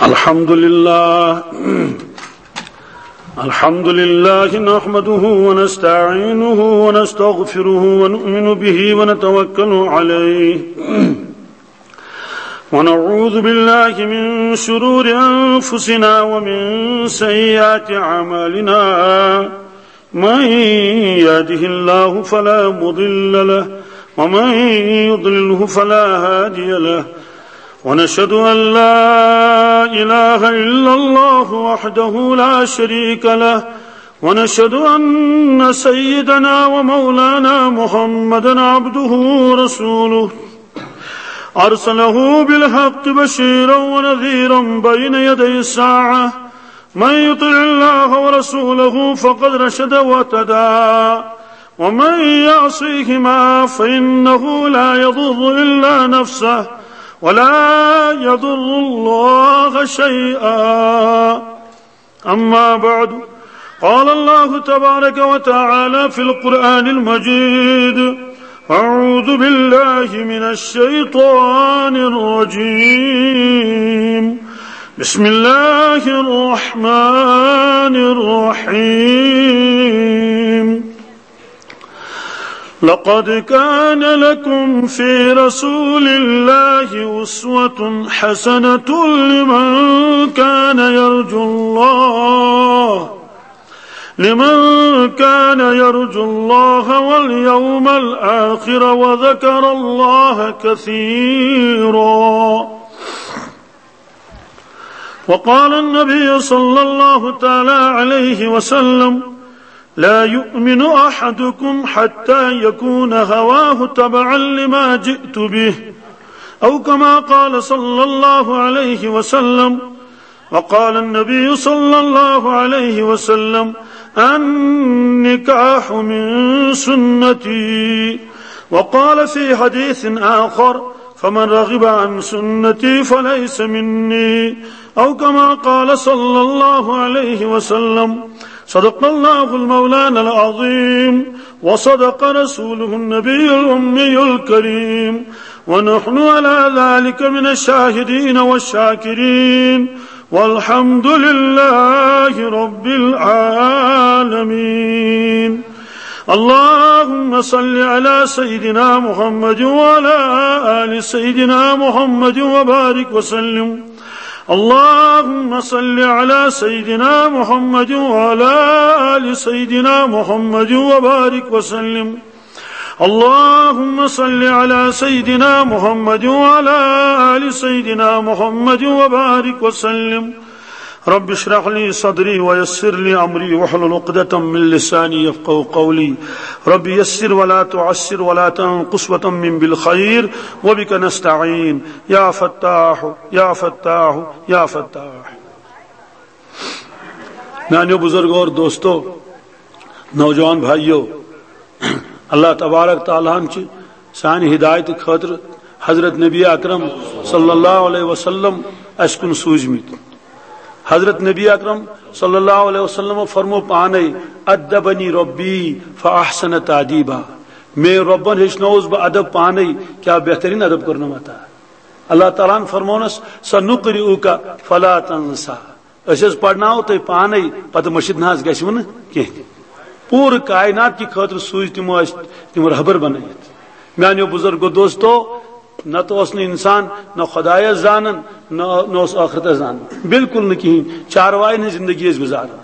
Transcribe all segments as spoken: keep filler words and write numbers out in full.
الحمد لله. الحمد لله نحمده ونستعينه ونستغفره ونؤمن به ونتوكل عليه. ونعوذ بالله من شرور أنفسنا ومن سيئات أعمالنا. من يهده الله فلا مضل له، ومن يضلله فلا هادي له. ونشهد أن لا إله إلا الله وحده لا شريك له، ونشهد أن سيدنا ومولانا محمدا عبده ورسوله، أرسله بالحق بشيرا ونذيرا بين يدي الساعة. من يطع الله ورسوله فقد رشد واهتدى، ومن يعصيهما فإنه لا يضر إلا نفسه ولا يضر الله شيئا. أما بعد، قال الله تبارك وتعالى في القرآن المجيد: أعوذ بالله من الشيطان الرجيم. بسم الله الرحمن الرحيم. لقد كان لكم في رسول الله أسوة حسنة لمن كان يرجو الله، لمن كان يرجو الله واليوم الآخر وذكر الله كثيرا. وقال النبي صلى الله تعالى عليه وسلم: لا يؤمن أحدكم حتى يكون هواه تبعا لما جئت به، أو كما قال صلى الله عليه وسلم. وقال النبي صلى الله عليه وسلم: النكاح من سنتي. وقال في حديث آخر: فمن رغب عن سنتي فليس مني، أو كما قال صلى الله عليه وسلم. صدق الله المولانا العظيم، وصدق رسوله النبي الأمي الكريم، ونحن على ذلك من الشاهدين والشاكرين، والحمد لله رب العالمين. اللهم صل على سيدنا محمد وعلى آل سيدنا محمد وبارك وسلم. اللهم صل على سيدنا محمد وعلى آل سيدنا محمد وبارك وسلم. اللهم صل على سيدنا محمد وعلى آل سيدنا محمد وبارك وسلم. رب اشرح لي صدري ويسر لي أمري واحلل عقدة من لساني يفقهوا قولي. رب يسر ولا تعسر ولا تنقص وتمم بالخير وبك نستعين. يا فتاح، يا فتاح، يا فتاح. میانیو بزرگو اور دوستو، نوجوان بھائیو، اللہ تبارک تعالیٰ ہن چھ سانہِ ہدایت خٲطرٕ حضرت نبی اکرم صلی اللہ علیہ وسلم اسہِ کُن سوٗزمٕتۍ۔ حضرت نبی اکرم صلی اللہ علیہ وسلم فرمو پانے، "ادبنی ربی فاحسن تادیبا"، میٲنۍ رۄبن ہیٚچھنووُس بہٕ ادب پانے، کیٛاہ بہترین ادب کوٚرنم عطا۔ اللہ تعالیٰ ہن فرمونس، "سنقرئک فلا تنسیٰ"، أسۍ حظ پرناوو تۄہہِ پانے، پتہٕ مٔشِتھ نہ حظ گژھِوٕ نہٕ کینٛہہ تہِ۔ پوٗرٕ کائنات کہِ خٲطرٕ سوٗزۍ تِمو اَسہِ تِم رہبر بنٲیِتھ۔ میانیو بزرگو دوستو، نتہٕ اوس نہٕ انسان نہ خدایس زانان، نہ، نہ اوس ٲخرتس زانان، بالکل نہٕ کِہیٖنۍ۔ چارواین ہٕنٛز زندگی ٲسۍ گُزاران۔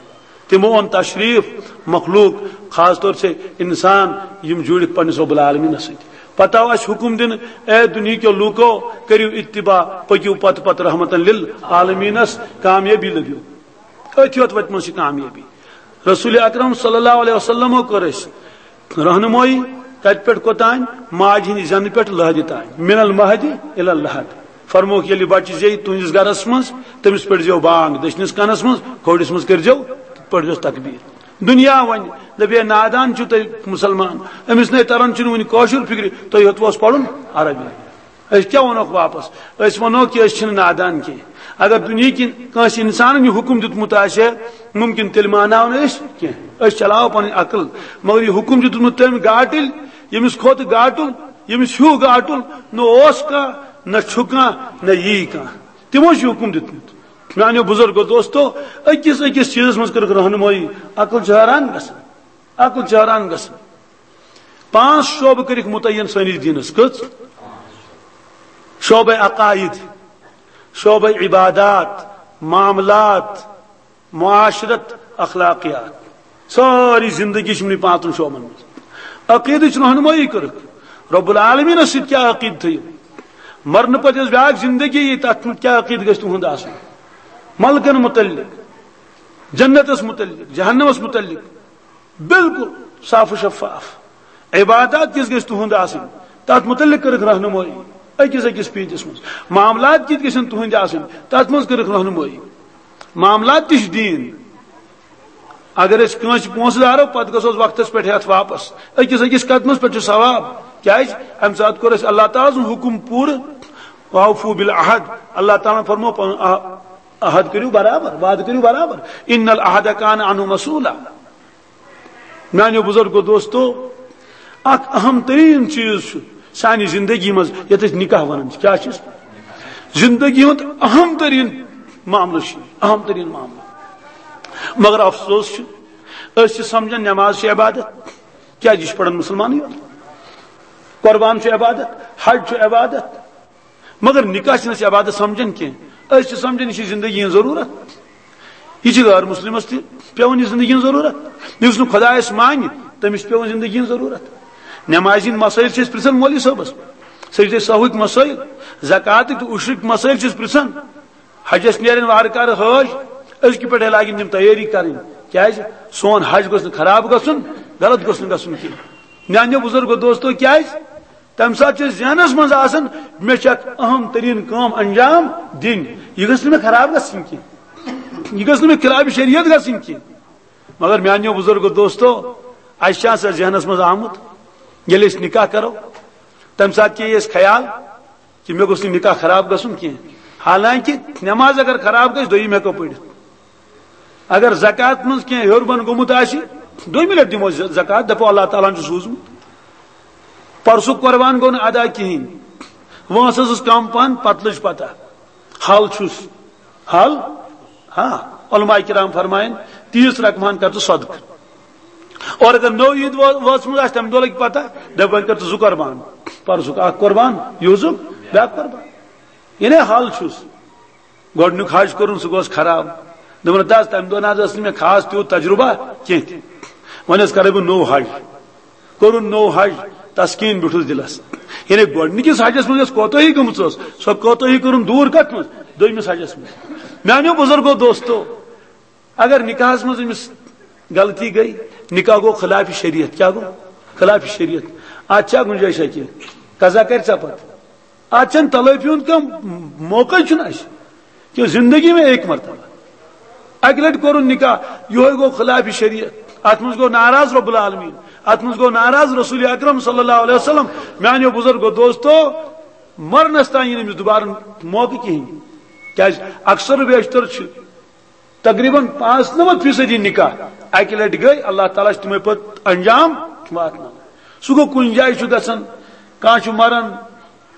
تِمو اوٚن تشریف مخلوق، خاص طور سے انسان، یِم جُڑِکھ پننِس رب العالمینس سۭتۍ۔ پتہٕ آو اَسہِ حُکُم دِنہٕ، اے دُنیہکیو لوٗکو، کٔرِو اتباع، پٔکِو پتہٕ پتہٕ رحمتن للعالمینس، کامیٲبی لٔبِو۔ أتھۍ یوت وتہِ منٛز چھِ کامیٲبی۔ رسول اکرم صلی اللہ علیہ وسلمو کٔر اَسہِ رہنمٲیی کتہِ پٮ۪ٹھ کوٚتام؟ ماجہِ ہٕنٛدِ زٮ۪نہٕ پٮ۪ٹھ لحدِ تام، من المہدِ الی اللحد۔ فرمووُکھ، ییٚلہِ بچہِ زیٚیہِ تُہنٛدِس گرس منٛز، تٔمِس پٔرۍزیو بانگ دٔچھنِس کنس منٛز، کھوڑِس منٛز کٔرۍزیو، پٔرۍزیوس تکبیٖر۔ دُنیا وَنہِ، دَپہِ، "ہے، نادان چھِو تُہۍ مُسلمان، أمِس نے تران چھُنہٕ وُنہِ کٲشُر فِکرِ، تۄہہِ ہیوٚتوُس پَرُن عربی۔" أسۍ کیٛاہ وَنوکھ واپس؟ أسۍ وَنو کہِ أسۍ چھِنہٕ نادان کینٛہہ۔ اگر دُنیہٕکۍ کٲنٛسہِ اِنسانَن یہِ حُکُم دیُتمُت آسہِ ہے، مُمکِن تیٚلہِ مانناو نہٕ أسۍ کینٛہہ۔ أسۍ چلاوو پَنٕنۍ عقل، مگر یہِ حُکُم دیُتمُت تٔمۍ گاٹٕلۍ، ییٚمِس کھۄتہٕ گاٹُل، ییٚمِس ہیوٗ گاٹُل نہ اوس کانٛہہ، نہ چھُ کانٛہہ، نہ یی کانٛہہ۔ تِمو چھُ یہِ حُکُم دیُتمُت۔ میانیو بزرگو دوستو، أکِس أکِس چیٖزس منٛز کٔرٕکھ رہنمٲیی۔ عقل چھِ حٲران گژھان، عقل چھِ حٲران گژھان۔ پانٛژھ شعبہٕ کٔرِکھ متعین سٲنِس دیٖنس۔ کٔژ؟ شعبے عقائد، شعبے عبادات، معاملات، معاشرت، اخلاقیات۔ سٲری زندگی چھِ یِمنٕے پانٛژن شعبن منٛز۔ عقیدٕچ رہنمٲیی کٔرٕکھ۔ رب العالمینس سۭتۍ کیٛاہ عقیدٕ تھٲیِو؟ مرنہٕ پتہٕ یۄس بیٛاکھ زندگی یی، تتھ منٛز کیٛاہ عقیدٕ گژھِ تُہُنٛد آسُن؟ ملکن متعلق، جنتس متعلق، جہنمس متعلق، بالکل صاف و شفاف۔ عبادات کِژھ گژھِ تُہُنٛد آسٕنۍ، تتھ متعلق کٔرٕکھ رہنمٲیی۔ أکِس أکِس پیٖنتِس منٛز معاملات کِتھ گژھن تُہٕنٛدۍ آسٕنۍ، تتھ منٛز کٔرٕکھ رہنمٲیی۔ معاملات تہِ چھِ دیٖن۔ اگر أسۍ کٲنٛسہِ پونٛسہٕ دارو، پتہٕ گژھوس وقتس پٮ۪ٹھ ہٮ۪تھ واپس۔ أکِس أکِس قدمس پٮ۪ٹھ چھُ ثواب۔ کیٛازِ؟ امہِ ساتہٕ کوٚر اَسہِ اللہ تعالیٰ سُنٛد حُکم پوٗرٕ۔ "وأوفوا بالعہد"، اللہ تعالیٰ ہن فرموو پنُن عہ-، عہد کٔرِو برابر، وعدٕ کٔرِو برابر۔ "ان العہد کان عنہ مسئولہ"۔ میانیو بزرگو دوستو، اکھ اہم ترین چیز چھُ سانہِ زندگی منٛز، یتھ أسۍ نکاح ونان چھِ۔ کیٛاہ چھُ؟ زندگی ہُنٛد اہم ترین معاملہٕ چھُ، اہم ترین معاملہٕ۔ مگر افسوس چھُ، أسۍ چھِ سمجھان نماز چھِ عبادت۔ کیٛازِ؟ یہِ چھُ پران مسلمانٕے یوت۔ قربان چھُ عبادت، حج چھُ عبادت، مگر نکاح چھِنہٕ أسۍ عبادت سمجھان کینٛہہ۔ أسۍ چھِ سمجھان یہِ چھِ زندگی ہٕنٛز ضروٗرت۔ یہِ چھِ غٲر مسلمس تہِ پٮ۪وان یہِ زندگی ہٕنٛز ضروٗرت۔ یُس نہٕ خۄدایس مانہِ، تٔمِس چھِ پٮ۪وان زندگی ہٕنٛز ضروٗرت۔ نمازِ ہٕنٛدۍ مسٲیل چھِ أسۍ پرژھان مولوی صٲبس، سجدے سہوٕکۍ مسٲیل، زکاتٕکۍ تہٕ عشرٕکۍ مسٲیل چھِ أسۍ پرژھان۔ حجس نیرن وارٕ کارٕ حٲج، أزکہِ پٮ۪ٹھے لاگن تِم تیٲری کرٕنۍ۔ کیٛازِ؟ سون حج گوٚژھ نہٕ خراب گژھُن، غلط گوٚژھ نہٕ گژھُن کینٛہہ۔ میانیو بزرگو دوستو، کیٛازِ؟ تمہِ ساتہٕ چھُ ذہنس منٛز آسان، مےٚ چھِ اکھ اہم ترین کٲم انجام دِنۍ، یہِ گٔژھ نہٕ مےٚ خراب گژھٕنۍ کینٛہہ، یہِ گٔژھ نہٕ مےٚ خلاف شریعت گژھٕنۍ کینٛہہ۔ مگر میانیو بزرگو دوستو، اسہِ چھا سا ذہنس منٛز آمُت، ییٚلہِ أسۍ نکاح کرو، تمہِ ساتہٕ کیٛاہ یی اسہِ خیال؟ کہ مےٚ گوٚژھ نہٕ نکاح خراب گژھُن کینٛہہ۔ حالانکہ نماز اگر خراب گژھِ، دوٚیِم ہٮ۪کو پٔرِتھ۔ اگر زکات منٛز کینٛہہ ہیوٚر بۄن گوٚمُت آسہِ، دوٚیمہِ لٹہِ دِمو ز-، زکات، دپو اللہ تعالیٰ ہن چھُ سوٗزمُت۔ پرسُک قربان گوٚو نہٕ ادا کِہیٖنۍ، وٲنٛس ٲسٕس کم پہن، پتہٕ لٔج پتہ۔ حل چھُس، حل، ہاں، علماء کرام فرمایَن، تیٖژ رقم ہن کر ژٕ صدقہٕ۔ اور اگر نٔو عید وٲ-، وٲژمٕژ آسہِ، تَمہِ دۄہ لَگہِ پَتہ، دَپہِ، وۄنۍ کر ژٕ زٕ قۄربان، پَرُسُک اَکھ قۄربان، یِہُزُک بیٛاکھ قۄربان۔ یعنی حل چھُس۔ گۄڈٕنیُک حج کوٚرُن، سُہ گوٚو خراب۔ دوٚپُن، "نہ حظ، تَمہِ دۄہ نہ حظ ٲس نہٕ مےٚ خاص تیوٗت تجرُبہ کینٛہہ تہِ۔ وۄنۍ حظ کَرَے بہٕ نوٚو حج۔" کوٚرُن نوٚو حج، تسکیٖن بیوٗٹھُس دِلَس۔ یعنی گۄڈٕنِکِس حجَس منٛز یۄس کوتٲہی گٔمٕژ ٲس، سۄ کوتٲہی کٔرٕن دوٗر کَتھ منٛز؟ دوٚیمِس حجَس منٛز۔ میٛانیو بُزرگو دوستو، اگر نکاحس منٛز أمِس غلطی گٔے، نکاح گوٚو خلاف شریعت۔ کیٛاہ گوٚو؟ خلاف شریعت۔ اتھ چھا گنجائش کینٛہہ؟ قضا کرِ ژےٚ پتہٕ۔ اتھ چھنہٕ تلٲفی ہُنٛد کانٛہہ موقعے چھُنہٕ اسہِ۔ کہ زندگی میں ایک مرتبہ۔ اکہِ لٹہِ کوٚرُن نکاح، یِہوے گوٚو خلاف شریعت۔ اتھ منٛز گوٚو ناراض رب العالمین، اتھ منٛز گوٚو ناراض رسول اکرم صلی اللہ علیہ وسلم۔ میانیو بزرگو دوستو، مرنس تام یی نہٕ أمِس دوبارٕ موقعہٕ کِہیٖنۍ۔ کیازِ؟ اکثر و بیشتر چھِ تقریباً پانٛژنمتھ فیصدی نکاح اکہِ لٹہِ گٔے، اللہ تعالیٰ چھُ تِمے پتہٕ انجام واتناوان۔ سُہ گوٚو کُنہِ جایہِ چھُ گژھان، کانٛہہ چھُ مران،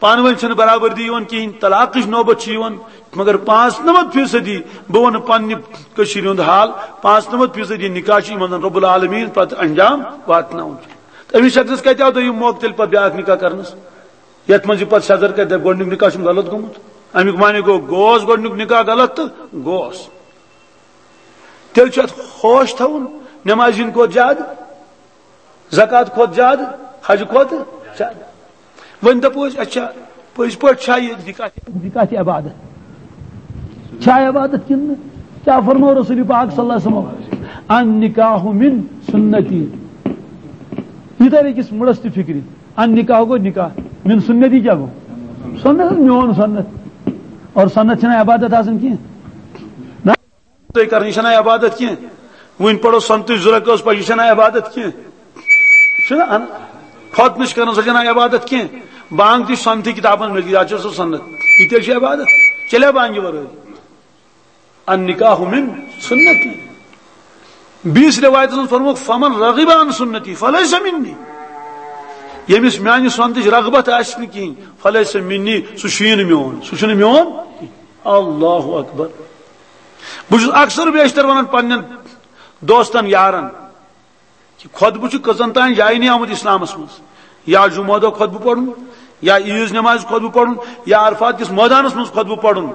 پانہٕ ؤنۍ چھنہٕ برابردی یِوان کِہیٖنۍ، طلاقٕچ نوبت چھِ یِوان، مگر پانٛژنمتھ فیصدی، بہٕ ونہٕ پننہِ کٔشیٖرِ ہُنٛد حال، پانٛژنمتھ فیصدی نکاح چھِ یِمن زن رب العالمین پتہٕ انجام واتناوان چھُ۔ تہٕ أمِس شخصس کتہِ آو دوٚیِم موقعہٕ تیٚلہِ پتہٕ بیٛاکھ نکاح کرنس؟ یتھ منٛز یہِ پتہٕ سیٚزر کرِ، دپہِ، گۄڈٕنیُک نکاح چھُم غلط گوٚمُت۔ امیُک معنی گوٚو، گوس گۄڈٕنیُک نکاح غلط تہٕ گوس۔ تیٚلہِ چھُ اتھ ہوش تھاوُن، نمازِ ہِنٛدِ کھۄتہٕ زیادٕ، زکات کھۄتہٕ زیادٕ، حج کھۄتہٕ زیادٕ۔ وۄنۍ دپو أسۍ، اچھا، پٔزۍ پٲٹھۍ چھا یہِ نکاح، نکاح تہِ عبادت؟ چھا عبادت کِنہٕ نہٕ؟ کیٛاہ فرموو رسول پاک صلی اللہ علیہ وسلم؟ "النکاح من سنتی"۔ یہِ تَرِ أکِس مُڑس تہِ فِکرِ۔ النکاح گوٚو نکاح، من سنتی کیٛاہ گوٚو؟ سنت، میون سنت۔ اور سنت چھنہٕ عبادت آسان کینٛہہ۔ نہ، تُہۍ کران، یہِ چھنہٕ عبادت کینٛہہ۔ وٕنۍ پرو سنتٕچ زٕ رکٲژ پتہٕ، یہِ چھنہٕ عبادت کینٛہہ۔ چھُنہ اَن-، خۄطبہٕ چھِ کران، سۄ چھنہٕ عبادت کینٛہہ۔ بانگ تہِ چھِ سنتٕے کتابن منٛز، یہِ چھِ سۄ سنت۔ یہِ تہِ چھِ عبادت۔ چلے بانگہِ ورٲے۔ النکاح من سنتی۔ بیٚیِس روایتس منٛز فرمووُکھ، "فمن رغب عن سنتی فلیس منی"۔ ییٚمِس میانہِ سنتٕچ رغبت آسہِ نہٕ کِہیٖنۍ، فلیس منی، سُہ چھُیی نہٕ میون، سُہ چھُنہٕ میون۔ اللہ اکبر۔ بہٕ چھُس اکثر بیشتر ونان پننٮ۪ن دوستن، یارن، کہ خطبہٕ چھُ کٔژن تام جاین آمُت اسلامس منٛز۔ یا جمعہ دۄہ خطبہٕ پرُن، یا عیٖذ نمازِ خطبہٕ پرُن، یا عرفات کِس مٲدانس منٛز خطبہٕ پرُن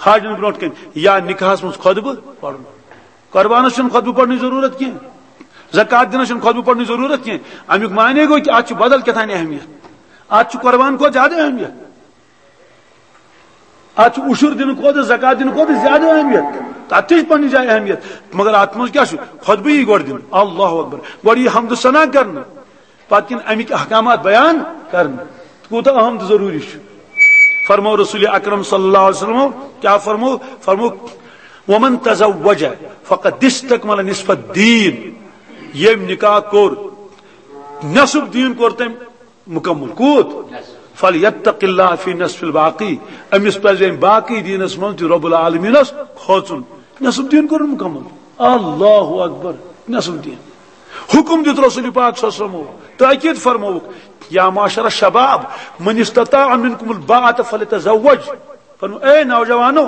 حاجن برونٛٹھ کنہِ، یا نکاحس منٛز خطبہٕ پرُن۔ قربانس چھُنہٕ خطبہٕ پرنٕچ ضروٗرت کینٛہہ، زکوٰۃ دِنس چھُنہٕ خطبہٕ پرنٕچ ضروٗرت کینٛہہ۔ امیُک معنی گوٚو کہ اتھ چھُ بدل کیٛاہ تام اہمیت، اتھ چھُ قربان کھۄتہٕ زیادٕ اہمیت۔ اتھ چھُ عشر دِنہٕ کھۄتہٕ، زکوٰۃ دِنہٕ کھۄتہٕ زیادٕ اہمیت۔ تتھ تہِ چھِ پننہِ جایہِ اہمیت، مگر اتھ منٛز کیٛاہ چھُ؟ خطبہٕ یی گۄڈٕ دِنہٕ، اللہ اکبر، گۄڈٕ یی حمد و ثنا کرنہٕ، پتہٕ یِن امِکۍ احکامات بیان کرنہٕ۔ کوٗتاہ اہم تہٕ ضروٗری چھُ۔ فرمو رسول اکرم صلی اللہ علیہ وسلم، کیٛاہ فرمو؟ فرمو، "ومن تزوج فقد استکمل نصف الدین"۔ ییٚمۍ نکاح کوٚر، نصف دیٖن کوٚر تٔمۍ مکمل۔ کوٗت؟ "فلیتق اللہ فی نصف الباقی"۔ أمِس پزِ وۄنۍ باقی دیٖنس منٛز تہِ رب العالمینس کھوژُن۔ نصف دیٖن کوٚرُن مکمل۔ اللہ اکبر۔ نصف دیٖن۔ حکم دیُت رسول پاک صلی اللہ علیہ وسلمو، تاکید فرمووُکھ، "یا معشر الشباب، من استطاع منکم الباءۃ فلیتزوج"۔ فرمو، اے نوجوانو،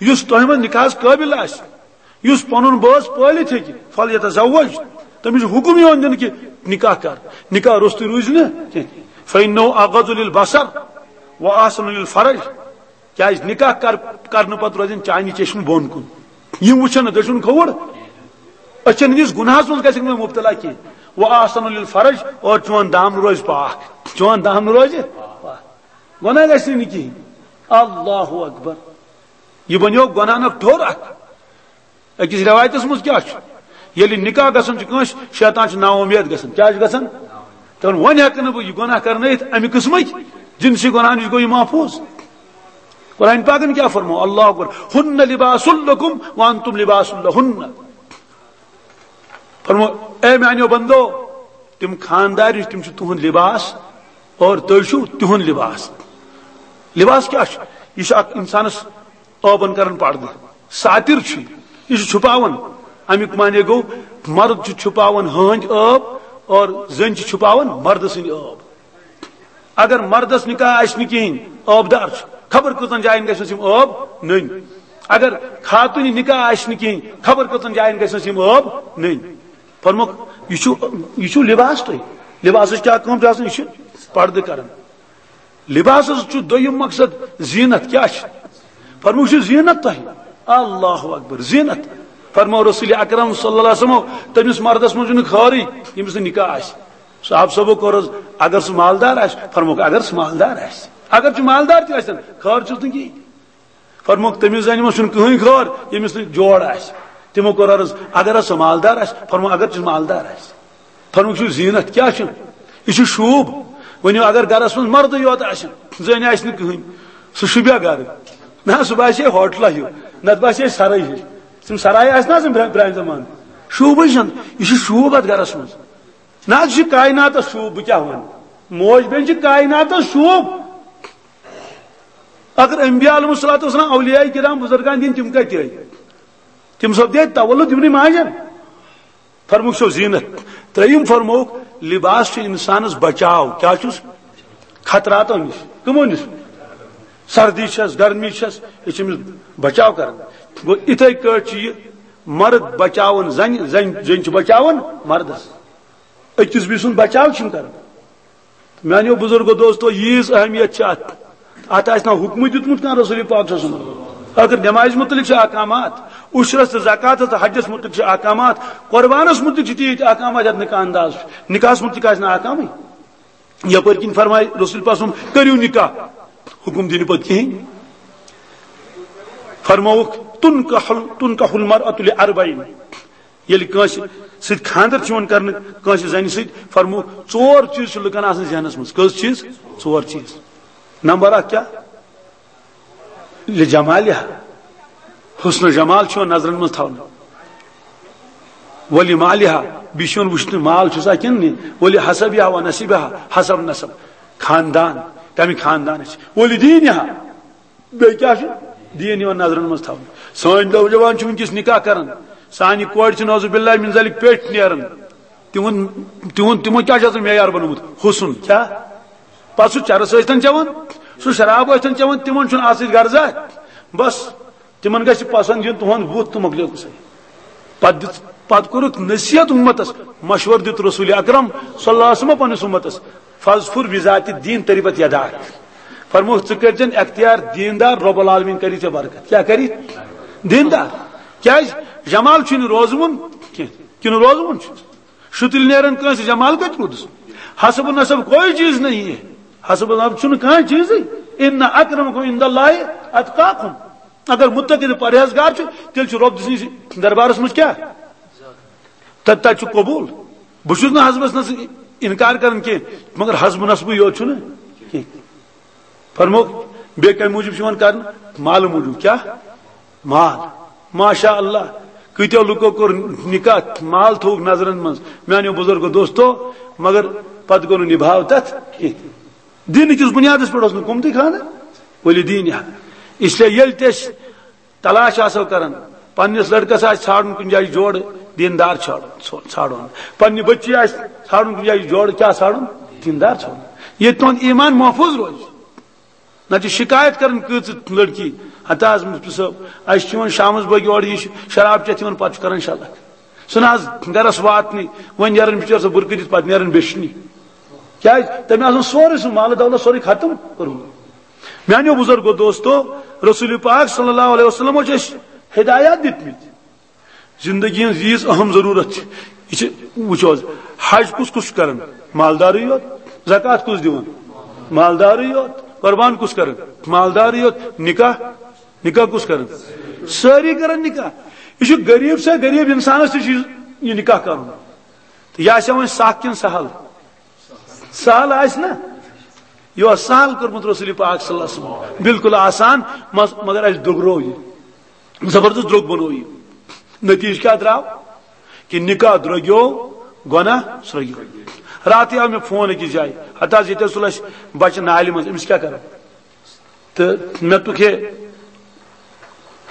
یُس تۄہہِ منٛز نکاحس قٲبل آسہِ، یُس پنُن بٲژ پٲلِتھ ہیٚکہِ، فلیتزوج، تٔمِس چھُ حُکُم یِوان دِنہٕ کہِ نکاح کر، نکاح روٚستُے روٗزِ نہٕ کینٛہہ۔ فإنه أغض للبصر وأحسن للفرج۔ کیٛازِ نکاح کر-، کرنہٕ پتہٕ روزن چانہِ چشمہٕ بۄن کُن، یِم وٕچھن نہٕ دٔچھُن کھووُر، أچھن ہٕنٛدِس گناہس منٛز گژھکھ نہٕ مبتلا کینٛہہ۔ وأحسن للفرج، اور چون دامنہٕ روزِ پاک، چون دامنہٕ روزِ پاک، گۄناہ گژھِ نہٕ کِہیٖنۍ۔ اللہ اکبر۔ یہِ بنیو گۄناہن اکھ ٹھوٚر اکھ۔ أکِس رٮ۪وایتس منٛز کیٛاہ چھُ؟ ییٚلہِ نکاح گژھان چھُ کٲنٛسہِ، شیطان چھُ نا اُمید گژھان۔ کیٛاہ چھُ گژھان؟ دپان، وۄنۍ ہٮ۪کہٕ نہٕ بہٕ یہِ گۄناہ کرنٲیِتھ، اَمہِ قٕسمٕکۍ جنسی گۄناہ نِش گوٚو یہِ محفوظ۔ قرآن پاکن کیٛاہ فرموو؟ اللہ اکبر، "ہن لباس لکم وانتم لباس لہن"۔ فرمو، اے میانیو بندو، تِم خاندارِنۍ، تِم چھِ تُہُنٛد لباس اور تُہۍ چھِو تِہُنٛد لباس۔ لباس کیٛاہ چھُ؟ یہِ چھُ اکھ انسانس عٲبن کران پردٕ، ساتر چھُ یہِ، یہِ چھُ چھُپاوان۔ امیُک معنی گوٚو، مرد چھُ چھُپاوان ہٲنٛدۍ عٲب اور زٔنۍ چھِ چھُپاوان مردٕ سٕنٛدۍ عٲب۔ اگر مردس نکاح آسہِ نہٕ کِہیٖنۍ، عٲب دار چھُ، خبر کۭژن جاین گژھٮ۪س یِم عٲب نٔنۍ۔ اگر خاتوٗنہِ نکاح آسہِ نہٕ کِہیٖنۍ، خبر کۭژن جاین گژھٮ۪س یِم عٲب نٔنۍ۔ فرموکھ، یہِ چھُ، یہِ چھُ لباس تۄہہِ۔ لباسٕچ کیٛاہ کٲم چھِ آسان؟ یہِ چھُ پردٕ کران۔ لباسس چھُ دوٚیِم مقصد زینت۔ کیٛاہ چھُ؟ فرمووُکھ، یہِ چھُ زینت تۄہہِ۔ اللہ اکبر، زینت۔ فرموو رسول اکرم صلی اللہ علیہ وسلم، تٔمِس مردس منٛز چھُنہٕ خٲرٕے، ییٚمِس نہٕ نکاح آسہِ۔ صحابہٕ صٲبو کوٚر حض، اگر سُہ مالدار آسہِ؟ فرمووُکھ، اگر سُہ مالدار آسہِ۔ اگر سُہ مالدار تہِ آسن، خٲر چھُس نہٕ کِہیٖنۍ۔ فرمووُکھ، تٔمِس زنہِ منٛز چھُنہٕ کٕہٕنۍ خٲر، ییٚمِس نہٕ جوڑ آسہِ۔ تِمو کوٚر عرض، اگر حض سُہ مالدار آسہِ؟ فرموو، اگر چھُ مالدار آسہِ۔ فرمووُکھ، یہِ چھُ زیٖنت۔ کیٛاہ چھُ؟ یہِ چھُ شوٗب۔ ؤنِو، اگر گرس منٛز مردٕے یوت آسہِ، زٔنۍ آسہِ نہٕ کٕہٕنۍ، سُہ شوٗبیا گرٕ؟ نہ، سُہ باسہِ ہے ہوٹلہ ہیوٗ، نتہٕ باسہِ ہے سرٲے ہِش۔ تِم سرایہِ آسہِ نہ آسان برٛا-، پرٛانہِ زمانہٕ؟ شوٗبٕے چھُنہٕ، یہِ چھُ شوٗب اتھ گرس منٛز۔ نہ حض، یہِ چھُ کائناتس شوٗب، بہٕ کیٛاہ ونہٕ؟ موج بیٚنہِ چھِ کائناتس شوٗب۔ اگر انبیاء علیہ الصلوۃ والسلام، اولیاء کرام، بزرگان دین، تِم کتہِ ٲے؟ تِم سپدے تولد یِمنٕے ماجن۔ فرمووُکھ، چھو زیٖنت۔ ترٛیٚیِم فرمووُکھ، لباس چھُ انسانس بچاو۔ کیٛاہ چھُس؟ خطراتو نِش۔ کٕمو نِش؟ سردی چھس، گرمی چھس، یہِ چھِ أمِس بچاو کران۔ گوٚو، اِتھے کٲٹھۍ چھُ یہِ مرد بچاوان زنہِ، زنہِ، زنہِ چھِ بچاوان مردس۔ أکِس بیٚیہِ سُنٛد بچاو چھِ یِم کران۔ میانیو بزرگو دوستو، ییٖژ اہمیت چھِ اتھ۔ اتھ آسہِ نا حکمٕے دیُتمُت کانٛہہ رسول پاک صلی اللہ علیہ وسلم؟ اگر نمازِ متعلق چھِ احکامات، عشرس تہٕ زکاتس تہٕ حجس متعلق چھِ احکامات، قربانس متعلق چھِ تیٖتۍ احکامات یتھ نہٕ کانٛہہ انداز چھُ۔ نکاحس متعلق آسہِ نہٕ احکامٕے۔ یپٲرۍ کِنۍ فرمایہِ رسول پاک صلی اللہ علیہ وسلم، کٔرِو نکاح، حکم دِنہٕ پتہٕ کِہیٖنۍ۔ فرمووُکھ، تنکح ال-، تنکح المرأة لأربعین۔ ییٚلہِ کٲنٛسہِ سۭتۍ خانٛدر چھُ یِوان کرنہٕ، کٲنٛسہِ زنہِ سۭتۍ، فرمووُکھ، ژور چیٖز چھِ لُکن آسان ذہنس منٛز۔ کٔژ چیٖز؟ ژور چیٖز۔ نمبر اکھ کیٛاہ؟ لجمالها، حسن و جمال چھُ یِوان نظرن منٛز تھاونہٕ۔ ولمالها، بیٚیہِ چھُ یِوان وٕچھنہٕ مال چھُسا کِنہٕ نہٕ۔ ولحسبها ونسبها، حسب نسب، خاندان، کمہِ خاندانٕچ۔ ولدینها، بیٚیہِ کیٛاہ چھُ؟ دیٖن یِوان نظرن منٛز تھاونہٕ۔ سٲنۍ نوجوان چھِ وٕنکیٚس نکاح کران، سانہِ کورِ چھِ نعوذ باللہ من ذالک پیٚٹھۍ نیران۔ تِمن، تِمن، تِمن کیٛاہ چھُ آسان معیار بنومُت؟ حسن۔ کیٛاہ؟ پتہٕ سُہ چرس ٲسۍتن چٮ۪وان، سُہ شراب ٲسۍتن چٮ۪وان، تِمن چھُنہٕ اتھ سۭتۍ غرضا۔ بس، تِمن گژھِ پسند یُن تُہُنٛد بُتھ تہٕ مۄکلیو قصے۔ پتہٕ دِژ، پتہٕ کوٚرُکھ نصیحت امتس، مشورٕ دیُت رسول اکرم صلی اللہ علیہ وسلم پننِس امتس، "فاظفر بذات الدین تربت یداک"۔ فرمووُکھ، "ژٕ کٔرۍزٮ۪ن اختیار دیندار، رب العالمین کری ژےٚ برکت۔" کیٛاہ کری؟ دیندار۔ کیٛازِ؟ جمال چھُنہٕ روزوُن کینٛہہ، کِنہٕ روزوُن چھُ؟ شُتٕلۍ نیرن کٲنٛسہِ، جمال کتہِ روٗدُس؟ حسب و نسب کوئی چیز نہیں ہے، حسب و نسب چھُنہٕ کانٛہہ چیزٕے۔ ان اکرمکم عند اللہ اتقاکم۔ اگر متقی تہٕ پرہیزگار چھُ، تیٚلہِ چھُ رۄب سٕنٛدِس دربارس منٛز کیٛاہ؟ تتہِ، تتہِ چھُ قبول۔ بہٕ چھُس نہٕ حسبس نسب انکار کران کینٛہہ، مگر حسب نسبٕے یوت چھُنہٕ کینٛہہ۔ فرمووُکھ، بیٚیہِ کمہِ موٗجوٗب چھُ یِوان کرنہٕ؟ مالہٕ موٗجوٗب۔ کیٛاہ؟ مال۔ ماشاء اللہ، کۭتیو لُکو کوٚر نکاح، مال تھوٚوُکھ نظرن منٛز، میانیو بزرگو دوستو، مگر پتہٕ گوٚو نہٕ نباو تتھ کینٛہہ۔ دین کِس بنیادس پٮ۪ٹھ اوس نہٕ قۭمتٕے خانہ ولی دین۔ اس لیے ییٚلہِ تہِ أسۍ تلاش آسو کران، پننِس لڑکس آسہِ ژھانڈُن کُنہِ جایہِ جوڑٕ، دیندار ژھانڈُن، ژھو-، ژھانڈُن۔ پننہِ بچی آسہِ ژھانڈُن کُنہِ جایہِ جوڑٕ، کیٛاہ ژھانڈُن؟ دیندار ژھانڈُن۔ ییٚتہِ تُہُنٛد ایمان محفوظ روزِ۔ نہ چھِ شکایت کران کۭژٕ لڑکی، ہتا حظ مفتی صٲب، اَسہِ چھُ یِوان شامس بٲگۍ اورٕ یہِ شراب چٮ۪تھ یِوان، پتہٕ چھُ کران شلکھ۔ سُہ نہ حظ گرس واتنٕے، وۄنۍ نیران بِچٲر سۄ بُرکہٕ دِتھ، پتہٕ نیران بیچھنہِ۔ کیٛازِ؟ تٔمۍ آسان سورُے سُہ مال دولت سورُے ختم کوٚرمُت۔ میانیو بزرگو دوستو، رسول پاک صلی اللہ علیہ وسلمو چھِ اَسہِ ہدایات دِتمٕتۍ۔ زندگی ہٕنٛز ییٖژ اہم ضروٗرت چھِ، یہِ چھِ، وٕچھو حظ، حج کُس کُس چھُ کران؟ مالدارٕے یوت۔ زکوٰۃ کُس دِوان؟ مالدارٕے یوت۔ قربان کُس کران؟ مالدارٕے یوت۔ نکاح، نکاح کُس کران؟ سٲری کران نکاح۔ یہِ چھُ غریٖب سے غریٖب انسانس تہِ چھُ یہِ نکاح کرُن۔ تہٕ یہِ آسہِ وۄنۍ سخ کِنہٕ سہل؟ سہل آسہِ نا؟ یہِ اوس سہل کوٚرمُت رسول پاک صلی اللہ علیہ وسلم، بالکل آسان، مس-، مگر اَسہِ درٛوگرو یہِ، زبردست درٛوگ بنوو یہِ۔ نتیجہ کیٛاہ درٛاو؟ کہِ نکاح درٛوگیو، گۄناہ سرٛوگیو۔ راتھٕے آو مےٚ فون أکِس جایہِ، ہتہٕ حظ ییٚتہِ حظ تُل اَسہِ بچہٕ نالہِ منٛز، أمِس کیٛاہ کرو؟ تہٕ مےٚ دوٚپُکھ، ہے،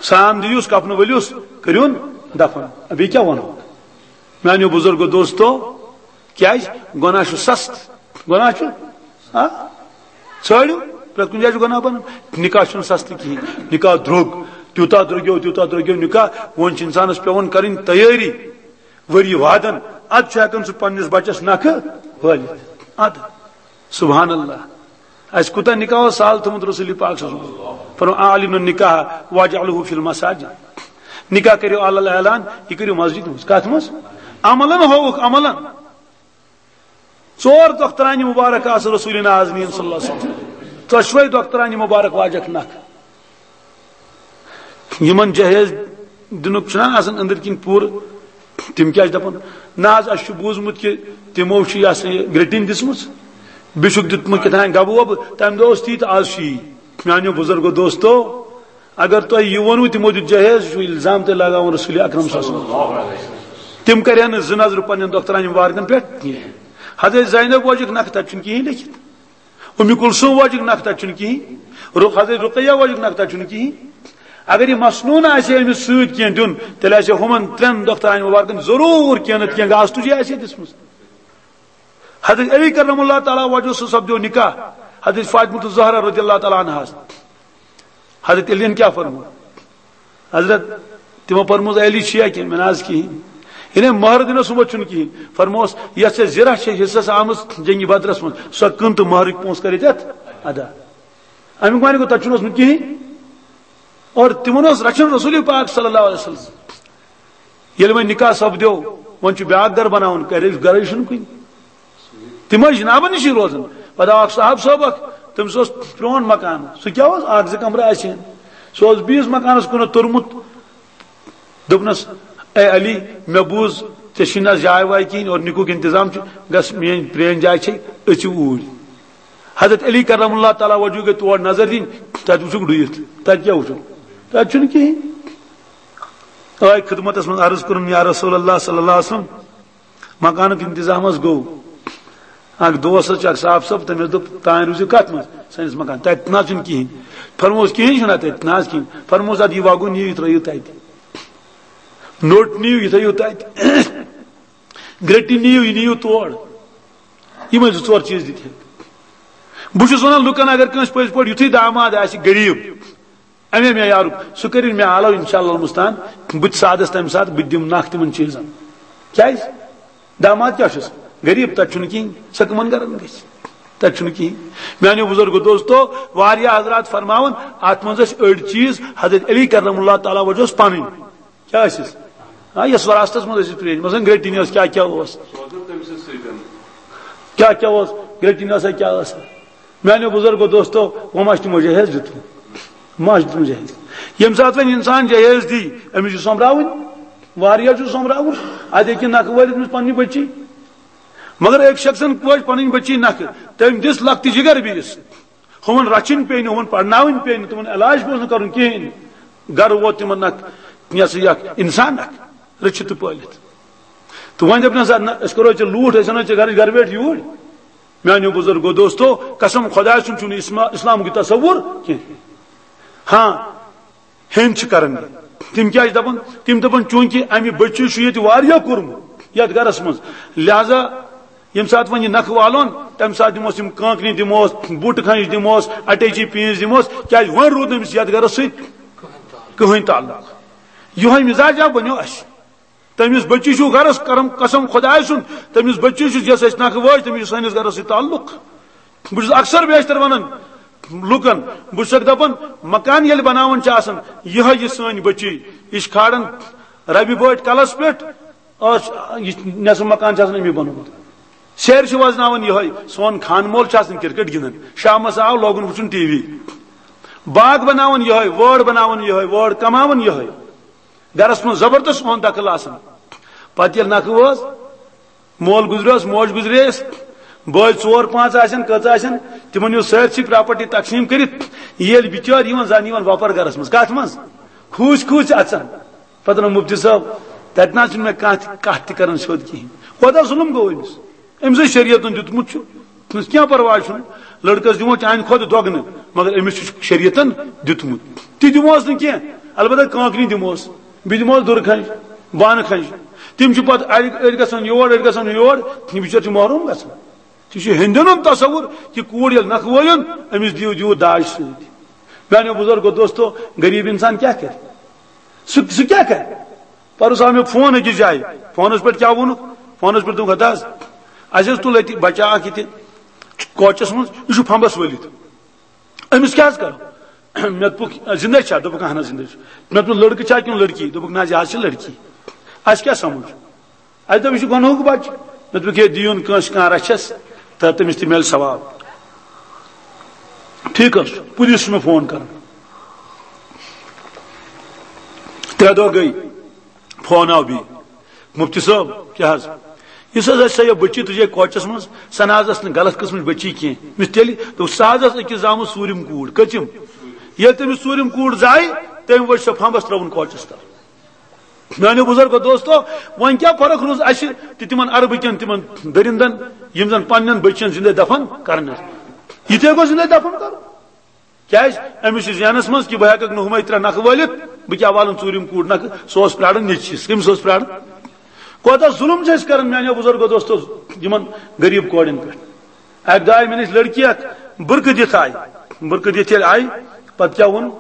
سرٛان دِیوس، کفنہٕ ؤلِوس، کٔرِہُن دفن۔ بیٚیہِ کیٛاہ وَنو؟ میٛانیو بُزرگو دوستو، کیٛازِ؟ گۄناہ چھُ سستہٕ۔ گۄناہ چھُ، آ؟ ژھٲنٛڈِو، پرٛٮ۪تھ کُنہِ جایہِ چھُ گۄناہ بَنان۔ نِکاح چھُنہٕ سستہٕ کِہیٖنۍ۔ نِکاح درٛوٚگ، تیوٗتاہ درٛوٚگیو، تیوٗتاہ درٛوٚگیو نِکاح۔ وۄنۍ چھِ اِنسانَس پٮ۪وان کَرٕنۍ تیٲری۔ ؤری وادن، ادٕ چھُ ہٮ۪کان سُہ پننِس بچس نکھٕ وٲلِتھ۔ ادٕ، سبحان اللہ۔ اَسہِ کوٗتاہ نکاح اوس سہل تھوٚمُت رسول پاک صلی اللہ علیہ وسلم۔ فرموو، "اعلنوا النکاح واجعلوه فی المساجد۔" نکاح کٔرِو اعلان اعلان، یہِ کٔرِو مسجد منٛز۔ کتھ منٛز؟ عملن ہووُکھ، عملن۔ ژور دۄخترانہِ مبارک آسہٕ رسول نازنین صلی اللہ علیہ وسلم۔ ژۄشوے دۄخترانہِ مبارک واجکھ نکھٕ۔ یِمن جہیز دِنُک چھُنہ آسان أنٛدٕرۍ کِنۍ پوٗرٕ، تِم کیٛاہ چھِ دَپان؟ نہ حظ، اَسہِ چھُ بوٗزمُت کہِ تِمو چھُ یہِ ہسا یہِ گرٛٹِنۍ دِژمٕژ، بیٚیہِ چھُکھ دیُتمُت کیٛاہ تام گبہٕ وبہٕ، تَمہِ دۄہ اوس تی تہٕ آز چھُ یی۔ میٛانیو بُزرگو دوستو، اگر تۄہہِ یہِ ووٚنوٕ تِمو دیُت جہیز، یہِ چھُ الزام تۄہہِ لگاوُن رسول اکرم صلی اللہ علیہ وسلم۔ تِم کرِہن نہٕ زٕ نظرٕ پننٮ۪ن دۄخترانہِ مبارکن پٮ۪ٹھ کینٛہہ۔ حضرت زینب وٲجِکھ نکھٕ، تَتہِ چھُنہٕ کِہیٖنۍ لیکھِتھ۔ اُمہِ کلثوم واجِک نکھٕ تَتہِ چھُنہٕ کِہیٖنۍ۔ رُ-، حضرت رُقیہ واجِک نکھٕ تَتہِ چھُنہٕ کِہیٖنۍ۔ اگر یہِ مسنوٗن آسہِ ہے أمِس سۭتۍ کینٛہہ دیُن، تیٚلہِ آسہِ ہے ہُمن ترٛٮ۪ن دۄخترانہِ مبارکن ضروٗر کینٛہہ نتہٕ کینٛہہ گاسہٕ تُجے آسہِ ہے دِژمٕژ۔ حضرت علی کرم اللہ تعالیٰ وجہہ سُہ سپدیو نکاح۔ حضرت فاطمہ الزہرا رضی اللہ تعالیٰ عنہاس۔ حضرت علی یَن کیٛاہ فرموو؟ حضرت، تِمو فرموو، "علی چھُیا کینٛہہ؟" مےٚ نہ حظ کِہیٖنۍ۔ یعنی مہر دِنَس سُمبتھ چھُنہٕ کِہیٖنۍ۔ فرمووس، "یۄس ژےٚ زِرہ چھےٚ حصس آمٕژ جنگِ بدرس منٛز، سۄ کٕن تہٕ مہرٕکۍ پونٛسہٕ کر ییٚتٮ۪تھ ادا۔" اَمیُک معنی گوٚو، تَتہِ چھُنہٕ اوسمُت کِہیٖنۍ۔ اور تِمن اوس رچھُن رسول پاک صلی اللہ علیہ وسلم۔ ییٚلہِ وۄنۍ نکاح سپدیو، وۄنۍ چھُ بیٛاکھ گرٕ بناوُن، گرے، گرے چھُنہٕ کُنہِ۔ تِم ٲسۍ جنابن نِشی روزان۔ پتہٕ آو اکھ صاحب صٲب اکھ، تٔمِس اوس پرٛون مکان، سُہ کیٛاہ اوس؟ اکھ زٕ کمرٕ آسہِ ہے۔ سُہ اوس بیٚیِس مکانس کُنتھ توٚرمُت۔ دوٚپنس، "اے علی، مےٚ بوٗز ژےٚ چھِی نہ جاے واے کِہیٖنۍ اور نِکُک انتظام چھُ، گژھ میٛٲنۍ پرٛٲنۍ جاے چھے، أژِو اوٗرۍ۔" حضرت علی کرم اللہ تعالیٰ وجہہ گٔے تور نظر دِنۍ، تتہِ وٕچھُکھ ڈُیِتھ، تتہِ کیٛاہ وٕچھُکھ؟ تتہِ چھُنہٕ کِہیٖنۍ۔ آے خدمتس منٛز عرض کوٚرُن، "یا رسول اللہ صلی اللہ علیہ وسلم، مکانُک انتظام حظ گوٚو۔" اکھ دوس حظ چھُ، اکھ صاحب صٲب، تٔمِس دوٚپ، "تانۍ روٗزِو کتھ منٛز؟ سٲنِس مکان۔" "تتہِ نہ حظ چھُنہٕ کِہیٖنۍ۔" فرمووُس، "کِہیٖنۍ چھُنہ تتہِ؟" "نہ حظ کِہیٖنۍ۔" فرمووُس، "ادٕ یہِ وگُن نِیِو، یہِ ترٲیِو تتہِ۔ نوٚٹ نِیِو، یہِ تھٲیِو تتہِ۔ گرٛٹہِ نِیِو، یہِ نِیِو تور۔ یِمے زٕ ژور چیٖز دِتۍ ہے۔" بہٕ چھُس ونان لُکن، اگر کٲنٛسہِ پٔزۍ پٲٹھۍ یُتھُے داماد آسہِ غریٖب، اَمے معیارُک، سُہ کٔرِن مےٚ آلو، انشاءاللہ المستعان۔ بہٕ تہِ سادس تَمہِ ساتہٕ، بہٕ تہِ دِمہٕ نکھ تِمن چیٖزن۔ کیٛازِ؟ داماد کیٛاہ چھُس؟ غریٖب، تَتہِ چھُنہٕ کِہیٖنۍ۔ سۄ کٕمن گرن گژھِ؟ تَتہِ چھُنہٕ کِہیٖنۍ۔ میٛانیو بُزرگو دوستو، واریاہ حضرات فرماوان، اَتھ منٛز ٲسۍ أڑۍ چیٖز حضرت علی کرم اللہ تعالیٰ وجہ اوس پَنٕنۍ۔ کیٛاہ ٲسِس؟ آ، یۄس وراثتس منٛز ٲسِس پرٛٲنۍ، مثلاً گرٛٹِنۍ ٲس، کیٛاہ کیٛاہ اوس؟ کیٛاہ کیٛاہ اوس؟ گرٛٹِنۍ ٲسا، کیٛاہ ٲس؟ میٛانیو بُزرگو دوستو، وۄنۍ ما چھُ تِمو جہیز دیُتمُت؟ ما چھُ تِمو جہیز؟ ییٚمہِ ساتہٕ وۄنۍ اِنسان جہیز دی، أمِس چھُ سۄمبراوٕنۍ، واریاہ چھُ سۄمبراوُن۔ اَتہِ ہیٚکہِ نکھٕ وٲلِتھ أمِس پننہِ بٔچی۔ مگر أکۍ شخصن وٲج پنٕنۍ بٔچی نکھٕ، تٔمۍ دِژ لۄکٹہِ جگر بیٚیِس۔ ہُمن رچھِنۍ پیٚیہِ نہٕ، ہُمن پرناوٕنۍ پیٚیہِ نہٕ، تِمن علاج پیوٚو نہٕ کرُن کِہیٖنۍ۔ گرٕ ووت تِمن اکھ، یہِ ہسا یہِ اکھ انسان اکھ، رٔچھِتھ تہٕ پٲلِتھ۔ تہٕ وۄنۍ دٔپنس، "نہ، أسۍ کرو ژےٚ لوٗٹھ، أسۍ انو ژےٚ گرٕچ گرٕ ویٹھ یوٗرۍ۔" میانیو بُزرگو دوستو، قسم خۄداے سُنٛد چھُنہٕ اسما-، اسلامُک یہِ تصوُر کینٛہہ۔ ہاں، ہیٚنٛد چھِ کران۔ تِم کیٛاہ چھِ دَپان؟ تِم دَپان، چوٗنٛکہِ اَمہِ بٔچی چھُ ییٚتہِ واریاہ کوٚرمُت یَتھ گَرَس منٛز، لہذا ییٚمہِ ساتہٕ وۄنۍ یہِ نَکھٕ والون، تَمہِ ساتہٕ دِموس یِم کانٛکنہِ، دِموس بوٗٹہٕ کھَنٛج، دِموس اَٹیچی پیٖنٛژ دِموس، کیٛازِ وۄنۍ روٗد نہٕ أمِس یَتھ گَرَس سۭتۍ کٕہٕنۍ تعلق۔ یِہوٚے مِزاج آو بَنیو اَسہِ۔ تٔمِس بٔچی چھُ گَرَس کرم قسم خۄداے سُنٛد، تٔمِس بٔچی چھُ، یۄس اَسہِ نَکھٕ وٲج، تٔمِس چھُ سٲنِس گَرَس سۭتۍ تعلق۔ بہٕ چھُس اکثر بیشتر ونان لُکن، بہٕ چھُسکھ دپان، مکان ییٚلہِ بناوان چھِ آسان، یِہوٚے یہِ سٲنۍ بٔچی، یہِ چھِ کھالان ربہِ بٲٹھۍ کلس پٮ۪ٹھ، ٲس یہِ نٮ۪صٕف مکان چھِ آسان أمی بنومُت۔ سیرِ چھِ وزناوان یِہوٚے، سون خان مول چھُ آسان کرکٹ گِنٛدان، شامس آو لوگُن وٕچھُن ٹی وی۔ باغ بناوان یِہوٚے، وٲر بناوان یِہوٚے، وٲر کماوان یِہوٚے۔ گرس منٛز زبردست سون دخل آسان۔ پتہٕ ییٚلہِ نکھٕ وٲژ، مول گُزریوس، موج گُزرییس، بٲے ژور پانٛژھ آسن، کٔژ آسن، تِمن یُس سٲرسٕے پراپرٹی تقسیٖم کٔرِتھ، ییٚلہِ بِچٲرۍ یِوان، زن یِوان وۄپر گرس منٛز۔ کتھ منٛز؟ کھوٗژۍ کھوٗژۍ اژان۔ پتہٕ ووٚن مُفتی صٲب، تتہِ نہ حظ چھُنہٕ مےٚ کانٛہہ تہِ، کتھ تہِ کران سیوٚد کِہیٖنۍ۔ کوتاہ ظُلم گوٚو أمِس؟ أمِس ہے شریعتن دیُتمُت چھُ، أمِس کینٛہہ پرواے چھُنہٕ، لڑکس دِمو چانہِ کھۄتہٕ دۄگنہٕ، مگر أمِس چھُ شریعتن دیُتمُت۔ تہِ دِموس نہٕ کینٛہہ، البتہ کانٛکنی دِموس، بیٚیہِ دِموس دُرٕ کھنٛج، بانہٕ کھنٛج۔ تِم چھِ پتہٕ اَڑِ، أڑۍ گژھان یور، أڑۍ گژھان یور، یہِ بِچٲرۍ چھِ محروم گژھان۔ تہِ چھُ ہیٚندٮ۪ن ہُنٛد تصوُر، یہِ کوٗر ییٚلہِ نکھٕ وٲلِن، أمِس دِیِو، دِیِو داج سۭتۍ۔ میانیو بُزرگو دوستو، غریٖب انسان کیٛاہ کرِ؟ سُہ، سُہ کیٛاہ کرِ؟ پرُس آو مےٚ فون أکِس جایہِ، فونس پٮ۪ٹھ کیٛاہ ووٚنُکھ؟ فونس پٮ۪ٹھ دوٚپُکھ، ہتا حظ، اَسہِ حظ تُل أتی بچہ اکھ ییٚتہِ، کوچس منٛز، یہِ چھُ پھمبس ؤلِتھ۔ أمِس کیٛاہ حظ کرو؟ مےٚ دوٚپُکھ، زِندَے چھا؟ دوٚپُکھ، اہن حظ، زِندَے چھُ۔ مےٚ دوٚپُن، لٔڑکہٕ چھا کِنہٕ لٔڑکی؟ دوٚپُکھ، نہ حظ، یہِ حظ چھِ لٔڑکی۔ اَسہِ کیٛاہ سمجھ؟ اَسہِ دوٚپ، یہِ چھُ گۄنہُک بچہٕ۔ مےٚ دوٚپُکھ، ہے، دِیُن کٲنٛسہِ کانٛہہ رَچھَس، تہٕ تٔمِس تہِ میلہِ ثواب۔ ٹھیٖک حظ چھُ، پُلیٖس چھُ مےٚ فون کران۔ ترٛےٚ دۄہ گٔے، فون آو بیٚیہِ، مفتی صٲب، کیٛاہ حظ؟ یُس حظ اَسہِ سۄ یہِ بٔچی تُجے کوچَس منٛز، سۄ نہ حظ ٲس نہٕ غلط قٕسمٕچ بٔچی کینٛہہ۔ مےٚ تیٚلہِ دوٚپ، سۄ حظ ٲس أکِس زامٕژ ژوٗرِم کوٗر۔ کٔژِم؟ ییٚلہِ تٔمِس ژوٗرِم کوٗر زاے، تٔمۍ ؤچھ سۄ پھمبَس ترٲوٕن کوچَس تَل۔ میانیو بُزرگو دوستو، وۄنۍ کیٛاہ فرق روٗز اَسہِ تہٕ تِمن عربہٕ کٮ۪ن تِمن دٔرِندن، یِم زن پننٮ۪ن بٔچین زِندَے دفن کرنس؟ یہِ تہِ ہیٚکو زِندَے دفن کرُن۔ کیٛازِ؟ أمِس چھُ ذہنس منٛز کہِ بہٕ ہیٚککھ نہٕ ہُمے ترٛےٚ نکھٕ وٲلِتھ، بہٕ کیٛاہ والُن ژوٗرِم کوٗر نکھٕ؟ سُہ اوس پرٛاران نیٚچوِس۔ کٔمِس اوس پرٛاران؟ کوتاہ ظُلم چھِ أسۍ کران میانیو بُزرگو دوستو یِمن غریٖب کورٮ۪ن پٮ۪ٹھ۔ اکہِ دۄہ آیہِ مےٚ نِش لڑکی اکھ، بُرقہٕ دِتھ آیہِ۔ بُرقہٕ دِتھ ییٚلہِ آیہِ، پتہٕ کیٛاہ ووٚن؟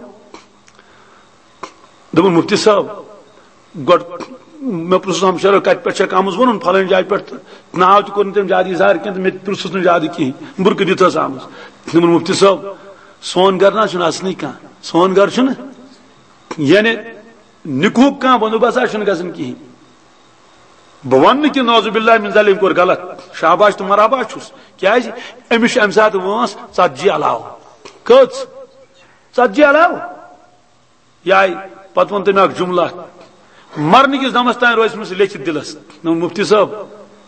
دوٚپُن، مفتی صٲب، گۄڈٕ مےٚ پرٛژھُس ہمشیرو، کتہِ پٮ۪ٹھ چھکھ آمٕژ؟ ووٚنُن، فلٲنۍ جایہِ پٮ۪ٹھ۔ تہٕ ناو تہِ کوٚر نہٕ تٔمۍ زیادٕ اظہار کینٛہہ، تہٕ مےٚ تہِ پرٛژھُس نہٕ زیادٕ کِہیٖنۍ۔ بُرقہٕ دِتھ ٲس آمٕژ۔ دوٚپُن، مفتی صٲب، سون گرٕ نہ حظ چھُنہٕ اصلٕے کانٛہہ، سون گرٕ چھُنہٕ، یعنی، نِکہُک کانٛہہ بندوبست حظ چھُنہٕ گژھان کِہیٖنۍ۔ بہٕ وَنہٕ نہٕ کہِ نعوذ باللہ من ذالک، أمۍ کوٚر غلط، شاباش تہٕ مرحبا چھُس۔ کیٛازِ؟ أمِس چھِ اَمہِ ساتہٕ وٲنٛس ژتجی علاوٕ۔ کٔژ؟ ژتجی علاوٕ۔ یہِ آیہِ، پتہٕ ووٚن تٔمۍ اکھ جملہ، مرنہٕ کِس دمس تام روزِ أمِس لیٚکھِتھ دِلس۔ نہ، مفتی صٲب،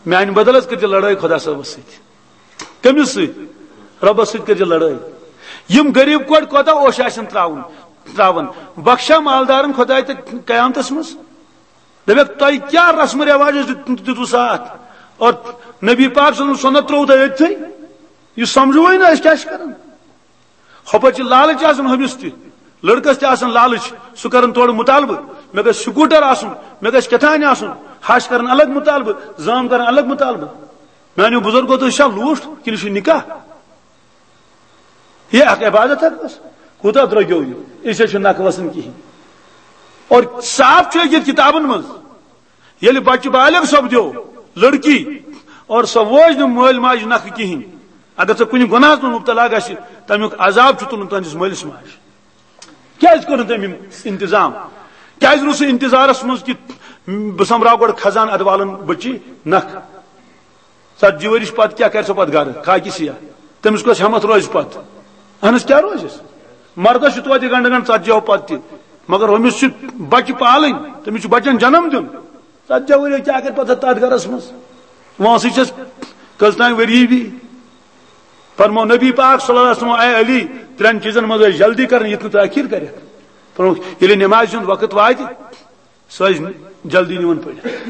میانہِ بدل حظ کٔرۍزِ لڑٲے خۄدا صٲبس سۭتۍ۔ کٔمِس سۭتۍ؟ رۄبس سۭتۍ کٔرۍزِ لڑٲے۔ یِم غریٖب کورِ کوتاہ اوش آسن تراوُن، تراوان۔ بخشا مالدارن خۄداے تہٕ قیامتس منٛز۔ دپکھ، تۄہہِ کیٛاہ رسم و رواج اوس دیُت-، دیُتوٕ ساتھ؟ اور نبی پاک صلی اللہ علیہ وسلم سُنت ترٛووٕ تۄہہِ أتھٕے؟ یہِ سمجھوٕے نہٕ أسۍ کیٛاہ چھِ کران۔ ہۄپٲرۍ چھِ لالچ آسان ہُمِس تہِ، لڑکس تہِ آسان لالچ، سُہ کران تورٕ مطالبہٕ، مےٚ گژھِ سکوٗٹر آسُن، مےٚ گژھِ کیٛاہ تام آسُن، ہش کران الگ مطالبہٕ، زٲم کران الگ مطالبہٕ۔ میانیو بُزرگو، تُہۍ چھا لوٗٹھ کِنہٕ چھُ نکاح؟ یہِ اکھ عبادت ہا ٲس۔ کوٗتاہ درٛوٚگیو یہِ؟ أسۍ حظ چھِ نکھٕ وسان کِہیٖنۍ۔ اور صاف چھُ لیکھِتھ کِتابن منٛز، ییٚلہِ بچہِ بالغ سپدیو، لڑکی، اور سۄ ووج نہٕ مٲلۍ ماجہِ نکھٕ کِہیٖنۍ، اگر سۄ کُنہِ گۄناہس منٛز مبتلا گژھِ، تمیُک عذاب چھُ تُلُن تُہنٛدِس مٲلِس ماجہِ۔ کیازِ کوٚر نہٕ تٔمۍ یِم انتظام؟ کیازِ روٗز سُہ انتظارس منٛز کہِ بہٕ سۄمبراو گۄڈٕ خزان، ادٕ والن بچی نکھ؟ ژتجی ؤرِش پتہٕ کیٛاہ کرِ سۄ پتہٕ گرٕ؟ خاکہِ سیاہ۔ تٔمِس کۄس ہٮ۪متھ روزِ پتہٕ؟ اہن حظ، کیٛاہ روزٮ۪س؟ مردس چھُ توتہِ گنڈٕ گنڈٕ ژتجی ہو پتہٕ تہِ، مگر ہُمِس چھُ بچہِ پالٕنۍ، تٔمِس چھُ بچن جنم دیُن۔ ژتجی ؤری کیٛاہ کرِ پتہٕ تتھ گرس منٛز؟ وۄنۍ سُہ چھس کٔژ تام ؤری بی۔ فرمو نبی پاک صلی اللہ علیہ وسلم، اے علی، ترٛٮ۪ن چیٖزن منٛز ٲسۍ جلدی کرٕنۍ، یُتھ نہٕ تٲخیر کرٮ۪کھ۔ فرمووُکھ، ییٚلہِ نمازِ ہُنٛد وقت واتہِ، سۄ ٲسۍ جلدی نِوان پٔرِتھ۔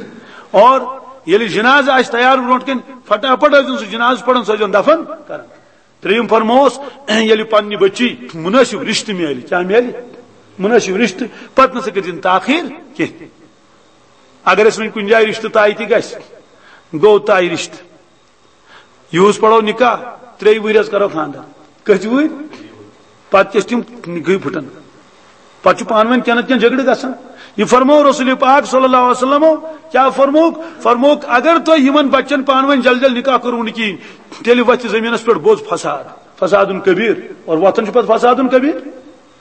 اور ییٚلہِ جنازٕ آسہِ تیار برونٛٹھ کَنہِ، فٹافٹ ٲسۍزیون سُہ جنازٕ پران، سُہ ٲسۍزیون دفن کران۔ ترٛیٚیِم فرمووُس، ییٚلہِ پننہِ بچی منٲسِب رشتہٕ میلہِ، کیٛاہ میلہِ؟ منٲسِب رشتہٕ، پتہٕ نہ سا کٔرۍزِن تاخیر کینٛہہ۔ اگر اَسہِ وۄنۍ کُنہِ جایہِ رشتہٕ طے تہِ گژھِ، گوٚو طے رشتہٕ۔ یِہُس پرو نکاح، ترٛیٚیہِ وُہٕرۍ حظ کرو خانٛدر۔ کٔژِ وُہٕرۍ؟ پتہٕ کیٛاہ چھِ تِم نکاحٕے پھُٹان؟ پتہٕ چھُ پانہٕ ؤنۍ کینٛہہ نتہٕ کینٛہہ جھگڑٕ گژھان۔ یہِ فرموو رسول پاک صلی اللہ علیہ وسلم، کیٛاہ فرمووُکھ؟ فرمووُکھ، اگر تۄہہِ یِمن بچن پانہٕ ؤنۍ جل جل نکاح کوٚروٕ نہٕ کِہیٖنۍ، تیٚلہِ وۄتھِ زٔمیٖنس پٮ۪ٹھ بوٚڑ فساد، فساد کبیر۔ اور وۄتھان چھُ پتہٕ فساد کبیر۔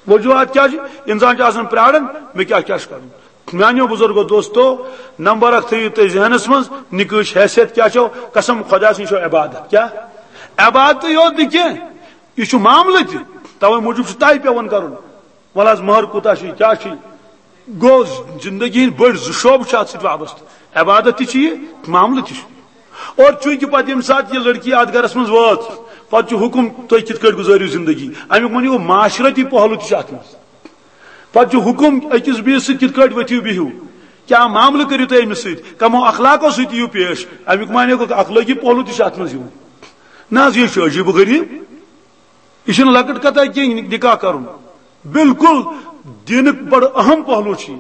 وجوہات کیٛاہ چھِ؟ انسان چھُ آسان پرٛاران، مےٚ کیٛاہ کیٛاہ چھُ کرُن۔ میانیو بزرگو دوستو، نمبر اکھ تھٲیِو تُہۍ ذہنس منٛز، نکاحٕچ حیثیت کیٛاہ چھو؟ قسم خۄدا سٕنٛز چھو عبادت۔ کیٛاہ؟ عبادتٕے یوت نہٕ کینٛہہ، یہِ چھُ معاملہٕ تہِ۔ توے موٗجوٗب چھُ طے پٮ۪وان کرُن۔ وَلہٕ حظ، مہر کوٗتاہ چھُ، کیٛاہ چھُ؟ گوٚو زندگی ہٕنٛدۍ بٔڑۍ زٕ شعبہٕ چھِ اتھ سۭتۍ وابستہٕ۔ عبادت تہِ چھُ یہِ، معاملہٕ تہِ چھُ۔ اور چوٗنٛکہِ پتہٕ ییٚمہِ ساتہٕ یہِ لڑکی اتھ گرس منٛز وٲژ، پتہٕ چھُ حُکم، تُہۍ کِتھ کٲٹھۍ گُزٲرِو زندگی۔ امیُک معنی گوٚو معاشرتی پہلو تہِ چھُ اتھ منٛز۔ پتہٕ چھُ حُکم أکِس بیٚیِس سۭتۍ کِتھ کٲٹھۍ ؤتھِو بِہِو، کیٛاہ معاملہٕ کٔرِو تُہۍ أمِس سۭتۍ، کمو اخلاقو سۭتۍ یِیِو پیش۔ امیُک معنی گوٚو اخلٲقی پہلو تہِ چھُ اتھ منٛز یِوان۔ نہ حظ، یہِ چھُ عجیب و غریب، یہِ چھُنہٕ لۄکٕٹ کتھا کینٛہہ نکاح کرُن، بالکل دینُک بڑٕ اہم پہلو چھُ یہِ۔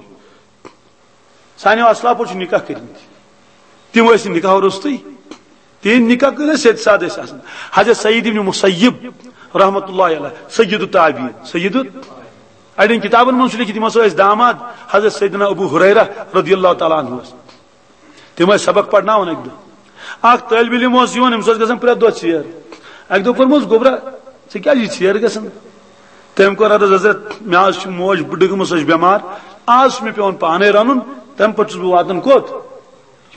سانیو اسلافو چھِ نکاح کٔرمٕتۍ، تِم ٲسۍ نہٕ نکاح روٚستُے، تِہِنٛدۍ نکاح کٔرۍ ٲسۍ سیٚدۍ سادٕ ٲسۍ آسان۔ حضرت سعید ابن مسیب رحمۃ اللہ علیہ، سید التابعین، سید ال-، اڑٮ۪ن کتابن منٛز چھُ لیکھِتھ، یِم ہسا ٲسۍ داماد حضرت سیدنا ابو ہریرہ رضی اللہ تعالیٰ عنہ ٲسۍ۔ تِم ٲسۍ سبق پرناوان اکہِ دۄہ۔ اکھ طٲلب علم اوس یِوان، أمِس ٲس گژھان پرٛٮ۪تھ دۄہ ژیر۔ اکہِ دۄہ کوٚرمس، "گوٚبرا، ژےٚ کیٛازِ یہِ ژیر گژھان؟" تٔمۍ کوٚر عرض، "حضرت، مےٚ حظ چھِ موج بٕڈٕ گٔمٕژ، سۄ چھِ بٮ۪مار، آز چھُ مےٚ پٮ۪وان پانے رنُن، تمہِ پتہٕ چھُس بہٕ واتان کوٚت؟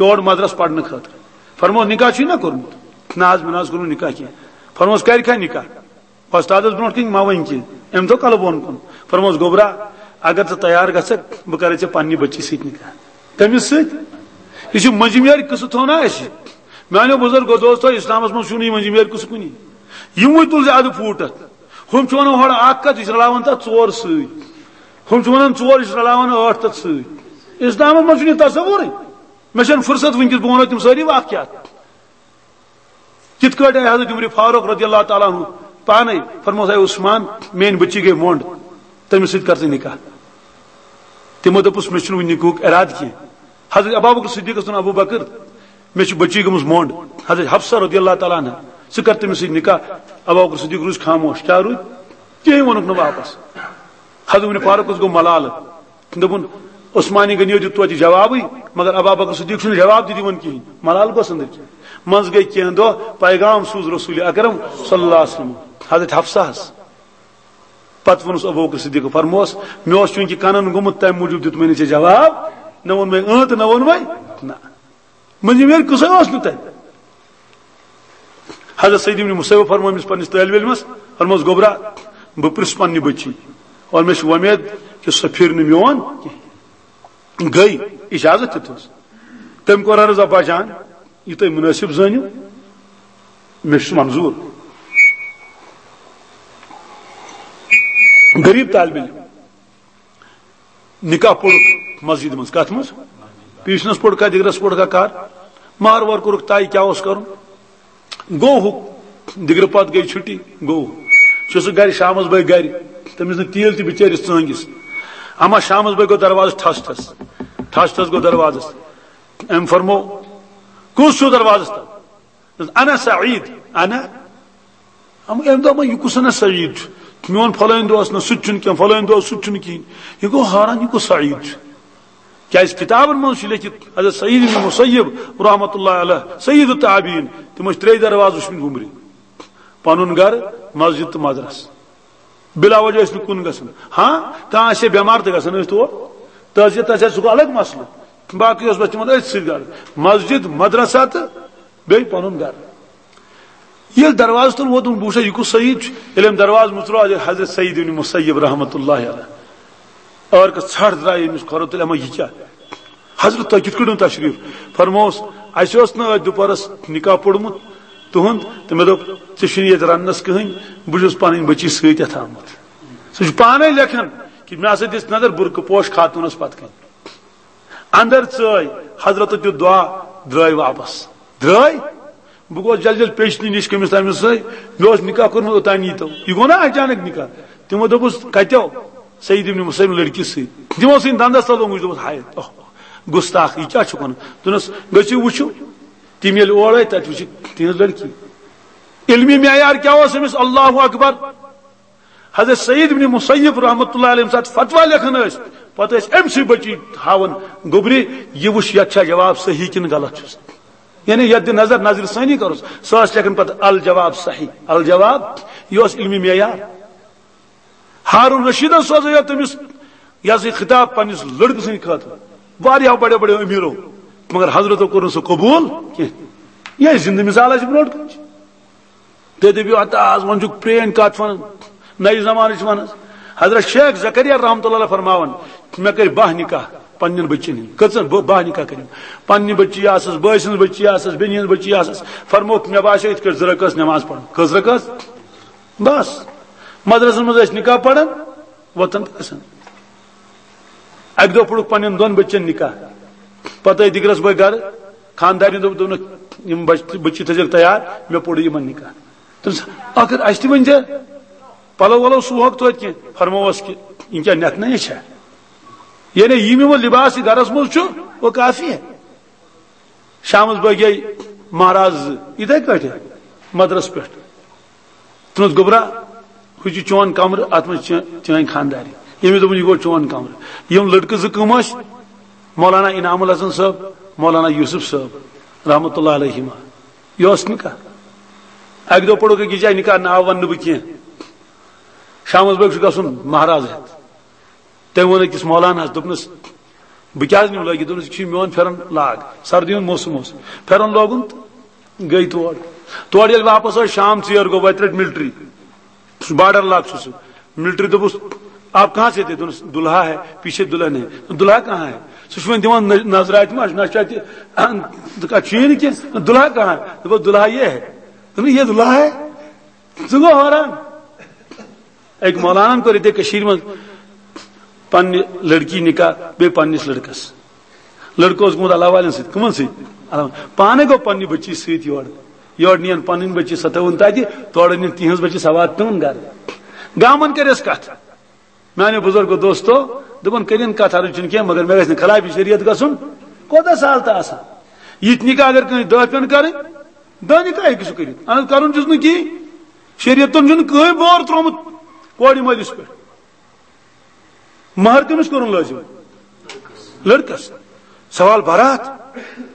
یور مدرس پرنہٕ خٲطرٕ۔" فرموس، "نکاح چھُے نہ کوٚرمُت؟" "نہ حظ، مےٚ نہ حظ کوٚر نہٕ نکاح کینٛہہ۔" فرموس، "کرِ کھا نکاح؟" وۄستادس برونٛٹھ کنہِ مہ ؤنۍ کینٛہہ، أمۍ تھوٚو کلہٕ بۄن کُن۔ فرموس، "گوٚبرا، اگر ژٕ تیار گژھکھ، بہٕ کرے ژےٚ پننہِ بچی سۭتۍ نکاح۔" کٔمِس سۭتۍ؟ یہِ چھُ مٔنٛزِم یارِ قصہٕ تھوٚو نا اَسہِ۔ میانیو بزرگو دوستو، اسلامس منٛز چھُنہٕ یہِ مٔنٛزِم یارِ قصہٕ کُنی۔ یِموٕے تُل زیادٕ پھوٗٹھ اتھ۔ ہُم چھِ ونان ہورٕ اکھ کتھ، یہِ چھِ رلاوان تتھ ژور سۭتۍ۔ ہُم چھِ ونان ژور، یہِ چھِ رلاوان ٲٹھ تتھ سۭتۍ۔ اسلامس منٛز چھُنہٕ یہِ تصورٕے۔ مےٚ چھنہٕ فرصت وٕنکیٚس، بہٕ ونو تِم سٲری واقعات۔ کِتھ کٲٹھۍ آیہِ حضرت عمر فاروق رضی اللہ تعالیٰ عنہ پانے؟ فرموس، "اے عثمان، میٲنۍ بچی گٔے مۄنڈ، تٔمِس سۭتۍ کر ژٕ نکاح؟" تِمو دوٚپُس، "مےٚ چھُنہٕ وُنہِ نکاحُک ارادٕ کینٛہہ۔" حضرت ابو بکر صدیقس ووٚن، "ابو بکر، مےٚ چھِ بچی گٔمٕژ مۄنڈ۔" حضرت حفصہ رضی اللہ تعالیٰ عنہ، "ژٕ کر تٔمِس سۭتۍ نکاح؟" ابو بکر صدیق روٗز خاموش۔ کیٛاہ روٗد؟ کِہیٖنۍ ووٚنُکھ نہٕ واپس۔ حضرت عمر فاروق اوس گوٚو ملالہٕ۔ دوٚپُن، "عثمانی غنیو دیُت توتہِ جوابٕے، مگر ابا بکر صدیق چھُنہٕ جواب تہِ دِوان کِہیٖنۍ۔" ملال گوٚژھ أنٛدٕرۍ کِنۍ۔ منٛزٕ گٔے کینٛہہ دۄہ، پیغام سوٗز رسول اکرم صلی اللہ علیہ وسلم حضرت حفصہ ہس۔ پتہٕ ووٚنُس ابو بکر صدیق، فرموس، "مےٚ اوس چوٗنٛکہِ کنن گوٚمُت، تمہِ موٗجوٗب دیُت مےٚ نہٕ ژےٚ جواب، نہ ووٚن مےٚ اۭں تہٕ نہ ووٚن مےٚ نہ۔" مٔنٛزِم ییٚلہِ قٕصے اوس نہٕ تَتہِ۔ حضرت سعید ابن مسیب فرموو أمِس پننِس طٲلب علمس، فرموس، "گوٚبرا، بہٕ پرٛژھٕ پننہِ بٔچی، اور مےٚ چھِ وۄمید کہِ سۄ پھِرِ نہٕ میون کینٛہہ۔" گٔے، اجازت تہِ تھوٚوس۔ تٔمۍ کوٚر عرض، "ابا جان، یہِ تُہۍ مُنٲسِب زٲنِو، مےٚ چھُ منظوٗر۔" غریب طالب علم۔ نکاح پوٚرُکھ مسجد منٛز۔ کتھ منٛز؟ پیشنس پوٚرُکھا، دِگرس پوٚرُکھا، کر؟ مہر وہر کوٚرُکھ طے، کیٛاہ اوس کرُن؟ گوٚو ہُہ، دِگرٕ پتہٕ گٔے چھُٹی، گوٚو۔ چھُ سُہ گرِ، شامس بٲگۍ گرِ، تٔمِس نہٕ تیٖل تہِ بِچٲرِس ژٲنٛگِس۔ اما شامس بٲگۍ گوٚو دروازٕ ٹھس ٹھس، ٹھس ٹھس گوٚو دروازس۔ أمۍ فرموو، "کُس چھُو دروازس تل؟" دوٚپُس، "انا سعید، انا۔" اما أمۍ دوٚپ، "وۄنۍ یہِ کُس انا سعید چھُ؟" میون فلٲنۍ دوست نہٕ، سُہ تہِ چھُنہٕ کینٛہہ، فلٲنۍ دوست، سُہ تہِ چھُنہٕ کِہیٖنۍ۔ یہِ گوٚو حٲران، یہِ کُس سعید چھُ؟ کیازِ کتابن منٛز چھُ لیکھِتھ، حضرت سعید ابن مسیب رحمۃ اللہ علیہ، سید التابعین، تِم ٲسۍ ترٛیٚیہِ دروازٕ وٕچھمٕتۍ وُمرِ، پنُن گرٕ، مسجد تہٕ مدرسہٕ۔ بلا وجہ ٲسۍ نہٕ کُن گژھان۔ ہاں، کانٛہہ آسہِ ہے بٮ۪مار تہٕ گژھان ٲسۍ تور، تعزیت آسہِ ہے، سُہ گوٚو الگ مسلہٕ۔ باقٕے اوس بس تِمن أتھۍ سۭتۍ گرٕ، مسجد، مدرسہ تہٕ بیٚیہِ پنُن گرٕ۔ ییٚلہِ دروازٕ تُل ووتُن، بہٕ وٕچھا یہِ کُس سعید چھُ۔ ییٚلہِ أمۍ دروازٕ مُژروو، حضرت سعید ابن مسیب رحمۃ اللہ علیہ، ٲر کٔر ژھٹھ، درٛاے أمِس کھۄرو تُلۍ، اما یہِ کیٛاہ؟ حضرت، تۄہہِ کِتھ کٔنۍ اوٚن تشریٖف؟ فرمووُس، اَسہِ اوس نہٕ أتھۍ دُپہرس نکاح پوٚرمُت تُہُنٛد، تہٕ مےٚ دوٚپ، ژےٚ چھُنہٕ ییٚتہِ رننس کٕہٕنۍ، بہٕ چھُس پنٕنۍ بٔچی سۭتۍ یتھ آمُت۔ سُہ چھُ پانے لیکھان کہِ مےٚ ہسا دِژ نظر برقعہٕ پوش خاتوٗنس پتہٕ کنۍ۔ اندر ژٲے، حضرت دیُت دعا، درٛاے واپس۔ درٛاے؟ بہٕ گوس جل جل پیشنہِ نِش کٔمِس تامِس سۭتۍ، مےٚ اوس نکاح کوٚرمُت اوٚتام ییٖتو۔ یہِ گوٚو نا اچانک نکاح؟ تِمو دوٚپُس، کتیو؟ سعید ابن مسیب لڑکی سۭتۍ۔ تِمو ژھٕنۍ دندس تل اوٚنگُج، دوٚپُس، ہاے، اوہ، گستاخ، یہِ کیٛاہ چھُکھ ونان؟ دوٚپنس، گٔژھِو وٕچھِو۔ تِم ییٚلہِ اور آے، تتہِ وٕچھِکھ تِہنٛز لڑکی۔ علمی معیار کیٛاہ اوس أمِس؟ اللہ اکبر۔ حضرت سعید ابن مسیب رحمۃ اللہ علیہ ییٚمہِ ساتہٕ فتویٰ لیکھان ٲسۍ، پتہٕ ٲسۍ أمۍ سٕے بٔچی ہاوان گوٚبرِ، یہِ وٕچھ یتھ چھا جواب صحیح کِنہٕ غلط چھُس۔ یعنی یتھ دِ نظر، نظرِ ثانی کروس، سۄ ٲس لیکھان پتہٕ الجواب صحیح، الجواب، یہِ اوس علمی معیار۔ ہارون رشیدن سوزے یوت تٔمِس یہِ ہسا یہِ خطاب پننِس لڑکہٕ سٕنٛدِ خٲطرٕ واریاہو بڑیو بڑیو امیرو، مگر حضرتو کوٚر نہٕ سُہ قبول کینٛہہ۔ یہِ زندٕ مثال اَسہِ برونٛٹھ کُن چھِ۔ تُہۍ دٔپِو، ہتا از وۄنۍ چھُکھ پرٛٲنۍ کتھ ونان، نَیہِ زمانٕچ ونان۔ حضرت شیخ زکریا رحمتہ اللہ علیہ فرماوان، مےٚ کٔرۍ باہ نکاح پننٮ۪ن بچن ہٕنٛدۍ۔ کٔژن؟ ب-، باہ نکاح کٔرِم۔ پننہِ بچی آسس، بٲے سٕنٛز بچی آسس، بیٚنہِ ہٕنٛز بچی آسس۔ فرمووُکھ، مےٚ باسیو یِتھ کٲٹھۍ زٕ رکٲژ نماز پرُن۔ کٔژ رکٲژ؟ بس۔ مدرسن منٛز ٲسۍ نکاح پران، وۄتھان تہٕ گژھان۔ اکہِ دۄہ پوٚرُکھ پننٮ۪ن دۄن بچن نکاح۔ پتہٕ ٲے دِگرس بٲے گرٕ، خاندارنہِ دوٚپ، دوٚپنکھ، یِم بچ-، بچی تھٲیزیٚو تیار، مےٚ پوٚر یِمن نکاح۔ دوٚپنس، ٲخر اسہِ تہِ ؤنۍ زِ پلو ولو سُوہوکھ توتہِ کینٛہہ۔ فرمووس کہِ یِم کیٛاہ نٮ۪تھ نہ چھا؟ یعنی یِم یِمو لباس یہِ گرس منٛز چھُ، وہ کافی ہے۔ شامس بٲگۍ گٔے مہراز زٕ، یِتھے کٲٹھۍ مدرس پٮ۪ٹھ۔ تُہنٛد گوٚبرا، ہُہ چھُ چون کمرٕ، اتھ منٛز چھِ چٲنۍ خانداری۔ ییٚمِس دوٚپُن، یہِ گوٚو چون کمرٕ۔ یِم لڑکہٕ زٕ کٕم ٲسۍ؟ مولانا انعام الحسن صٲب، مولانا یوسف صٲب، رحمتہ اللہ علیہما۔ یہِ اوس نکاح۔ اکہِ دۄہ پوٚرُکھ أکِس جایہِ نکاح، ناو ونہٕ نہٕ بہٕ کینٛہہ۔ شامس بٲگۍ چھُ گژھُن مہراز ہٮ۪تھ۔ تٔمۍ ووٚن أکِس مولاناہس، دوٚپنس، بہٕ کیٛازِ نِمہٕ لٲگِتھ؟ دوٚپنس، یہِ چھُ میون پھٮ۪رن لاگ، سردی ہُنٛد موسم اوس۔ پھٮ۪رن لوگُن تہٕ گٔے تور۔ تورٕ ییٚلہِ واپس ٲسۍ، شام ژیر گوٚو، وتہِ رٔٹۍ ملٹری۔ سُہ بارڈر علاقہٕ چھُ سُہ۔ ملٹری دوٚپُس، آپ کہاں سے تھے؟ دوٚپنس، دُلہا ہے، پیچھے دُلہن ہے۔ دُلہا کہاں ہے؟ سُہ چھُ وۄنۍ دِوان نظ-، نظرِ اَتہِ ما، نہ چھُ اَتہِ، تہٕ کَتہِ چھُ یی نہٕ کینٛہہ۔ دُلہا کہاں ہے؟ دوٚپُس، دُلہا یہ ہے۔ دوٚپُن، یہ دُلہا ہے؟ سُہ گوٚو حٲران۔ أکۍ مولانن کوٚر ییٚتہِ کٔشیٖرِ منٛز پننہِ لڑکی نکاح بیٚیہِ پننِس لڑکس۔ لڑکہٕ اوس گوٚمُت اللہ والٮ۪ن سۭتۍ۔ کٕمن سۭتۍ؟ اللہ والٮ۪ن۔ پانے گوٚو پننہِ بچی سۭتۍ یورٕ۔ یورٕ نِین پنٕنۍ بچی، سۄ تھٲوٕن تتہِ، تورٕ نِین تِہنٛز بچی، سۄ واتنٲوٕن گرٕ۔ گامن کٔرِس کتھ۔ میانیو بزرگو دوستو، دوٚپُن، کٔرِن کتھ، عرض چھُنہٕ کینٛہہ، مگر مےٚ گژھِ نہٕ خلاف شریعت گژھُن۔ کوتاہ سہل تہٕ آسان۔ یِتھۍ نکاح اگر کٲنٛسہِ دہ پٮ۪ن کرٕنۍ، دہ نکاح ہیٚکہِ سُہ کٔرِتھ۔ اہن حظ، کرُن چھُس نہٕ کِہیٖنۍ۔ شریعتن چھُنہٕ کٕہٕنۍ بور ترٛوومُت کورِ مٲلِس پٮ۪ٹھ۔ مہر کٔمِس کوٚرُن لٲزِم؟ لڑکس۔ سوال برات؟